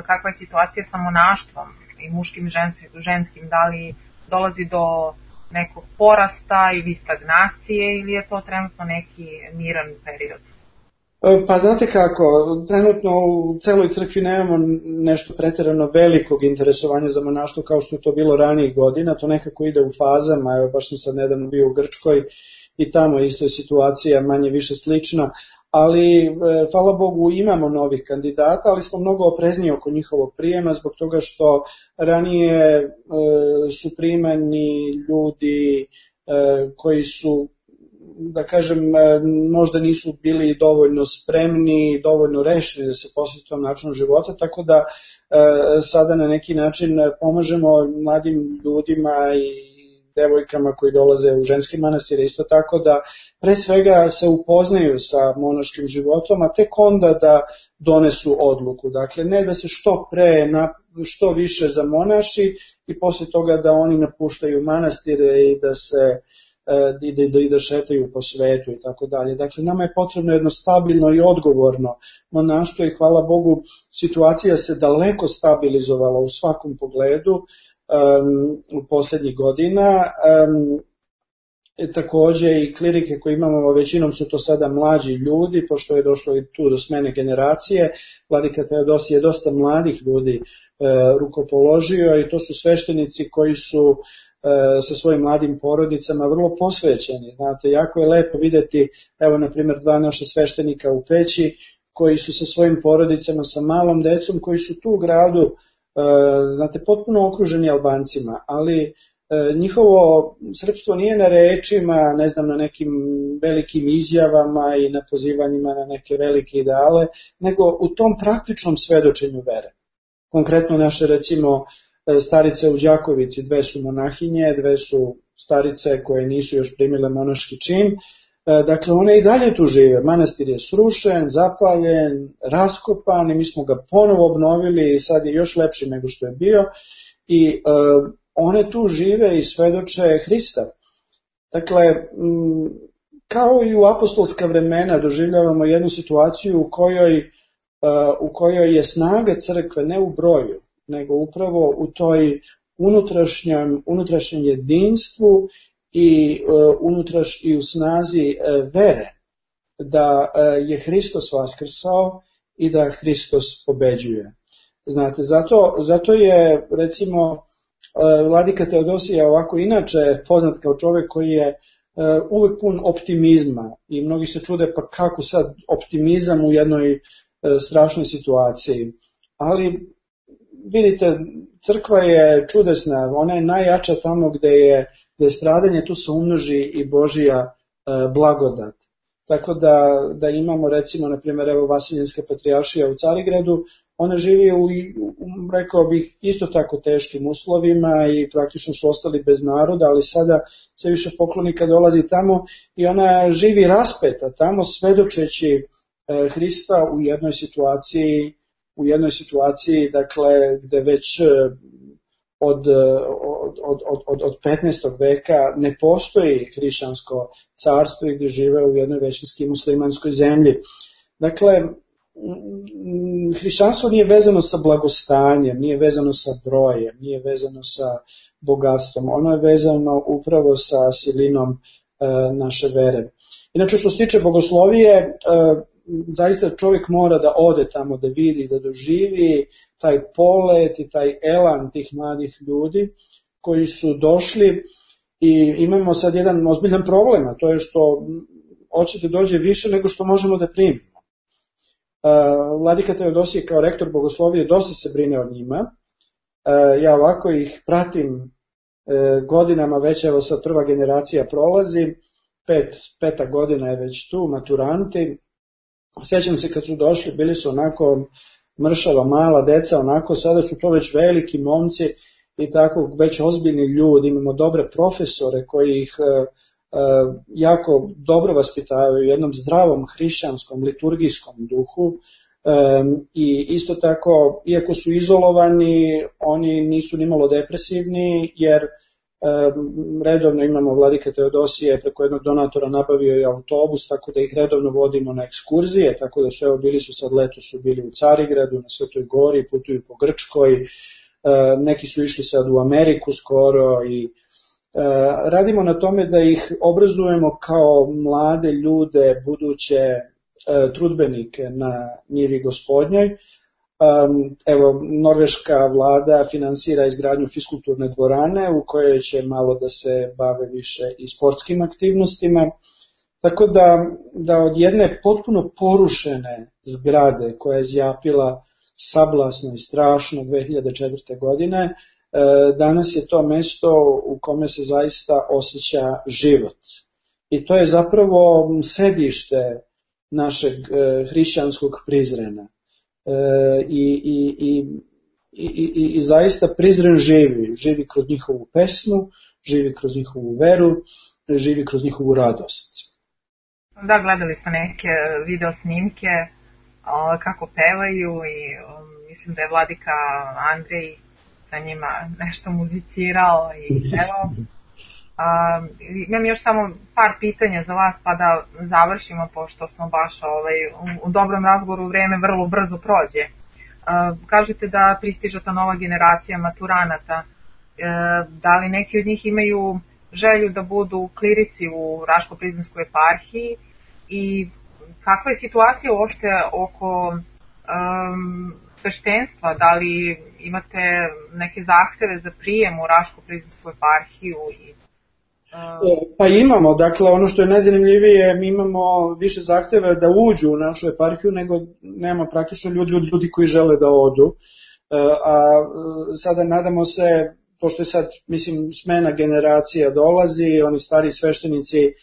kakva je situacija sa monaštvom i muškim i ženskim, da li dolazi do nekog porasta ili stagnacije ili je to trenutno neki miran period? Pa znate kako, trenutno u celoj crkvi nemamo nešto pretjerano velikog interesovanja za monaštvo kao što je to bilo ranijih godina, to nekako ide u fazama, evo baš sam sad nedavno bio u Grčkoj i tamo isto je situacija manje više slična, ali hvala Bogu imamo novih kandidata, ali smo mnogo oprezniji oko njihovog prijema zbog toga što ranije su primani ljudi koji su, da kažem, možda nisu bili dovoljno spremni, dovoljno rešeni da se posvete tom načinu života, tako da sada na neki način pomažemo mladim ljudima i devojkama koji dolaze u ženski manastir, isto tako da pre svega se upoznaju sa monaškim životom, a tek onda da donesu odluku. Dakle, ne da se što pre, što više zamonaši i posle toga da oni napuštaju manastire i da se i da šetaju po svetu i tako dalje. Dakle, nama je potrebno jedno stabilno i odgovorno monaštvo i hvala Bogu situacija se daleko stabilizovala u svakom pogledu u posljednjih godina. Takođe i klirike koje imamo, većinom su to sada mlađi ljudi, pošto je došlo i tu do smene generacije. Vladika Teodosije je dosta mladih ljudi rukopoložio i to su sveštenici koji su sa svojim mladim porodicama vrlo posvećeni. Znate, jako je lepo videti, evo na primjer 2 naša sveštenika u Peći koji su sa svojim porodicama, sa malom decom, koji su tu u gradu, znate, potpuno okruženi Albancima, ali njihovo srpstvo nije na rečima, ne znam, na nekim velikim izjavama i na pozivanjima na neke velike ideale, nego u tom praktičnom svedočenju vere. Konkretno naše, recimo, starice u Đakovici, 2 su monahinje, 2 su starice koje nisu još primile monaški čin. Dakle, one i dalje tu žive. Manastir je srušen, zapaljen, raskopan i mi smo ga ponovo obnovili i sad je još lepši nego što je bio. I one tu žive i svedoče Hrista. Dakle, kao i u apostolska vremena doživljavamo jednu situaciju u kojoj je snaga crkve ne u broju, nego upravo u toj unutrašnjem jedinstvu i u snazi vere da je Hristos vaskrsao i da Hristos pobeđuje. Znate, zato je, recimo, Vladika Teodosije ovako inače poznat kao čovjek koji je uvek pun optimizma i mnogi se čude pa kako sad optimizam u jednoj strašnoj situaciji, ali vidite, crkva je čudesna, ona je najjača tamo gde je stradanje, tu se umnoži i Božija blagodat. Tako da imamo, recimo, na primjer, evo Vasiljenska patrijaršija u Carigradu, ona živi rekao bih, isto tako teškim uslovima i praktično su ostali bez naroda, ali sada sve više poklonika dolazi tamo i ona živi raspeta tamo, svedočeći Hrista u jednoj situaciji, dakle, gde već od 15. veka ne postoji hrišćansko carstvo i gde žive u jednoj većinski muslimanskoj zemlji. Dakle, hrišćanstvo nije vezano sa blagostanjem, nije vezano sa brojem, nije vezano sa bogatstvom, ono je vezano upravo sa silinom naše vere. Inače, što se tiče bogoslovije, zaista čovjek mora da ode tamo, da vidi, da doživi taj polet i taj elan tih mladih ljudi koji su došli. I imamo sad jedan ozbiljan problem, a to je što hoće da dođe više nego što možemo da primimo. Vladika Teodosije kao rektor bogoslovije dosta se brine o njima. Ja ovako ih pratim godinama, već evo sad prva generacija prolazi, peta godina je već tu, maturanti. Sjećam se kad su došli, bili su onako mršava, mala deca, onako, sada su to već veliki momci i tako već ozbiljni ljudi, imamo dobre profesore koji ih jako dobro vaspitavaju u jednom zdravom hrišćanskom, liturgijskom duhu i isto tako, iako su izolovani, oni nisu nimalo depresivni, jer redovno imamo vladike Teodosije, preko jednog donatora nabavio i autobus, tako da ih redovno vodimo na ekskurzije, tako da su, evo, bili su sad leto, su bili u Carigradu, na Svetoj Gori, putuju po Grčkoj, neki su išli sad u Ameriku skoro i radimo na tome da ih obrazujemo kao mlade ljude, buduće trudbenike na njivi Gospodnjoj. Evo, norveška vlada finansira izgradnju fiskulturne dvorane u kojoj će malo da se bave više i sportskim aktivnostima. Tako da od jedne potpuno porušene zgrade koja je zjapila sablasno i strašno 2004. godine, danas je to mesto u kome se zaista osjeća život. I to je zapravo sedište našeg hrišćanskog Prizrena. I zaista Prizren živi kroz njihovu pesmu, živi kroz njihovu veru, živi kroz njihovu radost. Da, gledali smo neke video snimke kako pevaju i mislim da je vladika Andrej sa njima nešto muzicirao i pevao. Imam još samo par pitanja za vas pa da završimo, pošto smo baš u dobrom razgovoru, vrijeme vrlo brzo prođe. Kažete da pristiže ta nova generacija maturanata. Da li neki od njih imaju želju da budu klirici u Raško-Prizrenskoj eparhiji i kakva je situacija uopšte oko sveštenstva? Da li imate neke zahteve za prijem u Raško-Prizrensku eparhiju? Pa imamo, dakle ono što je najzanimljivije, mi imamo više zahteva da uđu u našu eparhiju nego nemamo praktično ljudi koji žele da odu, a sada nadamo se, pošto je sad, mislim, smena generacija dolazi, oni stari sveštenici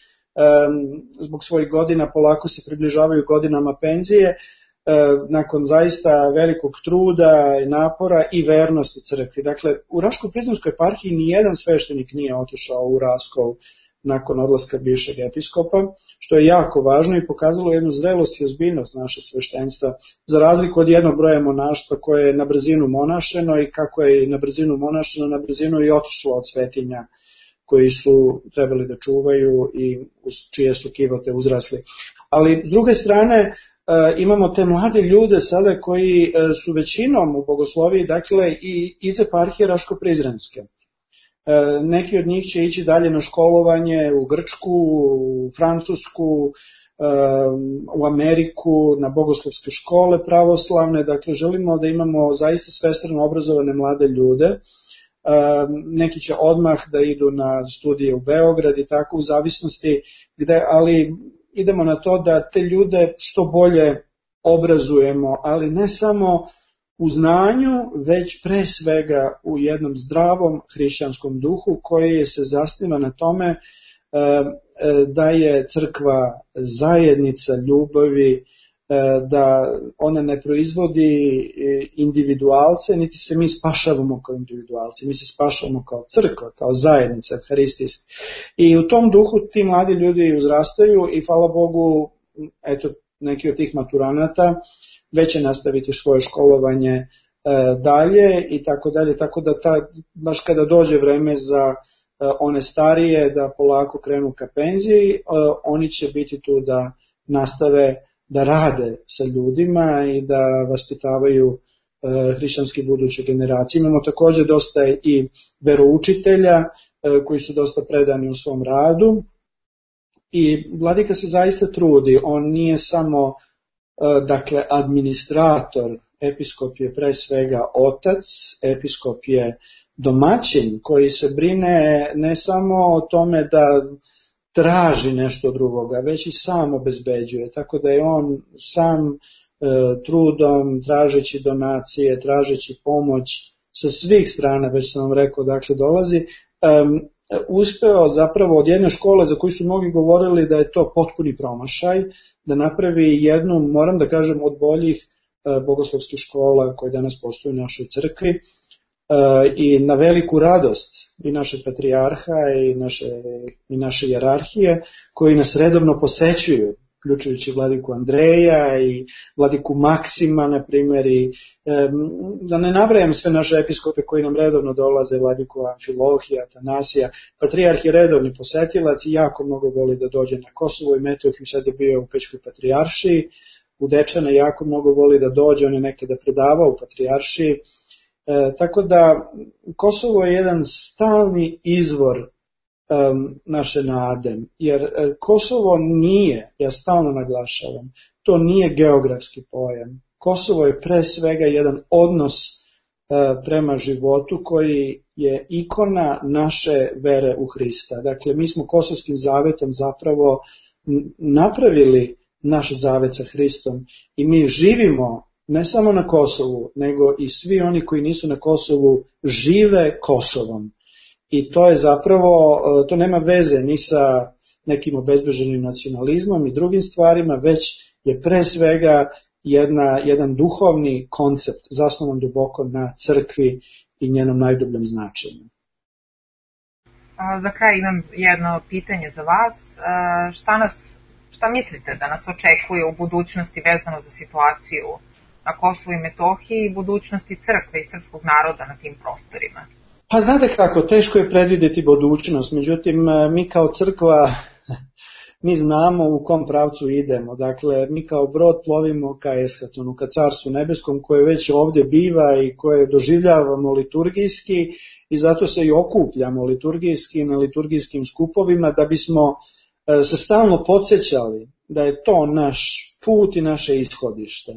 zbog svojih godina polako se približavaju godinama penzije, nakon zaista velikog truda i napora i vernosti crkvi. Dakle, u Raško-Prizrenskoj eparhiji nijedan sveštenik nije otišao u raskol nakon odlaska bivšeg episkopa, što je jako važno i pokazalo jednu zrelost i ozbiljnost našeg sveštenstva, za razliku od jednog broja monaštva koje je na brzinu monašeno i kako je na brzinu monašeno, na brzinu i otišlo od svetinja koji su trebali da čuvaju i uz čije su kivote uzrasli. Ali s druge strane, imamo te mlade ljude sada koji su većinom u bogosloviji, dakle i iz eparhije Raško-Prizrenske. Neki od njih će ići dalje na školovanje u Grčku, u Francusku, u Ameriku, na bogoslovske škole pravoslavne, dakle želimo da imamo zaista svestrano obrazovane mlade ljude. Neki će odmah da idu na studije u Beograd i tako u zavisnosti gde, ali idemo na to da te ljude što bolje obrazujemo, ali ne samo u znanju, već pre svega u jednom zdravom hrišćanskom duhu koji se zasniva na tome da je crkva zajednica ljubavi, da ona ne proizvodi individualce, niti se mi spašavamo kao individualci, mi se spašavamo kao crkva, kao zajednica evharistijska. I u tom duhu ti mladi ljudi uzrastaju i hvala Bogu, eto, neki od tih maturanata već će nastaviti svoje školovanje dalje i tako dalje, tako da baš kada dođe vreme za one starije da polako krenu ka penziji, oni će biti tu da nastave da rade sa ljudima i da vaspitavaju hrišćanski buduće generacije. Imamo također dosta i veroučitelja koji su dosta predani u svom radu I vladika se zaista trudi, on nije samo dakle administrator, episkop je pre svega otac, episkop je domaćin koji se brine ne samo o tome da traži nešto drugoga, već i sam obezbeđuje, tako da je on sam trudom, tražeći donacije, tražeći pomoć sa svih strana, već sam vam rekao, dakle dolazi, uspeo zapravo od jedne škole za koju su mnogi govorili da je to potpuni promašaj, da napravi jednu, moram da kažem, od boljih bogoslovskih škola koje danas postoje u našoj crkvi, i na veliku radost i našeg patrijarha i naše hijerarhije koji nas redovno posećuju, uključujući vladiku Andreja i vladiku Maksima, na primjer, i da ne nabrajam sve naše episkope koji nam redovno dolaze, vladiku Amfilohija, Atanasija. Patrijarh je redovni posetilac i jako mnogo voli da dođe na Kosovo i Metohiju, sad je bio u Pećkoj patrijaršiji, u Dečane jako mnogo voli da dođe, on je nekada predavao u patrijaršiji. Tako da Kosovo je jedan stalni izvor naše nade, jer Kosovo nije, ja stalno naglašavam, to nije geografski pojam. Kosovo je pre svega jedan odnos prema životu koji je ikona naše vere u Hrista. Dakle, mi smo Kosovskim zavetom zapravo napravili naš zavet sa Hristom i mi živimo ne samo na Kosovu, nego i svi oni koji nisu na Kosovu žive Kosovom. I to je zapravo, to nema veze ni sa nekim obezbeženim nacionalizmom i drugim stvarima, već je pre svega jedan duhovni koncept zasnovan duboko na crkvi i njenom najdubljem značenju. Za kraj imam jedno pitanje za vas. Šta mislite da nas očekuje u budućnosti vezano za situaciju na Kosovu i Metohiji i budućnosti crkve i srpskog naroda na tim prostorima? Pa znate kako, teško je predvidjeti budućnost, međutim mi kao crkva, mi znamo u kom pravcu idemo, dakle mi kao brod plovimo ka Eskatonu, ka Carstvu nebeskom koje već ovdje biva i koje doživljavamo liturgijski i zato se i okupljamo liturgijski na liturgijskim skupovima da bismo se stalno podsjećali da je to naš put i naše ishodište.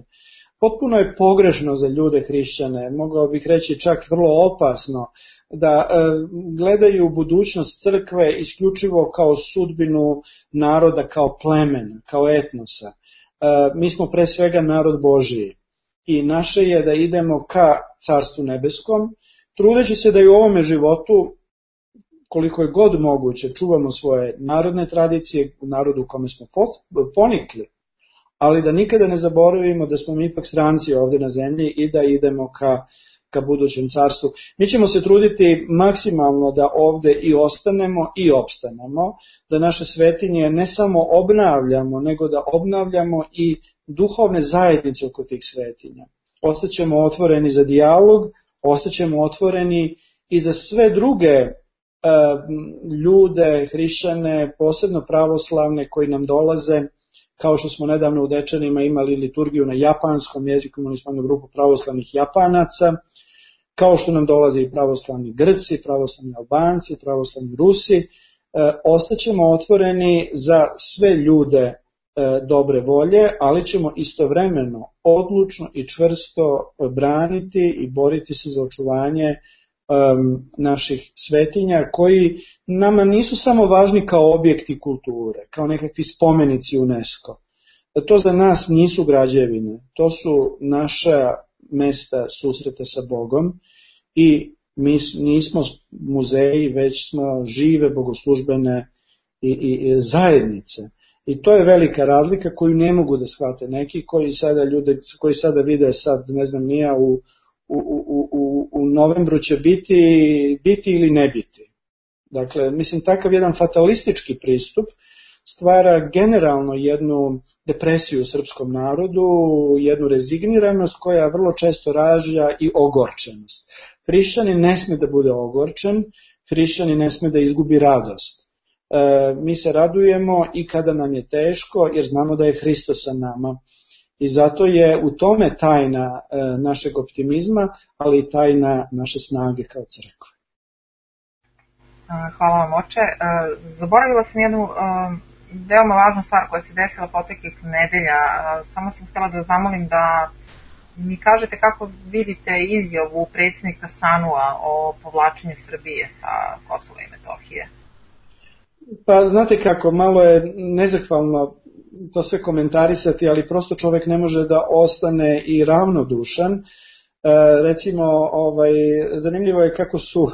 Potpuno je pogrešno za ljude hrišćane, mogao bih reći čak vrlo opasno, da gledaju budućnost crkve isključivo kao sudbinu naroda, kao plemena, kao etnosa. Mi smo pre svega narod Božiji i naše je da idemo ka Carstvu nebeskom, trudeći se da i u ovome životu, koliko je god moguće, čuvamo svoje narodne tradicije u narodu u kome smo ponikli, ali da nikada ne zaboravimo da smo mi ipak stranci ovdje na zemlji i da idemo ka budućem carstvu. Mi ćemo se truditi maksimalno da ovdje i ostanemo i opstanemo, da naše svetinje ne samo obnavljamo, nego da obnavljamo i duhovne zajednice oko tih svetinja. Ostaćemo otvoreni za dijalog, ostaćemo otvoreni i za sve druge ljude, hrišćane, posebno pravoslavne koji nam dolaze, kao što smo nedavno u Dečanima imali liturgiju na japanskom jeziku, imali smo jednu grupu pravoslavnih Japanaca, kao što nam dolaze i pravoslavni Grci, pravoslavni Albanci, pravoslavni Rusi, ostaćemo otvoreni za sve ljude dobre volje, ali ćemo istovremeno odlučno i čvrsto braniti i boriti se za očuvanje naših svetinja koji nama nisu samo važni kao objekti kulture, kao nekakvi spomenici UNESCO. To za nas nisu građevine, to su naša mesta susreta sa Bogom i mi nismo muzeji, već smo žive bogoslužbene i zajednice. I to je velika razlika koju ne mogu da shvate neki koji sada vide sad, ne znam nija, u novembru će biti ili ne biti. Dakle, mislim, takav jedan fatalistički pristup stvara generalno jednu depresiju u srpskom narodu, jednu rezigniranost koja vrlo često rađa i ogorčenost. Hrišćanin ne sme da bude ogorčen, hrišćanin ne sme da izgubi radost. Mi se radujemo i kada nam je teško, jer znamo da je Hristos sa nama. I zato je u tome tajna našeg optimizma, ali i tajna naše snage kao crkva. Hvala vam, oče. Zaboravila sam jednu veoma važna stvar koja se desila proteklih nedelja. Samo sam htjela da zamolim da mi kažete kako vidite izjavu predsjednika SANU-a o povlačenju Srbije sa Kosova i Metohije. Pa znate kako, malo je nezahvalno to sve komentarisati, ali prosto čovjek ne može da ostane i ravnodušan. Recimo, zanimljivo je kako su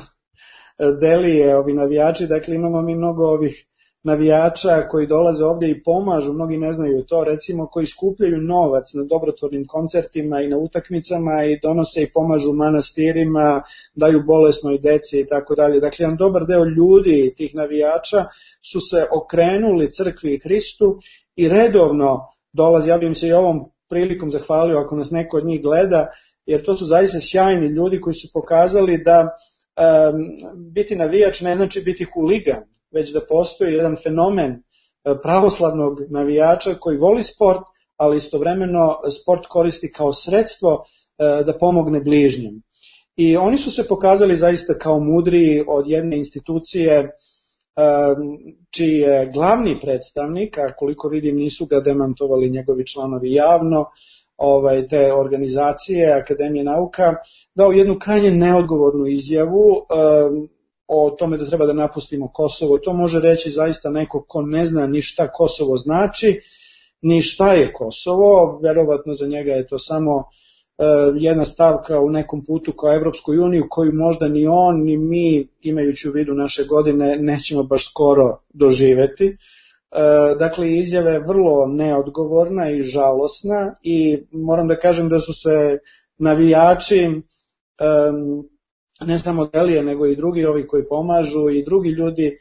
delije ovi navijači, dakle imamo mi mnogo ovih navijača koji dolaze ovdje i pomažu, mnogi ne znaju to, recimo koji skupljaju novac na dobrotvornim koncertima i na utakmicama i donose i pomažu manastirima, daju bolesnoj deci i tako dalje. Dakle, jedan dobar deo ljudi, tih navijača, su se okrenuli crkvi i Hristu i redovno dolazi, ja bih im se i ovom prilikom zahvalio ako nas neko od njih gleda, jer to su zaista sjajni ljudi koji su pokazali da biti navijač ne znači biti huligan, već da postoji jedan fenomen pravoslavnog navijača koji voli sport, ali istovremeno sport koristi kao sredstvo da pomogne bližnjem. I oni su se pokazali zaista kao mudriji od jedne institucije čiji je glavni predstavnik, a koliko vidim nisu ga demantovali njegovi članovi javno, te organizacije Akademije nauka, dao jednu krajnje neodgovornu izjavu o tome da treba da napustimo Kosovo. To može reći zaista neko ko ne zna ni šta Kosovo znači, ni šta je Kosovo, verovatno za njega je to samo jedna stavka u nekom putu kao Evropskoj uniji koju možda ni on ni mi, imajući u vidu naše godine, nećemo baš skoro doživeti. Dakle, izjava je vrlo neodgovorna i žalosna i moram da kažem da su se navijači, ne samo Delije, nego i drugi ovi koji pomažu i drugi ljudi,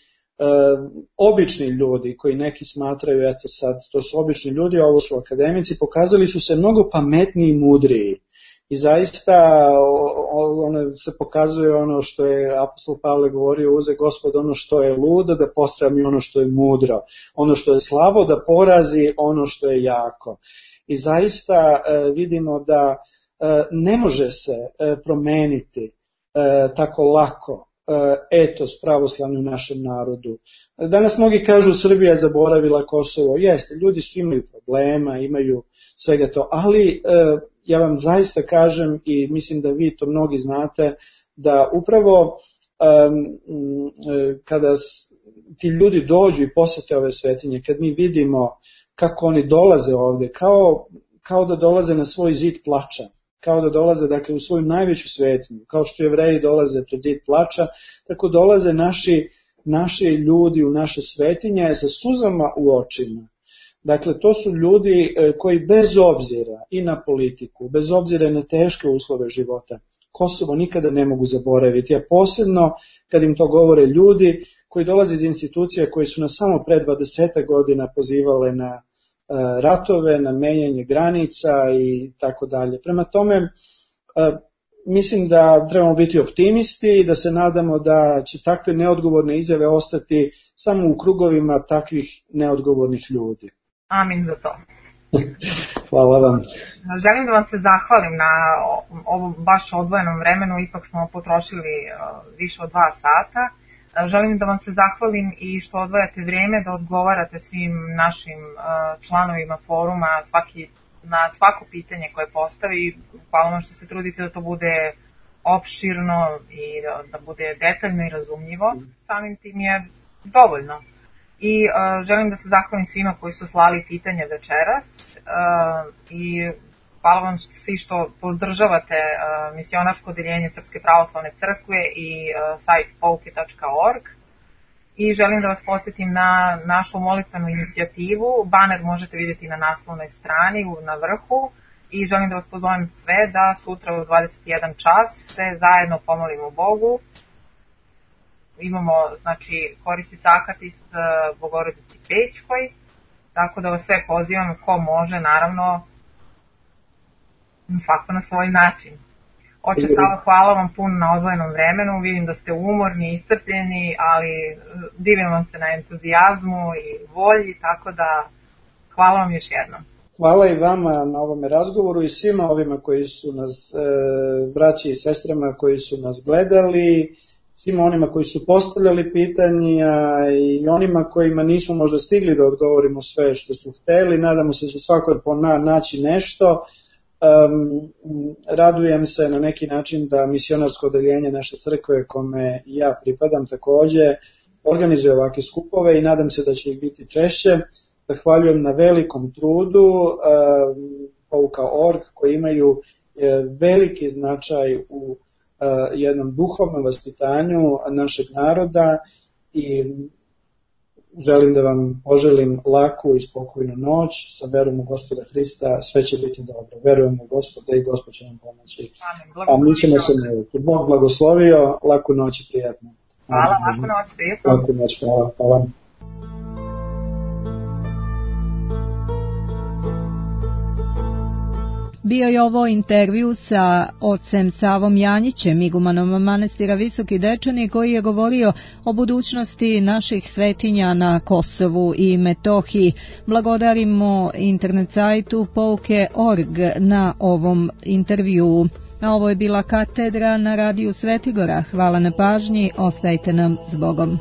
obični ljudi koji neki smatraju, eto sad, to su obični ljudi, ovo su akademici, pokazali su se mnogo pametniji i mudriji. I zaista se pokazuje ono što je apostol Pavle govorio, uze Gospod ono što je ludo da postrami ono što je mudro, ono što je slabo da porazi ono što je jako. I zaista vidimo da ne može se promeniti tako lako etos pravoslavni u našem narodu. Danas mnogi kažu Srbija je zaboravila Kosovo. Jeste, ljudi su imaju problema, imaju svega to, ali ja vam zaista kažem i mislim da vi to mnogi znate, da upravo kada ti ljudi dođu i posete ove svetinje, kad mi vidimo kako oni dolaze ovdje, kao da dolaze na svoj zid plača, kao da dolaze dakle, u svoju najveću svetinju, kao što Jevreji dolaze pred zid plača, tako dolaze naši ljudi u naše svetinje sa suzama u očima. Dakle, to su ljudi koji bez obzira i na politiku, bez obzira na teške uslove života, Kosovo nikada ne mogu zaboraviti, a posebno kad im to govore ljudi koji dolaze iz institucija koje su nas samo pre 20 godina pozivale na ratove, na menjanje granica i tako dalje. Prema tome, mislim da trebamo biti optimisti i da se nadamo da će takve neodgovorne izjave ostati samo u krugovima takvih neodgovornih ljudi. Amin za to. Hvala vam. Želim da vam se zahvalim na ovom baš odvojenom vremenu, ipak smo potrošili više od 2 sata. Želim da vam se zahvalim i što odvajate vrijeme da odgovarate svim našim članovima foruma na svako pitanje koje postavi. Hvala vam što se trudite da to bude opširno i da bude detaljno i razumljivo. Samim tim je dovoljno. I želim da se zahvalim svima koji su slali pitanja večeras i hvala vam svi što podržavate misionarsko odeljenje Srpske pravoslavne crkve i sajt pouke.org. I želim da vas podsjetim na našu molitvenu inicijativu. Baner možete vidjeti na naslovnoj strani na vrhu i želim da vas pozovem sve da sutra u 21 čas se zajedno pomolimo Bogu. Imamo, znači, koristi sakatist Bogorodici Pećkoj, tako da vas sve pozivam ko može, naravno, svako na svoj način. Oče Sava, hvala vam puno na odvojenom vremenu, vidim da ste umorni, iscrpljeni, ali divim vam se na entuzijazmu i volji, tako da hvala vam još jednom. Hvala i vama na ovome razgovoru i svima ovima koji su nas, braći i sestrama koji su nas gledali. svima onima koji su postavljali pitanja i onima kojima nismo možda stigli da odgovorimo sve što su hteli. Nadamo se da će svako naći nešto. Radujem se na neki način da misionarsko odeljenje naše crkve, kome ja pripadam takođe, organizuje ovakve skupove i nadam se da će ih biti češće. Zahvaljujem na velikom trudu Pouka.org koji imaju veliki značaj u jednom duhovnom vaspitanju našeg naroda i želim da vam poželim laku i spokojnu noć sa verom u Gospoda Hrista, sve će biti dobro. Verujem u Gospoda i Gospod će nam pomoći. A mi ćemo se neviti. Bog blagoslovio, laku noć i prijatno. Hvala, laku noć, prijatno. Laku noć, hvala. Bio je ovo intervju sa ocem Savom Janjićem, igumanom manastira Visoki Dečani, koji je govorio o budućnosti naših svetinja na Kosovu i Metohiji. Blagodarimo internet sajtu pouke.org na ovom intervjuu. A ovo je bila katedra na radiju Svetigora. Hvala na pažnji, ostajte nam s Bogom.